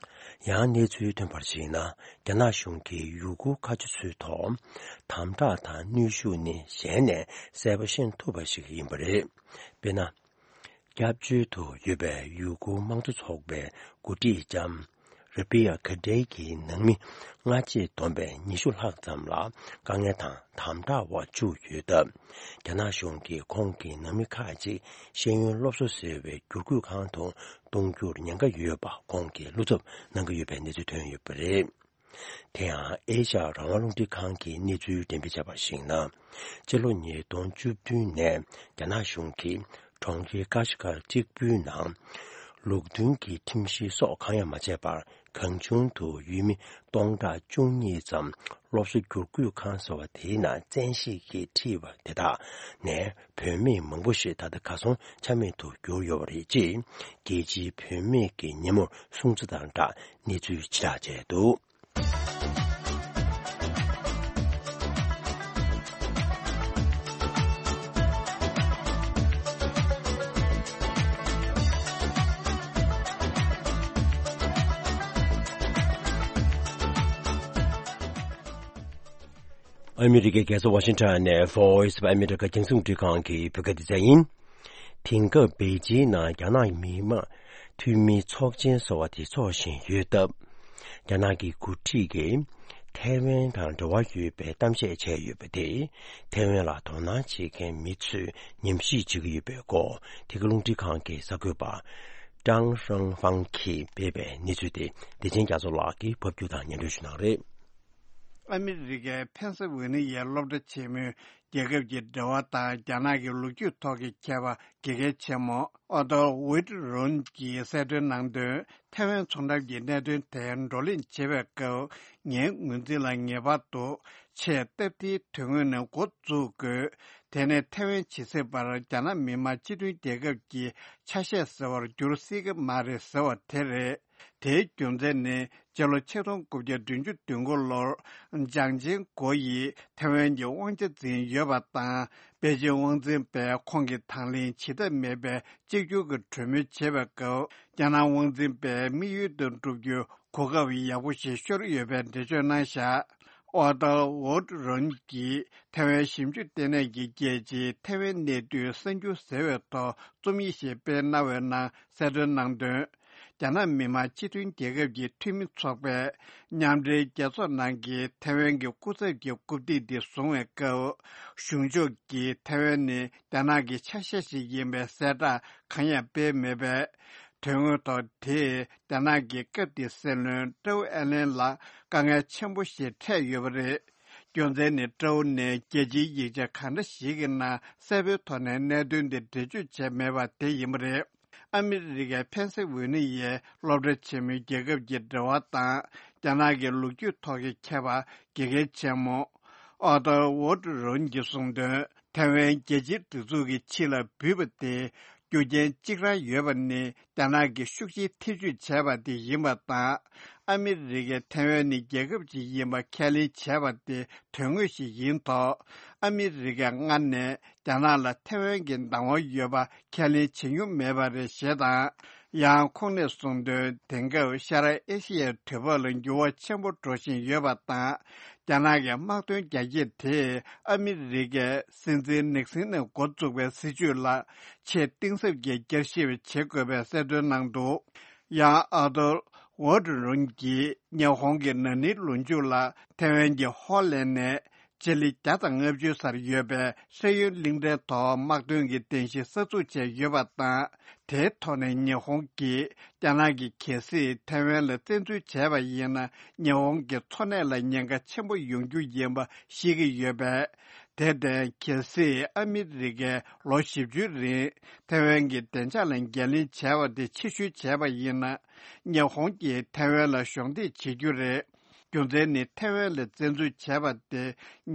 ཡང་གནས་ཚུལ་ཐོན་པར་གཞིགས་ན། རྒྱ་ནག་གཞུང་གིས་ཡུ་གུར་ཁ་ཆེ་ཚོའི་ཐོག་དམ་དྲག་དང་གནོན་ཤུགས་ནི་གཞན་ནས་གསལ་པོ་ཤེས་ཐུབ་པ་ཞིག་ཡིན་པ་རེད། དཔེར་ན། སྐྱབས་བཅོལ་དུ་ཡོད་པའི་ཡུ་གུར་དམངས་གཙོ་ཚོགས་པའི་འགོ་ཁྲིད་ལྕམ་ ར་བི་ཡ་ཁ་ཏྲེ་གྱི་ནང་མི་སྔ་རྗེས་བསྡོམས་པས་ཉི་ཤུ་ལྷག་ཙམ་ལ་དཀའ་ངལ་དང་དམ་དྲག་འོག་བཅུག་ཡོད་སྟབས། རྒྱ་ནག་གཞུང་གིས་ཁོང་གི་ནང་མི་ཁག་ཅིག་ཤེས་ཡོན་སློབ་གསོ་ཟེར་བའི་བསྒྱུར་བཀོད་ཁང་དུ་གཏོང་རྒྱུར་ཉེན་ཁ་ཡོད་པ་ཁོང་གིས་བློ་འཚབ་གནང་གི་ཡོད་པའི་གནས་ཚུལ་ཐོན་ཡོད་པ་རེད། དེ་ཡང་ཨེ་ཤ་ཡ་རང་དབང་རླུང་འཕྲིན་ཁང་གིས་གནས་ཚུལ་འགྲེམས་སྤེལ་བྱས་པར་གཞིགས་ན། སྤྱི་ལོ་ཉིས་སྟོང་བཅུ་བདུན་ནས་རྒྱ་ནག་གཞུང་གིས་གྲོང་ཁྱེར་ཀ་ཤི་ཀར་གཅིག་པུའི་ནང་ལུགས་མཐུན་གྱི་ཁྲིམས་གཞི་སོགས་གང་ཡང་མ་བྱས་པར་གང་བྱུང་དུ་ཡུལ་མི་སྟོང་ཕྲག་བཅུ་གཉིས་ཙམ་སློབ་གསོ་བསྒྱུར་བཀོད་ཁང་ཟེར་བ་དེའི་ནང་བཙན་ཤེད་ཀྱིས་ཁྲིད་པ་དེ་དག་ནས་བུད་མེད་མང་པོ་ཞིག་ད་ལྟ་གར་སོང་ཆ་མེད་དུ་གྱུར་ཡོད་པ་རེད་ཅེས་རྒྱལ་སྤྱིའི་བུད་མེད་ཀྱི་ཉིན་མོར་སྲུང་བརྩི་དང་སྦྲགས་གནས་ཚུལ་ཕྱིར་བསྒྲགས་བྱས་འདུག་ཨ་མི་རི་ཀའི་རྒྱལ་ས་ཝ་ཤིང་ཊོན་ནས་Voice of America རྒྱང་སྲིང་རླུང་འཕྲིན་ཁང་གི་བོད་སྐད་སྡེ་ཚན་ཡིན། དེང་སྐབས་པེ་ཅིན་ནང་རྒྱ་ནག་མི་དམངས་འཐུས་མིའི་ཚོགས་ཆེན་ཟེར་བ་དེ་འཚོགས་བཞིན་ཡོད་སྟབས། རྒྱ་ནག་གི་འགོ་ཁྲིད་ཀྱིས་ཐའེ་ཝན་དང་འབྲེལ་བ་ཡོད་པའི་གཏམ་བཤད་བྱས་ཡོད་པ་དེས། ཐའེ་ཝན་ལ་དོ་སྣང་བྱེད་མཁན་མི་ཚོས་ཉམས་ཞིབ་བྱེད་ཀྱི་ཡོད་པའི་སྐོར། འདི་ག་རླུང་འཕྲིན་ཁང་གི་གསར་འགོད་པ་ཀྲང་ཧྲང་ཧྥང་གིས་སྤེལ་བའི་གནས་ཚུལ་དེ་བདེ་ཆེན་རྒྱ་མཚོ་ལགས་ཀྱིས་ཕབ་སྒྱུར་དང་སྙན་སྒྲོན་ཞུ་གནང་རེད། ཨ་མི་རི་ཀའི་ཕེན་སི་ཝེ་ནི་ཡའི་སློབ་གྲྭ་ཆེན་མོའི་རྒྱལ་ཁབ་ཀྱི་འབྲེལ་བ་དང་རྒྱ་ནག་གི་ལོ་རྒྱུས་ཐོག་གི་ཁྱད་པར་དགེ་རྒན་ཆེན་མོ་ཨོ་ཏོ་ཝིད་རོན་གྱིས་གསལ་སྟོན་གནང་དོན། ཐའེ་ཝན་ཚོང་འགྲམ་གྱི་གནད་དོན་དེ་བགྲོ་གླེང་བྱེད་པའི་སྐབས། ངའི་ངོས་འཛིན་ལ་ངེས་པར་དུ་ཆེས་སྟབས་བདེའི་དོན་དངོས་ནས་འགོ་འཛུགས་དགོས། དེ་ནས་ཐའེ་ཝན་ཇི་སྲིད་བར་རྒྱ་ནག་མི་དམངས་སྤྱི་མཐུན་རྒྱལ་ཁབ་ཀྱི་ཆ་ཤས་ཟེར་བར་འགྱུར་སྲིད་ཀྱི་མ་རེད་ཟེར་བ་དེ་རེད། དེའི་རྒྱུ་མཚན་ནི། སྤྱི་ལོ་ཆིག་སྟོང་དགུ་བརྒྱ་བདུན་ཅུ་དོན་དགུ་ལོར། ཅང་ཅིང་གོ་ཡིས་ཐའེ་ཝན་གྱི་དབང་ཆ་འཛིན་ཡོད་པ་དང་། པེ་ཅིང་དབང་འཛིན་པས་ཁོང་གི་དང་ལེན་བྱེད་ཐབས་མེད་པའི་གཅིག་གྱུར་གྱི་གྲོས་མོལ་བྱེད་པའི་སྐབས། རྒྱ་ནག་དབང་འཛིན་པས་དམིགས་ཡུལ་དུ་འགྲུབ་རྒྱུའི་གོ་སྐབས་ཡག་པོ་ཞིག་ཤོར་ཡོད་པའི་འགྲེལ་བརྗོད་གནང་བཞག་ཨོ་ཏོ་ཝོད་རོན་གྱིས་ཐའེ་ཝན་ཞིབ་འཇུག་ལྟེ་གནས་ཀྱི་རྒྱལ་སྤྱིའི་ཐའེ་ཝན་གནད་དུས་གསར་འགྱུར་ཟེར་བའི་ཐོག་རྩོམ་ཡིག་ཞིག་སྤེལ་གནང་བའི་ནང་གསལ་སྟོན་གནང་དོན། རྒྱ་ནག་མི་དམངས་སྤྱི་མཐུན་རྒྱལ་ཁབ་ཀྱི་འཐུས་མི་ཚོགས་པས་མཉམ་འབྲེལ་རྒྱལ་ཚོགས་ནང་གི་ཐའེ་ཝན་གྱི་སྐུ་ཚབ་ཀྱི་རྐུབ་སྟེགས་འདི་བཟུང་བའི་སྐབས། གཞུང་ཕྱོགས་ཀྱིས་ཐའེ་ཝན་ནི་རྒྱ་ནག་གི་ཆ་ཤས་ཤིག་ཡིན་པའི་གསལ་བསྒྲགས་གང་ཡང་སྤེལ་མེད་པས། དོན་དངོས་ཐོག་དེས་རྒྱ་ནག་གི་སྐབས་དེའི་སྲིད་བློན་ཀྲོའུ་ཨེ་ལན་ལ་དཀའ་ངལ་ཆེན་པོ་ཞིག་འཕྲད་ཡོད་པ་རེད། རྒྱུ་མཚན་ནི་ཀྲོའུ་ནས་རྒྱལ་སྤྱིའི་ཡིག་ཆ་གང་འདྲ་ཞིག་གི་ནང་གསལ་པོའི་ཐོག་ནས་གནད་དོན་འདི་འགྲེལ་བརྗོད་བྱས་མེད་པ་དེ་ཡིན་པ་རེད། ཨ་མི་རི་ཀའི་ཕེན་སི་ཝེ་ནི་ཡའི་སློབ་གྲྭ་ཆེན་མོའི་རྒྱལ་ཁབ་ཀྱི་འབྲེལ་བ་དང་རྒྱ་ནག་གི་ལོ་རྒྱུས་ཐོག་གི་ཁྱད་པར་དགེ་རྒན་ཆེན་མོ་ཨོ་ཏོ་ཝོད་རོན་གྱིས་གསུངས་དོན། ཐའེ་ཝན་རྒྱལ་སྤྱིའི་སྒྲིག་འཛུགས་ཀྱི་ཕྱི་ལ་འབུད་པ་དེ་རྒྱུ་རྐྱེན་གཅིག་རང་ཡོད་པ་ནི། རྒྱ་ནག་གིས་ཤུགས་ཆེའི་ཐེ་བྱུས་བྱས་པ་དེ་ཡིན་པ་དང་། ཨ་མི་རི་ཀས་ཐའེ་ཝན་ནི་རྒྱལ་ཁབ་ཅིག་ཡིན་པ་ཁས་ལེན་བྱས་པ་དེ་དོན་དངོས་ཤིག་ཡིན་ཐོག་ཨ་མི་རི་ཀས་སྔར་ནས་རྒྱ་ནག་ལ་ཐའེ་ཝན་གྱི་བདག་དབང་ཡོད་པ་ཁས་ལེན་བྱེད་མྱོང་མེད་པ་རེད་ཞེས་དང་། ཡང་ཁོང་ནས་གསུངས་དོན། དེང་སྐབས་ཤར་ཨེ་ཤི་ཡའི་དུས་བབ་ལ་འགྱུར་བ་ཆེན་པོ་འགྲོ་བཞིན་ཡོད་པ་དང་། རྒྱ་ནག་གི་དམག་དོན་རྒྱ་སྐྱེད་དེས་ཨ་མི་རི་ཀས་སྲིད་འཛིན་ནིག་སིན་ནས་འགོ་བཙུགས་པའི་སྲིད་བྱུས་ལ་ཆེས་གཏིང་ཟབ་ཀྱིས་བསྐྱར་ཞིབ་བྱེད་དགོས་པའི་གསལ་སྟོན་གནང་འདུག་ཡང་ཨ་ཏོ་ཝོ་ཏི་རུན་གྱིས་ཉི་ཧོང་གི་ན་ནིང་ལོ་མཇུག་ལ་ཐའེ་ཝན་གྱི་ཧོ་ལན་ནས་སྤྱི་ལེ་བརྒྱ་དང་ལྔ་བཅུ་སར་ཡོད་པའི་ཧྲེ་ཡོན་གླིང་ཕྲན་ཐོག་དམག་དོན་གྱི་རྟེན་གཞི་གསར་འཛུགས་བྱས་ཡོད་པ་དང་། དེའི་ཐོག་ནས་ཉི་ཧོང་གིས་རྒྱ་ནག་གིས་གལ་སྲིད་ཐའེ་ཝན་ལ་བཙན་འཛུལ་བྱས་པ་ཡིན་ན། ཉི་ཧོང་གི་འཚོ་གནས་ལ་ཉེན་ཁ་ཆེན་པོ་ཡོང་རྒྱུ་ཡིན་པ་ཤེས་ཀྱི་ཡོད་པས། དེར་བརྟེན། གལ་སྲིད་ཨ་མི་རི་ཀས་ལོ་བཞི་བཅུའི་རིང་ཐའེ་ཝན་གྱི་བདེ་འཇགས་ལ་འགན་ལེན་བྱས་པ་དེ་ཕྱིར་བཤོལ་བྱས་པ་ཡིན་ན། ཉི་ཧོང་གིས་ཐའེ་ཝན་ལ་གཞོགས་འདེགས་བྱེད་རྒྱུ་རེད། རྒྱུ་མཚན་ནི། ཐའེ་ཝན་ལ་བཙན་འཛུལ་བྱས་པ་དེ་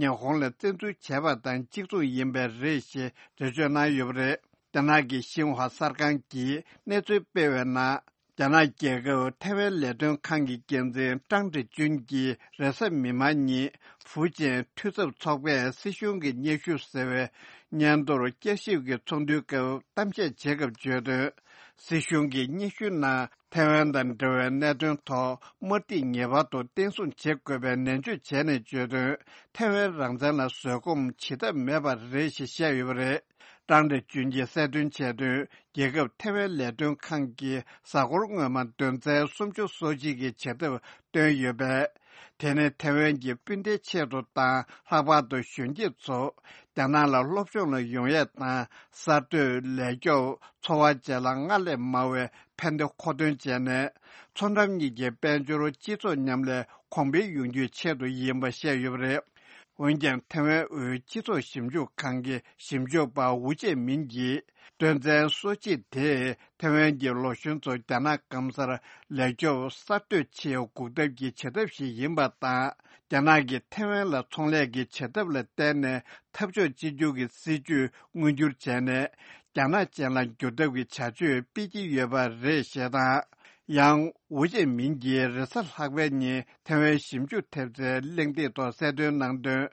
ཉི་ཧོང་ལ་བཙན་འཛུལ་བྱས་པ་དང་གཅིག་མཚུངས་ཡིན་པས་རེད་ཞེས་འགྲེལ་བརྗོད་གནང་ཡོད་པ་རེད། རྒྱ་ནག་གི་ཤིན་ཧྭ་གསར་ཁང་གིས་གནས་ཚུལ་སྤེལ་བའི་ནང་། རྒྱ་ནག་རྒྱལ་ཁབ་ཐའེ་ཝན་ལས་དོན་ཁང་གི་འགན་འཛིན་ཀྲང་ཀྲི་ཅུན་གྱིས་རེས་གཟའ་མིག་དམར་ཉིན་ཧྥུའུ་ཅན་འཐུས་ཚབ་ཚོགས་པས་སྲིད་གཞུང་གི་སྙན་ཞུ་ཟེར་བའི་སྙན་ཐོར་བསྐྱར་ཞིབ་ཀྱི་ཚོགས་འདུའི་སྐབས་གཏམ་བཤད་བྱེད་སྐབས་བརྗོད་དོན། སྲིད་གཞུང་གི་སྙན་ཞུའི་ནང་། ཐའེ་ཝན་དང་འབྲེལ་བའི་གནད་དོན་ཐོག་དམར་ཐིག་ངེས་པར་དུ་བརྟན་སྲུང་བྱེད་དགོས་པའི་ནན་བརྗོད་བྱས་ནས་བརྗོད་དོན། ཐའེ་ཝན་རང་བཙན་ལ་བཟོད་སྒོམ་བྱེད་ཐབས་མེད་པ་རེད་ཞེས་བཤད་ཡོད་པ་རེད། ཀྲང་ཊེ་ཅུན་གྱིས་གསལ་སྟོན་བྱས་དོན། རྒྱལ་ཁབ་ཐེ་ཝན་ལས་དོན་ཁང་གིས་གཟའ་འཁོར་སྔོན་མ་དོན་ཚན་སུམ་ཅུ་སོ་གཅིག་གི་བྱེད་ཐབས་བཏོན་ཡོད་པས། དེ་ནི་ཐེ་ཝན་གྱི་སྤུན་ཟླའི་ཆེད་དུ་དང་། ལྷག་པར་དུ་གཞོན་སྐྱེས་ཚོ་རྒྱ་ནག་ལ་སློབ་སྦྱོང་ལ་ཡོང་ཡས་དང་། གསར་གཏོད། ལས་སྐྱོབ། འཚོ་བ་བཅས་ལ་སྔར་ལས་མང་བའི་ཕན་བདེ་མཁོ་འདོན་བྱས་ནས། མཚོ་འགྲམ་གཉིས་ཀྱི་དཔལ་འབྱོར་སྤྱི་ཚོགས་མཉམ་ལས་གོང་འཕེལ་ཡོང་རྒྱུའི་ཆེད་དུ་ཡིན་པ་བཤད་ཡོད་པ་རེད། འོན་ཀྱང་། ཐེ་ཝན་དབུས་སྤྱི་ཚོགས་ཞིབ་འཇུག་ཁང་གི་ཞིབ་འཇུག་པ་ཝུ་ཅེ་མིན་གྱིས། དོན་ཚན་སོ་གཅིག་དེས་ཐེ་ཝན་གྱི་ལོ་གཞོན་ཚོ་རྒྱ་ནག་སྐམ་སར་ལས་སྐྱོབ། གསར་གཏོད་ཆེད་འགུག་ཐབས་ཀྱི་བྱེད་ཐབས་ཤིག་ཡིན་པ་དང་། རྒྱ་ནག་གིས་ཐེ་ཝན་ལ་ཚོང་ལས་ཀྱི་བྱེད་ཐབས་ལ་བརྟེན་ནས་འཐབ་ཕྱོགས་གཅིག་གྱུར་གྱི་སྲིད་ཇུས་མངོན་འགྱུར་བྱས་ནས། རྒྱ་ནག་ཅན་ལ་འགྱུར་ཐབས་ཀྱི་བྱ་སྤྱོད་སྤེལ་གྱི་ཡོད་པ་རེད་ཞེས་དང་། ཡང་། ཝུ་ཅེ་མིན་གྱིས་རེས་གཟའ་ལྷག་པའི་ཉིན་ཐེ་ཝན་ཞིབ་འཇུག་ཐེབས་རྩའི་གླེང་སྟེགས་ཐོག་གསལ་སྟོན་གནང་དོན།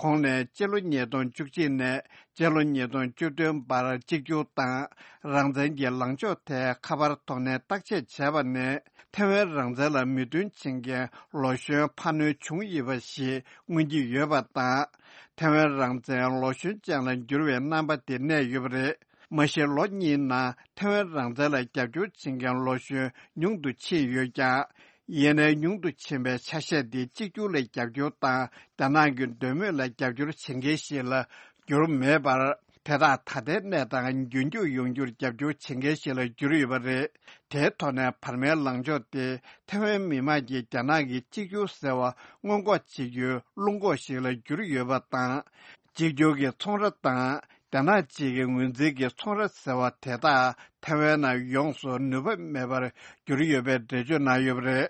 ཁོང་ནས་སྤྱི་ལོ་ཉིས་སྟོང་བཅུ་གཅིག་ནས་སྤྱི་ལོ་ཉིས་སྟོང་བཅུ་བདུན་བར་གཅིག་གྱུར་དང་རང་བཙན་གྱི་ལངས་ཕྱོགས་ཐད་ཁ་པར་ཐོག་ནས་བརྟག་དཔྱད་བྱས་པ་ནས། ཐེ་ཝན་རང་བཙན་ལ་མོས་མཐུན་བྱེད་མཁན་ལོ་གཞོན་འཕར་སྣོན་བྱུང་ཡོད་པ་ཞིག་མངོན་གྱི་ཡོད་པ་དང་། ཐེ་ཝན་རང་བཙན་ལོ་གཞོན་ཅན་ལ་འགྱུར་བའི་རྣམ་པ་དེ་གནས་ཡོད་པ་རེད། མ་གཞི་ལོ་གཉིས་ནང་ཐེ་ཝན་རང་བཙན་ལ་རྒྱབ་སྐྱོར་བྱེད་མཁན་ལོ་གཞོན་ཉུང་དུ་ཕྱིན་ཡོད་ཀྱང་། ཡིན་ནའི་ཉུང་དུ་ཕྱིན་པའི་ཆ་ཤས་དེ་གཅིག་གྱུར་ལ་རྒྱབ་སྐྱོར་དང་། རྒྱ་ནག་གི་འདོད་མོས་ལ་རྒྱབ་སྐྱོར་བྱེད་མཁན་ཞིག་ལ་གྱུར་མེད་པར། དེ་དག་ད་ལྟའི་གནས་སྟངས་རྒྱུན་འཁྱོངས་ཡོང་རྒྱུར་རྒྱབ་སྐྱོར་བྱེད་མཁན་ཞིག་ལ་གྱུར་ཡོད་པ་རེད། དེའི་ཐོག་ནས་བར་མའི་ལངས་ཕྱོགས་དེ་ཐེ་ཝན་མི་དམངས་ཀྱིས་རྒྱ་ནག་གི་གཅིག་གྱུར་ཟེར་བ་སྔོན་འགོག་བྱེད་རྒྱུའི་རླུང་འགོག་ཞིག་ལ་གྱུར་ཡོད་པ་དང་། གཅིག་གྱུར་གྱི་ཚོང་ར་དང་། རྒྱ་ནག་གཅིག་གི་ངོས་འཛིན་གྱི་ཚོང་ར་ཟེར་བ་དེ་དག་ཐེ་ཝན་ནང་ཡོངས་སུ་ནུས་པ་མེད་པར་གྱུར་ཡོད་པའི་འགྲེལ་བརྗོད་གནང་ཡོད་པ་རེད།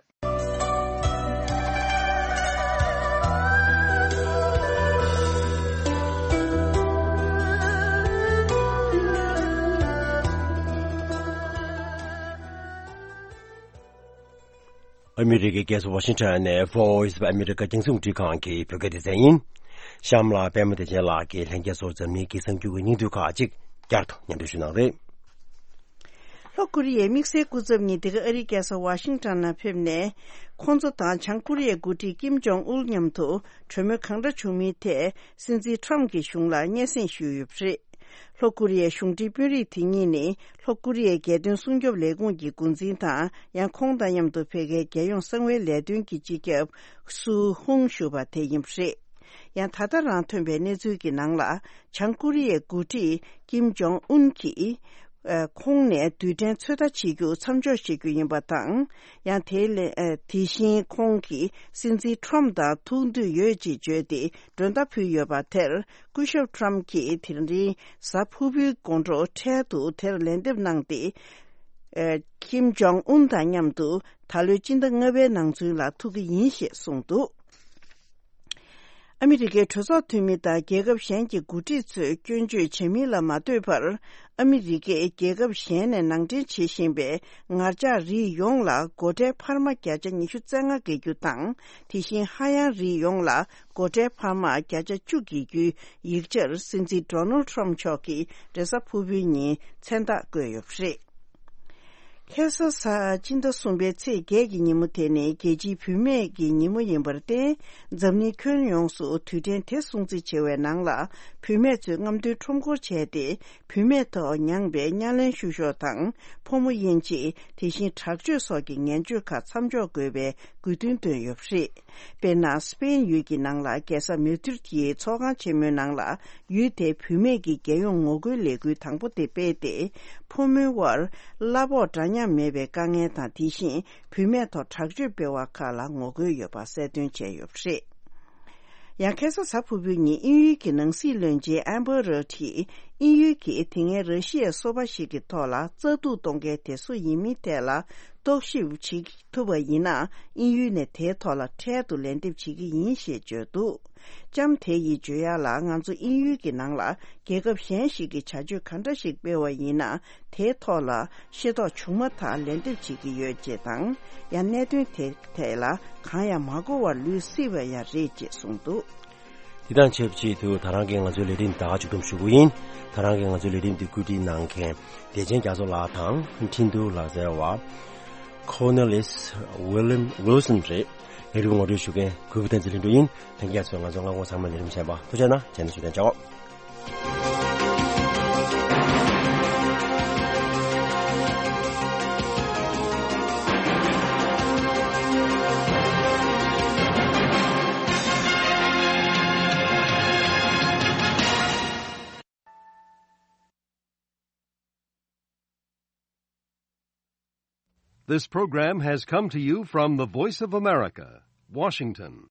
ཨ་མི་རི་ཀའི་རྒྱལ་ས་ཝ་ཤིང་ཊོན་ནས་Voice of America རྒྱང་སྲིང་རླུང་འཕྲིན་ཁང་གི་བོད་སྐད་སྡེ་ཚན་ཡིན། གཤམ་ལ་པད་མ་བདེ་ཆེན་ལགས་ཀྱིས་ལྷན་རྒྱས་ཚོར་འཛམ་གླིང་གི་གསར་འགྱུར་གྱི་སྙིང་བསྡུས་ཁག་ཅིག་བསྐྱར་དུ་སྙན་སྒྲོན་ཞུ་གནང་རེད། ལྷོ་ཀོ་རི་ཡའི་དམིགས་བསལ་སྐུ་ཚབ་གཉིས་འདི་ག་ཨ་རིའི་རྒྱལ་ས་ཝ་ཤིང་ཊོན་ནང་ཕེབས་ནས། ཁོང་ཚོ་དང་བྱང་ཀོ་རི་ཡའི་འགོ་ཁྲིད་ཀིམ་ཇོང་ཨུལ་མཉམ་དུ་གྲོས་མོལ་གང་འདྲ་བྱུང་མིན་ཐད་སྲིད་འཛིན་ཁྲོམ་གྱི་གཞུང་ལ་སྙན་སེང་ཞུས་ཡོད་པ་རེད། ལྷོ་ཀོ་རི་ཡའི་གཞུང་འབྲེལ་དཔོན་རིགས་དེ་གཉིས་ནི་ལྷོ་ཀོ་རི་ཡའི་རྒྱལ་དོན་སྲུང་སྐྱོབ་ལས་ཁུངས་ཀྱི་འགོ་འཛིན་དང་། ཡང་ཁོང་དང་མཉམ་དུ་ཕ་གིའི་རྒྱལ་ཡོངས་གསང་བའི་ལས་དོན་གྱི་སྤྱི་ཁྱབ་སུའུ་ཧུང་ཞུ་བ་དེ་ཡིན་པ་རེད། ཡང་ད་ལྟ་རང་ཐོན་པའི་གནས་ཚུལ་གྱི་ནང་ལ། བྱང་ཀོ་རི་ཡའི་འགོ་ཁྲིད་ཀིམ་ཇོང་ཨུན་གྱིས། ཨ། ཁོང་ནས་རྡུལ་ཕྲན་ཚོད་ལྟ་བྱེད་རྒྱུ་མཚམས་འཇོག་བྱེད་རྒྱུ་ཡིན་པ་དང་། ཡང་དེ་ལས། ཨ། དེ་བཞིན་ཁོང་གིས་སྲིད་འཛིན་ཁྲོམ་དང་ཐུག་འདོད་ཡོད་ཅེས་བརྗོད་དེ་མགྲོན་བརྡ་ཕུལ་ཡོད་པ་དེར། སྐུ་ཞབས་ཁྲོམ་གྱིས་དེ་རིང་གཟའ་ཕུར་བུའི་དགོང་དྲོ་འཕྲལ་དུ་དེར་ལན་འདེབས་གནང་སྟེ། ཨ། ཀིམ་ཇོང་ཨུན་དང་མཉམ་དུ་ད་ལོའི་སྤྱི་ཟླ་ལྔ་པའི་ནང་ཚུན་ལ་ཐུག་གི་ཡིན་ཞེས་གསུངས་འདུག་ཨ་མི་རི་ཀའི་གྲོས་ཚོགས་འཐུས་མི་དང་རྒྱལ་ཁབ་གཞན་གྱི་འགོ་ཁྲིད་ཚོས་སྐྱོན་བརྗོད་བྱེད་མིན་ལ་མ་ལྟོས་པར། ཨ་མི་རི་ཀས་རྒྱལ་ཁབ་གཞན་ནས་ནང་འདྲེན་བྱེད་བཞིན་པའི་ངར་ལྕགས་རིགས་ཡོངས་ལ་སྒོ་ཁྲལ་འཕར་མ་བརྒྱ་ཆ་ཉི་ཤུ་རྩ་ལྔ་འགེལ་རྒྱུ་དང་། དེ་བཞིན་ཧ་ཡང་རིགས་ཡོངས་ལ་སྒོ་ཁྲལ་འཕར་མ་བརྒྱ་ཆ་བཅུ་འགེལ་རྒྱུའི་ཡིག་ཆར་སྲིད་འཛིན་ཌོ་ནལ་ཁྲོམ་མཆོག་གིས་རེས་གཟའ་ཕུར་བུའི་ཉིན་མཚན་རྟགས་བཀོད་ཡོད་པ་རེད། ཁ་སང་གཟའ་སྤྱི་ཟླ་གསུམ་པའི་ཚེས་བརྒྱད་ཀྱི་ཉིན་མོ་དེ་ནི་རྒྱལ་སྤྱིའི་བུད་མེད་ཀྱི་ཉིན་མོ་ཡིན་པར་བརྟེན། འཛམ་གླིང་ཁྱོན་ཡོངས་སུ་དུས་དྲན་དེ་སྲུང་བརྩི་བྱེད་པའི་ནང་ལ། བུད་མེད་ཚོས་རྔམ་སྟོན་ཁྲོམ་སྐོར་བྱས་ཏེ། བུད་མེད་ཐོག་མྱངས་པའི་བརྙན་ལེན་བཤུ་གཞོག་དང་། ཕོ་མོ་དབྱེ་འབྱེད། དེ་བཞིན་དྲག་སྤྱོད་སོགས་ཀྱི་ངན་སྤྱོད་ཁག་མཚམས་འཇོག་དགོས་པའི་དགོས་འདུན་བཏོན་ཡོད་པ་རེད། དཔེར་ན། སི་པེན་ཡུལ་གྱི་ནང་ལ་རྒྱལ་ས་མེ་ཌི་རིད་ཀྱི་ཚོགས་ཁང་ཆེན་མོའི་ནང་ལ། ཡུལ་དེའི་བུད་མེད་ཀྱི་རྒྱལ་ཡོངས་ངོ་རྒོལ་ལས་འགུལ་དང་པོ་དེ་སྤེལ་ཏེ། ཕོ་མོའི་དབར་གླ་ཕོགས་འདྲ་མཉམ་མེད་པའི་དཀའ་ངལ་དང་། དེ་བཞིན་བུད་མེད་ཐོག་དྲག་སྤྱོད་སྤེལ་བ་ཁག་ལ་ངོ་རྒོལ་ཡོད་པ་གསལ་སྟོན་བྱས་ཡོད་པ་རེད། ཡང་ཁ་སང་གཟའ་ཕུར་བུའི་ཉིན་དབྱིན་ཡུལ་གྱི་ནང་སྲིད་བློན་ཆེན་ཨམ་བྷར་རོད་ཀྱིས། དབྱིན་ཡུལ་གྱིས་དེ་སྔའི་ར་ཤི་ཡའི་སོ་པ་ཞིག་གི་ཐོག་ལ་རྩ་གཏུག་གཏོང་མཁན་དེ་སུ་ཡིན་མིན་ཐད་ལ། རྟོག་ཞིབ་བྱེད་ཐུབ་པ་ཡིན་ན། དབྱིན་ཡུལ་ནས་དེའི་ཐོག་ལ་འཕྲལ་དུ་ལན་འདེབས་བྱེད་ཀྱི་ཡིན་ཞེས་བརྗོད་འདུག་ལྕམ་དེ་ཡིས་བརྗོད་ཡག་ལ། ང་ཚོ་དབྱིན་ཡུལ་གྱི་ནང་ལ་རྒྱལ་ཁབ་གཞན་ཞིག་གིས་བྱ་སྤྱོད་ག་འདྲ་ཞིག་སྤེལ་བ་ཡིན་ན། དེའི་ཐོག་ལ་ཤེས་རྟོགས་བྱུང་མ་ཐག་ལན་འདེབས་བྱེད་ཀྱི་ཡོད་ཅེས་དང་། ཡང་གནད་དོན་དེ་ཐད་ལ་གང་ཡང་མ་གོ་བར་ལུས་སྲིད་པ་ཡང་རེད་ཅེས་གསུངས་འདུག་དེ་དང་ཆབས་ཅིག་ཏུ། ད་རང་གིས་ང་ཚོའི་ལས་རིམ་ད་ག་མཇུག་བསྡོམས་ཞུ་གི་ཡིན། ད་རང་གིས་ང་ཚོའི་ལས་རིམ་འདི་བཀོད་སྒྲིག་གནང་མཁན་བདེ་ཆེན་རྒྱ་མཚོ་ལགས་དང་། འཕྲིན་ཐུང་ལག་རྩལ་བ་Cornelis William Wilson རེད། ལས་རིམ་ངོ་སྤྲོད་ཞུ་མཁན་གུས་པ་བསྟན་འཛིན་ལྷུན་གྲུབ་ཡིན། ལྷན་རྒྱས་ཚོས་ང་ཚོའི་སྔ་དགོང་ཚང་མ་ལས་རིམ་ཚན་པ་ཐུགས་རྗེ་གནང་། རྗེས་ནས་ཞུ་དོན་བྱའོ། This program has come to you from the Voice of America, Washington.